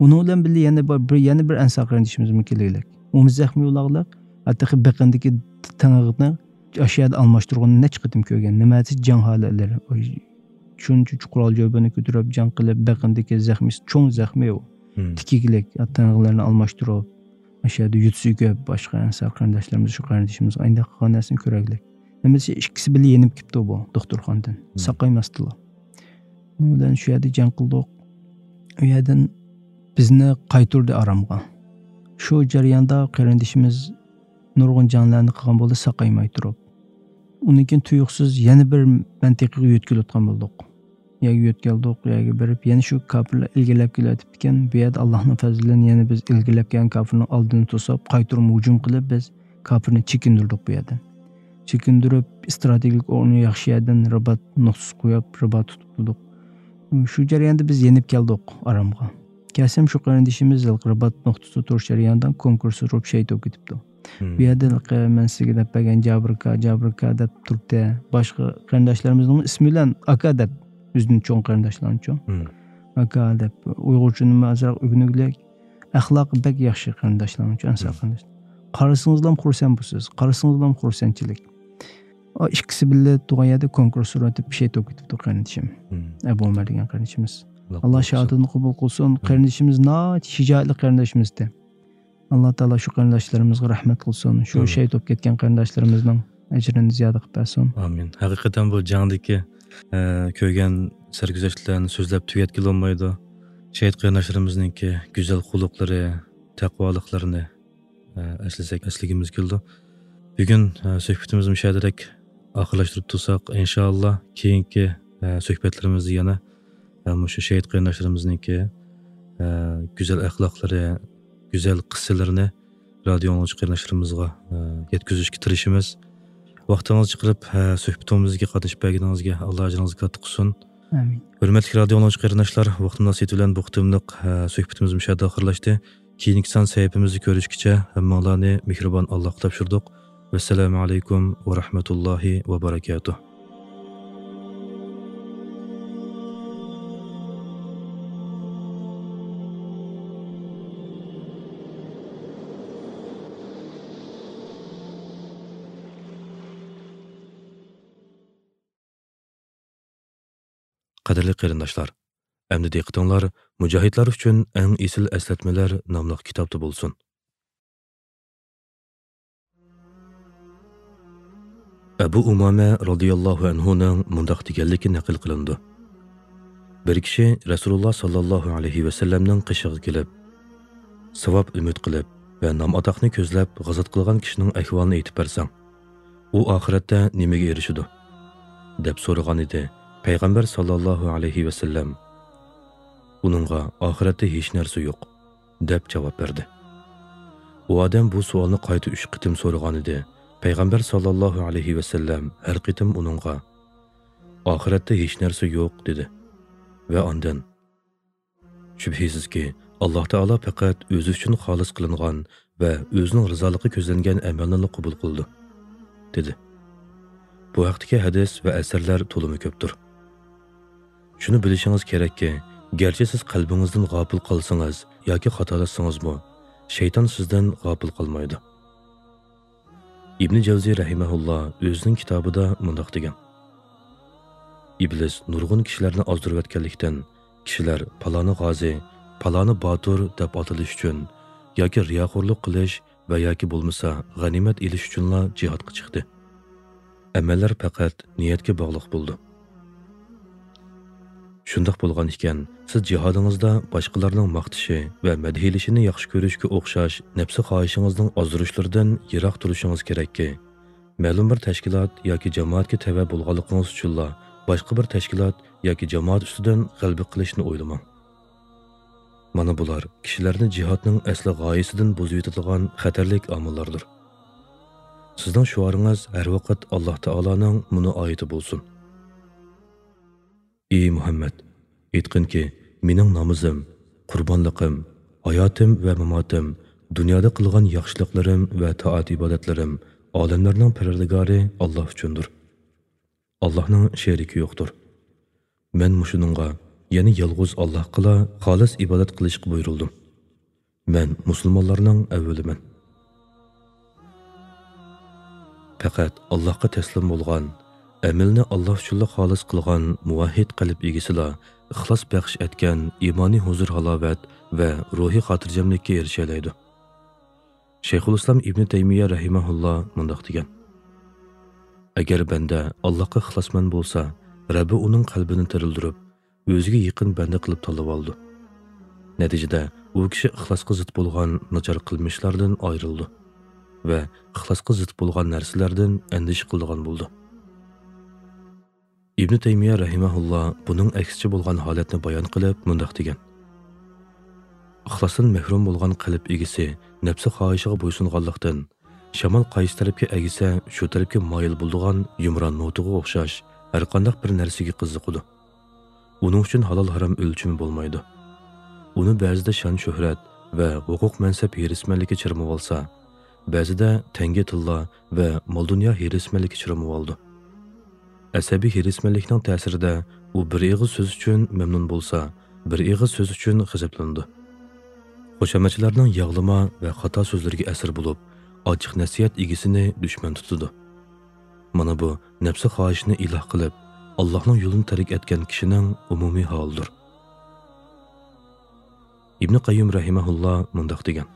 ئۇنىڭ بىلەن بىللە يەنە بىر، بىر، يەنە بىر ئەنسار قېرىندىشىمىزمۇ كېلىگلىك. ئۇمۇ زەخمى بولغلىق، ھەتتا بېقىندىكى تېڭىغىنى ئاشۇ يەردە ئالماشتۇرغىنىنى نەچچە قېتىم كۆرگەن. نېمە دېسە، جەڭ ھالەتلىرى. شۇنچە چوڭ قورال جۆبىنى كۆتۈرۈپ جەڭ قىلىپ، بېقىندىكى زەخمىسى، چوڭ زەخمى ئۇ. مم. تىكىگلىك، تېڭىغلىرىنى ئالماشتۇرۇپ، ئاشۇ يەردە يۈتىسى كۆپ، باشقا ئەنسار قېرىنداشلىرىمىز، شۇ قېرىندىشىمىزغا ئاينداق قىلغان نەرسىنى كۆرەگلىك. نېمە دېسە، ئىككىسى بىللە يېنىپ كېتىپتۇ بۇ دوختۇرخانىدىن. مم. ساقايماستىلا. ئۇنىڭ بىلەن شۇ يەردە جەڭ قىلدۇق. ئۇ يەردىن بىزنى قايتۇردى ئارامغا. شۇ جەرياندا قېرىندىشىمىز نۇرغۇن جەڭلەرنى قىلغان بولدى، ساقايماي تۇرۇپ. ئۇنىڭ كېيىن تۇيۇقسىز يەنە بىر مەنتىقىگە يۆتكىلىۋاتقان بولدۇق. يەرگە يۆتكەلدۇق، يەرگە بېرىپ، يەنە شۇ كاپىرلار ئىلگىرىلەپ كېلىۋېتىپتىكەن. بۇ يەردە ئاللاھنىڭ پەزلى بىلەن يەنە بىز ئىلگىرىلەپ كەلگەن كاپىرنىڭ ئالدىنى توسۇپ، قايتۇرما ھۇجۇم قىلىپ، بىز كاپىرنى چېكىندۈردۇق بۇ يەردىن. چېكىندۈرۈپ، ئىستراتېگىيەلىك ئورنى ياخشى يەردىن رىبات نۇقتىسى قويۇپ، رىبات تۇتۇپ تۇردۇق. شۇ جەرياندا بىز يېنىپ كەلدۇق ئارامغا. كەلسەم، شۇ قېرىندىشىمىز ھېلىقى رىبات نۇقتىسىدا تۇرۇش جەريانىدا كونكرېسسور بولۇپ شېھىت بولۇپ كېتىپتۇ. مم. بۇ يەردە ھېلىقى مەن سىزگە دەپ بەرگەن جابىر ئاكا، جابىر ئاكا دەپ تۇرۇپتۇ. باشقا قېرىنداشلىرىمىزنىڭ ئىسمى بىلەن ئاكا دەپ، ئۆزىدىن چوڭ قېرىنداشلارنىڭچۇ. مم. ئاكا دەپ، ئۇيغۇرچىنىمۇ ئازراق ئۆگىنىگلىك. ئەخلاقى بەك ياخشى قېرىنداشلارنىڭچۇ، ئەنسار مم. قېرىنداش. قارىسىڭىزلام خۇرسەن بولىسىز، قارىسىڭىزلام خۇرسەنچىلىك. ئا، ئىككىسى بىللە تۇرغان يەردە كونكرېسسور ئۆتۈپ شېھىت بولۇپ كېتىپتۇ قېرىندىشىم. مم. ئەبۇ ئۆمەر دېگەن قېرىندىشىمىز. ئاللا ئاللا قوغدىسۇن. شاھادىتىنى قوبۇل قىلسۇن. مم. قېرىندىشىمىز ناھايىتى شىجائەتلىك قېرىندىشىمىزدى. ئاللا تائالا شۇ قېرىنداشلىرىمىزغا رەھمەت قىلسۇن. شۇ ئامىن. شېھىت بولۇپ كەتكەن قېرىنداشلىرىمىزنىڭ ئەجرىنى زىيادە قىلىپ بەرسۇن. ئامىن. ھەقىقەتەن بۇ جەڭدىكى، ئە، كۆرگەن سەرگۈزەشتلەرنى سۆزلەپ تۈگەتكىلى بولمايدۇ. شېھىت قېرىنداشلىرىمىزنىڭكى گۈزەل خۇلقلىرى، تەقۋالىقلىرىنى، ئە، ئەسلىسەك، ئەسلىگىمىز كېلىدۇ. بۈگۈن، ئە، سۆھبىتىمىزنى مۇشۇ يەردىلىك ئاخىرلاشتۇرۇپ تۇرساق، ئىنشائاللا، كېيىنكى، ئە، سۆھبەتلىرىمىزدە يەنە، ئە، مۇشۇ شېھىت قېرىنداشلىرىمىزنىڭكى، ئە، گۈزەل ئەخلاقلىرى، گۈزەل قىسسىلىرىنى رادىيو ئاڭلىغۇچى قېرىنداشلىرىمىزغا، ئە، يەتكۈزۈشكە تىرىشىمىز. ۋاقتىڭىزنى چىقىرىپ، ئە، سۆھبىتىمىزگە قاتنىشىپ بەرگىنىڭىزگە ئاللا ئەجرىڭىزگە كاتتا قىلسۇن. ئامىن. ھۆرمەتلىك رادىيو ئاڭلىغۇچى قېرىنداشلار، ۋاقىت مۇناسىۋىتى بىلەن بۇ قېتىملىق، ئە، سۆھبىتىمىز مۇشۇ يەردە ئاخىرلاشتى. كېيىنكى سان سەھىپىمىزدە كۆرۈشكىچە ھەممىڭلارنى مېھرىبان ئاللاغا تاپشۇردۇق. ۋەسسالامۇ ئەلەيكۇم ۋە رەھمەتۇللاھى ۋە بەرەكاتۇھ. قەدىرلىك قېرىنداشلار، ئەمدى دىققىتىڭلار مۇجاھىدلار ئۈچۈن ئەڭ ئېسىل ئەسلەتمىلەر ناملىق كىتابتا بولسۇن. ئەبۇ ئۇمامە رازىياللاھۇ ئەنھۇنىڭ مۇنداق دېگەنلىكى نەقىل قىلىنىدۇ. بىر كىشى رەسۇلۇللا ساللاللاھۇ ئەلەيھى ۋەسەللەمنىڭ قېشىغا كېلىپ، ساۋاب ئۈمىد قىلىپ ۋە نام-ئاتاقنى كۆزلەپ غازات قىلغان كىشىنىڭ ئەھۋالىنى ئېيتىپ بەرسەڭ، ئۇ ئاخىرەتتە نېمىگە ئېرىشىدۇ؟ دەپ سورىغانىدى. پەيغەمبەر ساللاللاھۇ ئەلەيھى ۋەسەللەم ئۇنىڭغا ئاخىرەتتە ھېچ نەرسە يوق، دەپ جاۋاب بەردى. ئۇ ئادەم بۇ سوئالنى قايتا ئۈچ قېتىم سورىغانىدى. پەيغەمبەر ساللاللاھۇ ئەلەيھى ۋەسەللەم ھەر قېتىم ئۇنىڭغا ئاخىرەتتە ھېچ نەرسە يوق، دېدى. ۋە ئاندىن، شۈبھىسىزكى، ئاللا تائالا پەقەت ئۆزى ئۈچۈن خالىس قىلىنغان ۋە ئۆزىنىڭ رىزالىقى كۆزلەنگەن ئەمەلنىلا قوبۇل قىلىدۇ. دېدى. بۇ ھەقتىكى ھەدىس ۋە ئەسەرلەر تولىمۇ كۆپتۇر. شۇنى بىلىشىڭىز كېرەككى، گەرچە سىز قەلبىڭىزدىن غاپىل قالسىڭىز ياكى خاتالاشسىڭىزمۇ، شەيتان سىزدىن غاپىل قالمايدۇ. ئىبنى جەۋزى رەھىمەھۇللا ئۆزىنىڭ كىتابىدا مۇنداق دېگەن: ئىبلىس نۇرغۇن كىشىلەرنى ئازدۇرۇۋەتكەنلىكتىن، كىشىلەر پالانى غازى، پالانى باتۇر دەپ ئاتىلىش ئۈچۈن ياكى رىياخورلۇق قىلىش ۋە ياكى بولمىسا غەنىيمەت ئېلىش ئۈچۈنلا جىھادقا چىقتى. ئەمەللەر پەقەت نىيەتكە باغلىق بولىدۇ. شۇنداق بولغان ئىكەن، سىز جىھادىڭىزدا باشقىلارنىڭ ماختىشى ۋە مەدھىيلىشىنى ياخشى كۆرۈشكە ئوخشاش نەپسى خاھىشىڭىزنىڭ ئازدۇرۇشلىرىدىن يىراق تۇرۇشىڭىز كېرەككى، مەلۇم بىر تەشكىلات ياكى جامائەتكە تەۋە بولغانلىقىڭىز ئۈچۈنلا باشقا بىر تەشكىلات ياكى جامائەت ئۈستىدىن غەلىبە قىلىشنى ئويلىماڭ. مانا بۇلار كىشىلەرنى جىھادنىڭ ئەسلى غايىسىدىن بۇزۇۋېتىدىغان خەتەرلىك ئامىللاردۇر. سىزنىڭ شوئارىڭىز ھەر ۋاقىت ئاللاھ تائالانىڭ مۇنۇ ئايىتى بولسۇن. ئى مۇھەممەد، ئېيتقىنكى، مېنىڭ نامىزىم، قۇربانلىقىم، ھاياتىم ۋە ماماتىم، دۇنيادا قىلغان ياخشىلىقلىرىم ۋە تائەت-ئىبادەتلىرىم ئالەملەرنىڭ پەرۋەردىگارى ئاللاھ ئۈچۈندۇر. ئاللاھنىڭ شېرىكى يوقتۇر. مەن مۇشۇنىڭغا، يەنى يالغۇز ئاللاھقىلا خالىس ئىبادەت قىلىشقا بۇيرۇلدۇم. مەن مۇسۇلمانلارنىڭ ئەۋۋىلىمەن. پەقەت ئاللاھقا تەسلىم بولغان، ئەمىلىنى ئاللاھ ئۈچۈنلا خالىس قىلغان مۇۋەھھىد قەلب ئىگىسىلا ئىخلاس بەخش ئەتكەن ئىمانىي ھۇزۇر-ھالاۋەت ۋە روھىي خاتىرجەملىككە ئېرىشەلەيدۇ. شەيخۇلئىسلام ئىبنى تەيمىيە رەھىمەھۇللا مۇنداق دېگەن: ئەگەر بەندە ئاللاھقا ئىخلاسمەن بولسا، رەببى ئۇنىڭ قەلبىنى تىرىلدۈرۈپ، ئۆزىگە يېقىن بەندە قىلىپ تاللىۋالىدۇ. نەتىجىدە، ئۇ كىشى ئىخلاسقا زىت بولغان ناچار قىلمىشلاردىن ئايرىلىدۇ ۋە ئىخلاسقا زىت بولغان نەرسىلەردىن ئەندىشە قىلىدىغان بولىدۇ. ئىبنى تەيمىيە رەھىمەھۇللا بۇنىڭ ئەكسىچە بولغان ھالەتنى بايان قىلىپ مۇنداق دېگەن: ئىخلاستىن مەھرۇم بولغان قەلب ئىگىسى نەپسى خاھىشىغا بويسۇنغانلىقتىن، شامال قايسى تەرەپكە ئەگسە، شۇ تەرەپكە مايىل بولىدىغان يۇمران نوتىغا ئوخشاش ھەرقانداق بىر نەرسىگە قىزىقىدۇ. ئۇنىڭ ئۈچۈن ھالال-ھارام ئۆلچىمى بولمايدۇ. ئۇنى بەزىدە شان-شۆھرەت ۋە ھوقۇق-مەنسەپ ھېرىسمەنلىكى چىرمىۋالسا، بەزىدە تەڭگە تىللا ۋە مال-دۇنيا ھېرىسمەنلىكى چىرمىۋالىدۇ. ئەسەبىي ھېرىسمەنلىكنىڭ تەسىرىدە ئۇ بىر ئېغىز سۆز ئۈچۈن مەمنۇن بولسا، بىر ئېغىز سۆز ئۈچۈن غەزەپلىنىدۇ. خۇشامەتچىلەرنىڭ ياغلىما ۋە خاتا سۆزلىرىگە ئەسىر بولۇپ، ئاچچىق نەسىھەت ئىگىسىنى دۈشمەن تۇتىدۇ. مانا بۇ نەپسى خاھىشىنى ئىلاھ قىلىپ، ئاللاھنىڭ يولىنى تەرك ئەتكەن كىشىنىڭ ئومۇمىي ھالىدۇر. ئىبنى قەييۇم رەھىمەھۇللا مۇنداق دېگەن: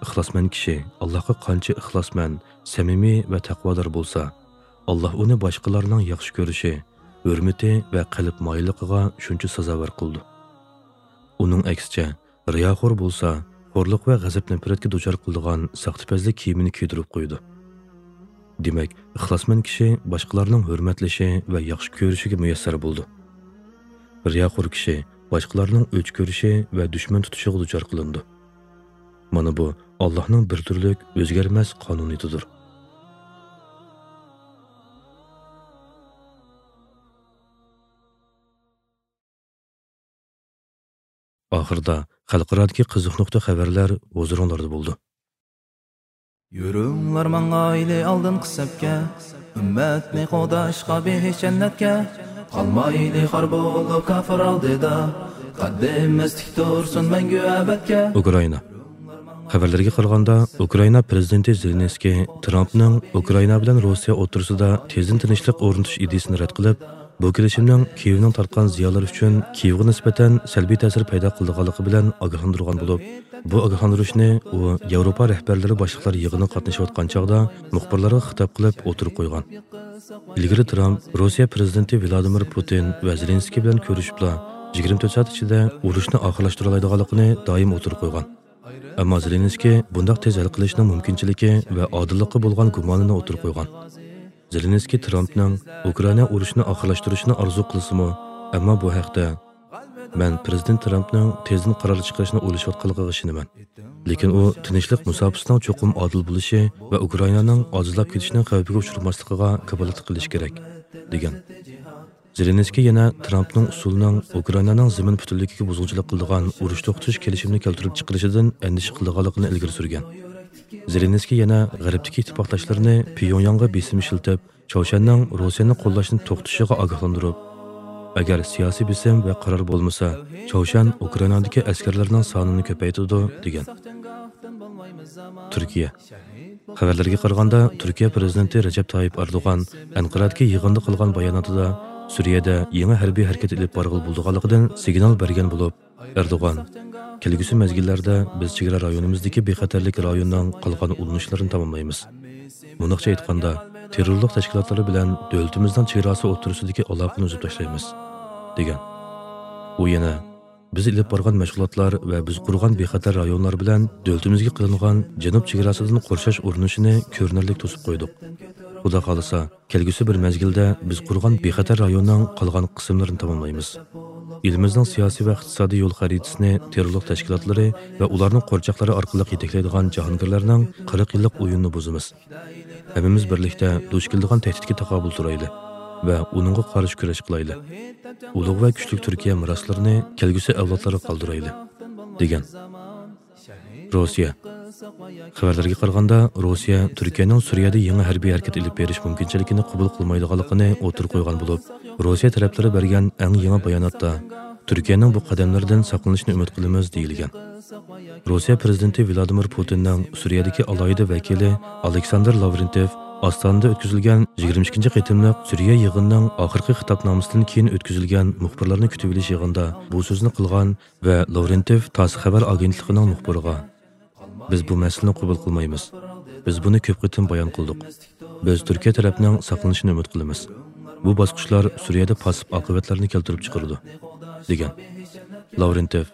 ئىخلاسمەن كىشى ئاللاھقا قانچە ئىخلاسمەن، سەمىمىي ۋە تەقۋادار بولسا، ئاللاھ ئۇنى باشقىلارنىڭ ياخشى كۆرۈشى، ھۆرمىتى ۋە قەلب مايىللىقىغا شۇنچە سازاۋەر قىلىدۇ. ئۇنىڭ ئەكسىچە، رىياخور بولسا، خورلۇق ۋە غەزەپ-نەپرەتكە دۇچار قىلىدىغان ساختىپەزلىك كىيىمىنى كىيدۈرۈپ قويىدۇ. دېمەك، ئىخلاسمەن كىشى باشقىلارنىڭ ھۆرمەتلىشى ۋە ياخشى كۆرۈشىگە مۇيەسسەر بولىدۇ. رىياخور كىشى باشقىلارنىڭ ئۆچ كۆرۈشى ۋە دۈشمەن تۇتۇشىغا دۇچار قىلىنىدۇ. مانا بۇ، ئاللاھنىڭ بىر تۈرلۈك ئۆزگەرمەس قانۇنىيىتىدۇر. ئاخىرىدا خەلقئارادىكى قىزىق نۇقتا خەۋەرلەر ھۇزۇرۇڭلاردا بولىدۇ. يۈرۈڭلار ماڭايلى ئالدىنقى سەپكە، ئۈممەتنى قوغداشقا بېھىش جەننەتكە. قالمايلى خار بولۇپ كاپىر ئالدىدا، قەددىمىز تىك تۇرسۇن مەڭگۈ ئەبەدكە. ئۇكرائىنا. خەۋەرلەرگە قارىغاندا، ئۇكرائىنا پىرېزىدېنتى زېلېنسكىي ترامپنىڭ ئۇكرائىنا بىلەن روسىيە ئوتتۇرىسىدا تېزدىن تىنچلىق ئورنىتىش ئىدىيىسىنى رەت قىلىپ، بۇ كېلىشىمنىڭ كىيېۋنىڭ تارتقان زىيانلىرى ئۈچۈن كىيېۋغا نىسبەتەن سەلبىي تەسىر پەيدا قىلىدىغانلىقى بىلەن ئاگاھلاندۇرغان بولۇپ، بۇ ئاگاھلاندۇرۇشنى ئۇ ياۋروپا رەھبەرلىرى باشلىقلار يىغىنىغا قاتنىشىۋاتقان چاغدا مۇخبىرلارغا خىتاب قىلىپ ئوتتۇرىغا قويغان. ئىلگىرى ترامپ روسىيە پىرېزىدېنتى ۋلادىمىر پۇتىن ۋە زېلېنسكىي بىلەن كۆرۈشۈپلا، يىگىرمە تۆت سائەت ئىچىدە ئۇرۇشنى ئاخىرلاشتۇرالايدىغانلىقىنى دائىم ئوتتۇرىغا قويغان. ئەمما زېلېنسكىي بۇنداق تېز ھەل قىلىشنىڭ مۇمكىنچىلىكى ۋە ئادىللىققا بولغان گۇمانىنى ئوتتۇرىغا قويغان. زېلېنسكىي ترامپنىڭ ئۇكرائىنا ئۇرۇشىنى ئاخىرلاشتۇرۇشنى ئارزۇ قىلسىمۇ، ئەمما بۇ ھەقتە، مەن پىرېزىدېنت ترامپنىڭ تېزدىن قارار چىقىرىشنى ئويلىشىۋاتقانلىقىغا ئىشىنىمەن. لېكىن ئۇ تىنچلىق مۇساپىسىنىڭ چوقۇم ئادىل بولۇشى ۋە ئۇكرائىنانىڭ ئاجىزلاپ كېتىشىنىڭ خەۋپىگە ئۇچرىماسلىقىغا كاپالەتلىك قىلىشى كېرەك، دېگەن. زېلېنسكىي يەنە ترامپنىڭ ئۇسسۇلنىڭ ئۇكرائىنانىڭ زېمىن پۈتۈنلۈكىگە بۇزغۇنچىلىق قىلىدىغان ئۇرۇش توختىتىش كېلىشىمىنى كەلتۈرۈپ چىقىرىشىدىن ئەندىشە قىلىدىغانلىقىنى ئىلگىرى سۈرگەن. زېلېنسكىي يەنە غەربتىكى ئىتتىپاقداشلىرىنى پيۇڭياڭغا بېسىم ئىشلىتىپ، چاۋشيەننىڭ روسىيەنى قوللاشنى توختىتىشىغا ئاگاھلاندۇرۇپ، ئەگەر سىياسىي بېسىم ۋە قارار بولمىسا، چاۋشيەن ئۇكرائىنادىكى ئەسكەرلەرنىڭ سانىنى كۆپەيتىدۇ، دېگەن. تۈركىيە. خەۋەرلەرگە قارىغاندا، تۈركىيە پىرېزىدېنتى رەجەپ تايىپ ئەردوغان ئەنقەرەدىكى يىغىندا قىلغان باياناتىدا سۈرىيەدە يېڭى ھەربىي ھەرىكەت ئېلىپ بارغىلى بولىدىغانلىقىدىن سىگنال بەرگەن بولۇپ، ئەردوغان، كەلگۈسى مەزگىللەردە بىز چېگرا رايونىمىزدىكى بىخەتەرلىك رايونىنىڭ قالغان ئۇلىنىشلىرىنى تاماملايمىز. مۇنداقچە ئېيتقاندا، تېررورلۇق تەشكىلاتلىرى بىلەن دۆلىتىمىزنىڭ چېگراسى ئوتتۇرىسىدىكى ئالاقىنى ئۈزۈپ تاشلايمىز، دېگەن. ئۇ يەنە، بىز ئېلىپ بارغان مەشغۇلاتلار ۋە بىز قۇرغان بىخەتەر رايونلار بىلەن دۆلىتىمىزگە قىلىنغان جەنۇب چېگراسىدىن قورشاش ئۇرۇنۇشىنى كۆرۈنەرلىك توسۇپ قويدۇق. خۇدا خالىسا، كەلگۈسى بىر مەزگىلدە بىز قۇرغان بىخەتەر رايوننىڭ قالغان قىسىملىرىنى تاماملايمىز. ئېلىمىزنىڭ سىياسىي ۋە ئىقتىسادىي يول خەرىتىسىنى تېررورلۇق تەشكىلاتلىرى ۋە ئۇلارنىڭ قورچاقلىرى ئارقىلىق يېتەكلەيدىغان جاھانگىرلەرنىڭ قىرىق يىللىق ئويۇنىنى بۇزىمىز. ھەممىمىز بىرلىكتە دۇچ كېلىدىغان تەھدىتكە تاقابىل تۇرايلى ۋە ئۇنىڭغا قارشى كۈرەش قىلايلى. ئۇلۇغ ۋە كۈچلۈك تۈركىيە مىراسلىرىنى كەلگۈسى ئەۋلادلارغا قالدۇرايلى، دېگەن. روسىيە. خەۋەرلەرگە قارىغاندا، روسىيە تۈركىيەنىڭ سۈرىيەدە يېڭى ھەربىي ھەرىكەت ئېلىپ بېرىش مۇمكىنچىلىكىنى قوبۇل قىلمايدىغانلىقىنى ئوتتۇرىغا قويغان بولۇپ، روسىيە تەرەپلىرى بەرگەن ئەڭ يېڭى باياناتتا، تۈركىيەنىڭ بۇ قەدەملىرىدىن ساقلىنىشىنى ئۈمىد قىلىمىز، دېيىلگەن. روسىيە پىرېزىدېنتى ۋلادىمىر پۇتىننىڭ سۈرىيەدىكى ئالاھىدە ۋەكىلى ئالېكساندىر لاۋرېنتېف ئاستانىدا ئۆتكۈزۈلگەن يىگىرمە ئىككىنچى قېتىملىق سۈرىيە يىغىنىنىڭ ئاخىرقى خىتابنامىسىدىن كېيىن ئۆتكۈزۈلگەن مۇخبىرلارنى كۈتۈۋېلىش يىغىنىدا بۇ سۆزنى قىلغان ۋە لاۋرېنتېف تاس خەۋەر ئاگېنتلىقىنىڭ مۇخبىرىغا، بىز بۇ مەسىلىنى قوبۇل قىلمايمىز. بىز بۇنى كۆپ قېتىم بايان قىلدۇق. بىز تۈركىيە تەرەپنىڭ ساقلىنىشىنى ئۈمىد قىلىمىز. بۇ باسقۇچلار سۈرىيەدە پاسسىپ ئاقىۋەتلەرنى كەلتۈرۈپ چىقىرىدۇ، دېگەن. لاۋرېنتېف،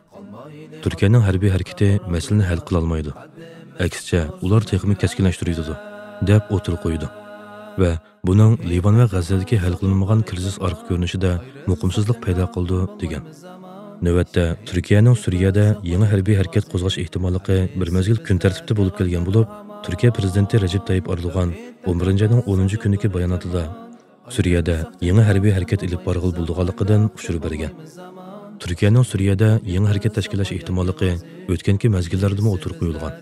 تۈركىيەنىڭ ھەربىي ھەرىكىتى مەسىلىنى ھەل قىلالمايدۇ. ئەكسىچە، ئۇلار تېخىمۇ كەسكىنلەشتۈرۈۋېتىدۇ، دەپ ئوتتۇرىغا قويىدۇ ۋە بۇنىڭ لىۋان ۋە غەززەدىكى ھەل قىلىنمىغان كىرىزىس ئارقا كۆرۈنۈشىدە مۇقىمسىزلىق پەيدا قىلىدۇ، دېگەن. نۆۋەتتە، تۈركىيەنىڭ سۈرىيەدە يېڭى ھەربىي ھەرىكەت قوزغاش ئېھتىماللىقى بىر مەزگىل كۈن تەرتىپتە بولۇپ كەلگەن بولۇپ، تۈركىيە پىرېزىدېنتى رەجەپ تايىپ ئەردوغان ئون بىرىنچى ئاينىڭ ئونىنچى كۈنىدىكى باياناتىدا، سۈرىيەدە يېڭى ھەربىي ھەرىكەت ئېلىپ بارغىلى بولىدىغانلىقىدىن ئۇچۇر بەرگەن. تۈركىيەنىڭ سۈرىيەدە يېڭى ھەرىكەت تەشكىللەش ئېھتىماللىقى ئۆتكەنكى مەزگىللەردىمۇ ئوتتۇرىغا قويۇلغان.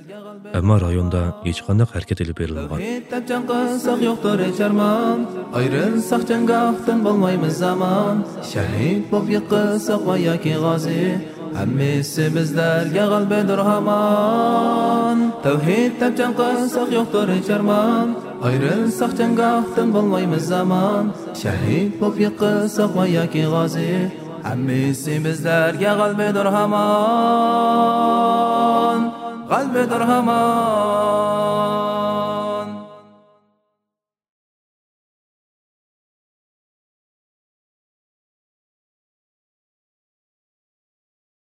ئەمما رايوندا ھېچقانداق ھەرىكەت ئېلىپ بېرىلمىغان. تەۋھىد دەپ جەڭ قىلساق يوقتۇر ھېچ ئارمان. ئايرىلساق جەڭگاھتىن بولمايمىز ئامان. شەھىد بولۇپ يىقىلساق ۋە ياكى غازى، ھەممىسى بىزلەرگە غەلىبىدۇر ھامان. تەۋھىد دەپ جەڭ قىلساق يوقتۇر ھېچ ئارمان. ئايرىلساق جەڭگاھتىن بولمايمىز ئامان. شەھىد بولۇپ يىقىلساق ۋە ياكى غازى، ھەممىسى بىزلەرگە غەلىبىدۇر ھامان. غەلىبىدۇر ھامان.